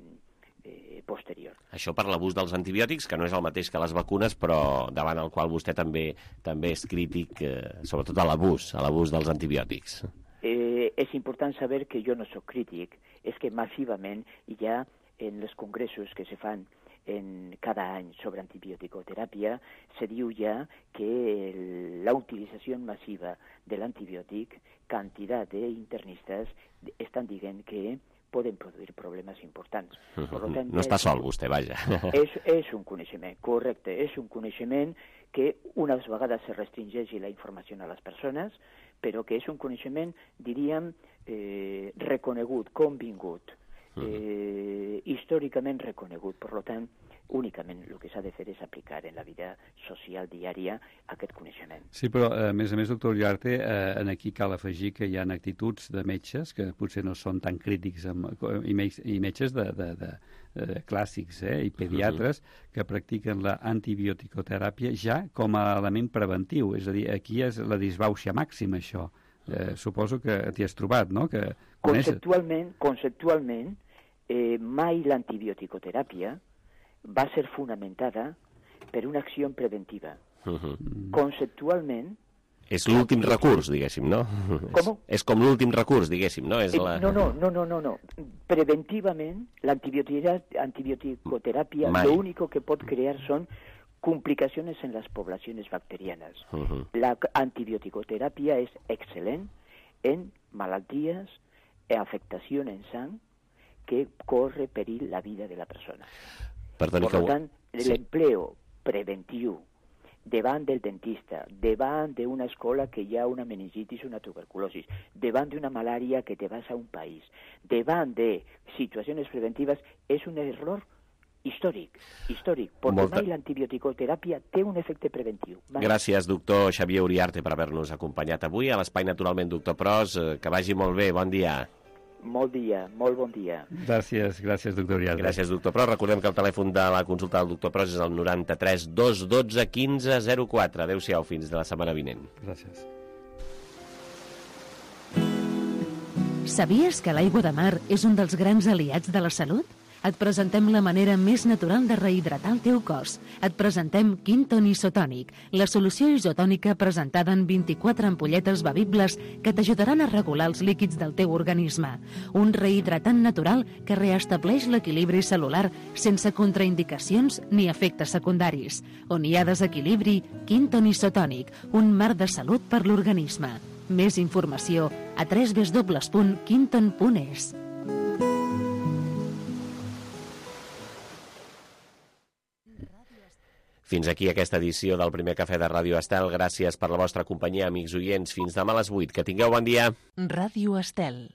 Eh, posterior. Això per l'abús dels antibiòtics, que no és el mateix que les vacunes, però davant el qual vostè també també és crític, eh, sobretot a l'abús, a l'abús dels antibiòtics. Eh, és important saber que jo no sóc crític, és que massivament ja en els congressos que se fan en cada any sobre antibioticoteràpia se diu ja que la utilització massiva de l'antibiòtic, quantitat d'internistes estan dient que poden produir problemes importants. Uh -huh. Per tant, no està sol, vostè, vaja. És, és un coneixement, correcte, és un coneixement que unes vegades se restringeix la informació a les persones, però que és un coneixement, diríem, eh, reconegut, convingut, eh, històricament reconegut. Per tant, únicament el que s'ha de fer és aplicar en la vida social diària aquest coneixement. Sí, però a més a més, doctor Uriarte, eh, en aquí cal afegir que hi ha actituds de metges que potser no són tan crítics amb, i, me, i metges de, de, de, de clàssics eh, i pediatres uh-huh. que practiquen la antibioticoteràpia ja com a element preventiu. És a dir, aquí és la disbauxa màxima, això. Eh, suposo que t'hi has trobat, no? Que conceptualment, conceptualment eh, mai l'antibioticoteràpia va ser fonamentada per una acció preventiva. Uh-huh. Conceptualment... És l'últim recurs, diguéssim, no? Com? És com l'últim recurs, diguéssim, no? És la... No, no, no, no, no, no. Preventivament, l'antibioticoteràpia l'únic que pot crear són complicaciones en las poblaciones bacterianas. Uh-huh. La antibioticoterapia es excelente en malalties e afectación en sang que corre perill la vida de la persona. Perdoni per que... tant, Sí. l'empleo preventiu davant del dentista, davant d'una escola que hi ha una meningitis o una tuberculosis, davant d'una malària que te vas a un país, davant de situacions preventives, és un error històric, històric, perquè Molta... mai l'antibioticoteràpia té un efecte preventiu. Mai. Gràcies, doctor Xavier Uriarte, per haver-nos acompanyat avui a l'Espai Naturalment Doctor Pros. Que vagi molt bé, bon dia. Molt dia, molt bon dia. Gràcies, gràcies, doctor Uriarte. Gràcies, doctor Pros. Recordem que el telèfon de la consulta del doctor Pros és el noranta-tres dos dotze quinze zero quatre. Adéu-siau, fins de la setmana vinent. Gràcies. Sabies que l'aigua de mar és un dels grans aliats de la salut? Et presentem la manera més natural de rehidratar el teu cos. Et presentem Quinton Isotònic, la solució isotònica presentada en vint-i-quatre ampolletes bevibles que t'ajudaran a regular els líquids del teu organisme. Un rehidratant natural que reestableix l'equilibri celular sense contraindicacions ni efectes secundaris. On hi ha desequilibri, Quinton Isotònic, un mar de salut per l'organisme. Més informació a w w w punt quinton punt es. Fins aquí aquesta edició del primer cafè de Ràdio Estel. Gràcies per la vostra companyia, amics oients. Fins demà a les vuit. Que tingueu bon dia. Ràdio Estel.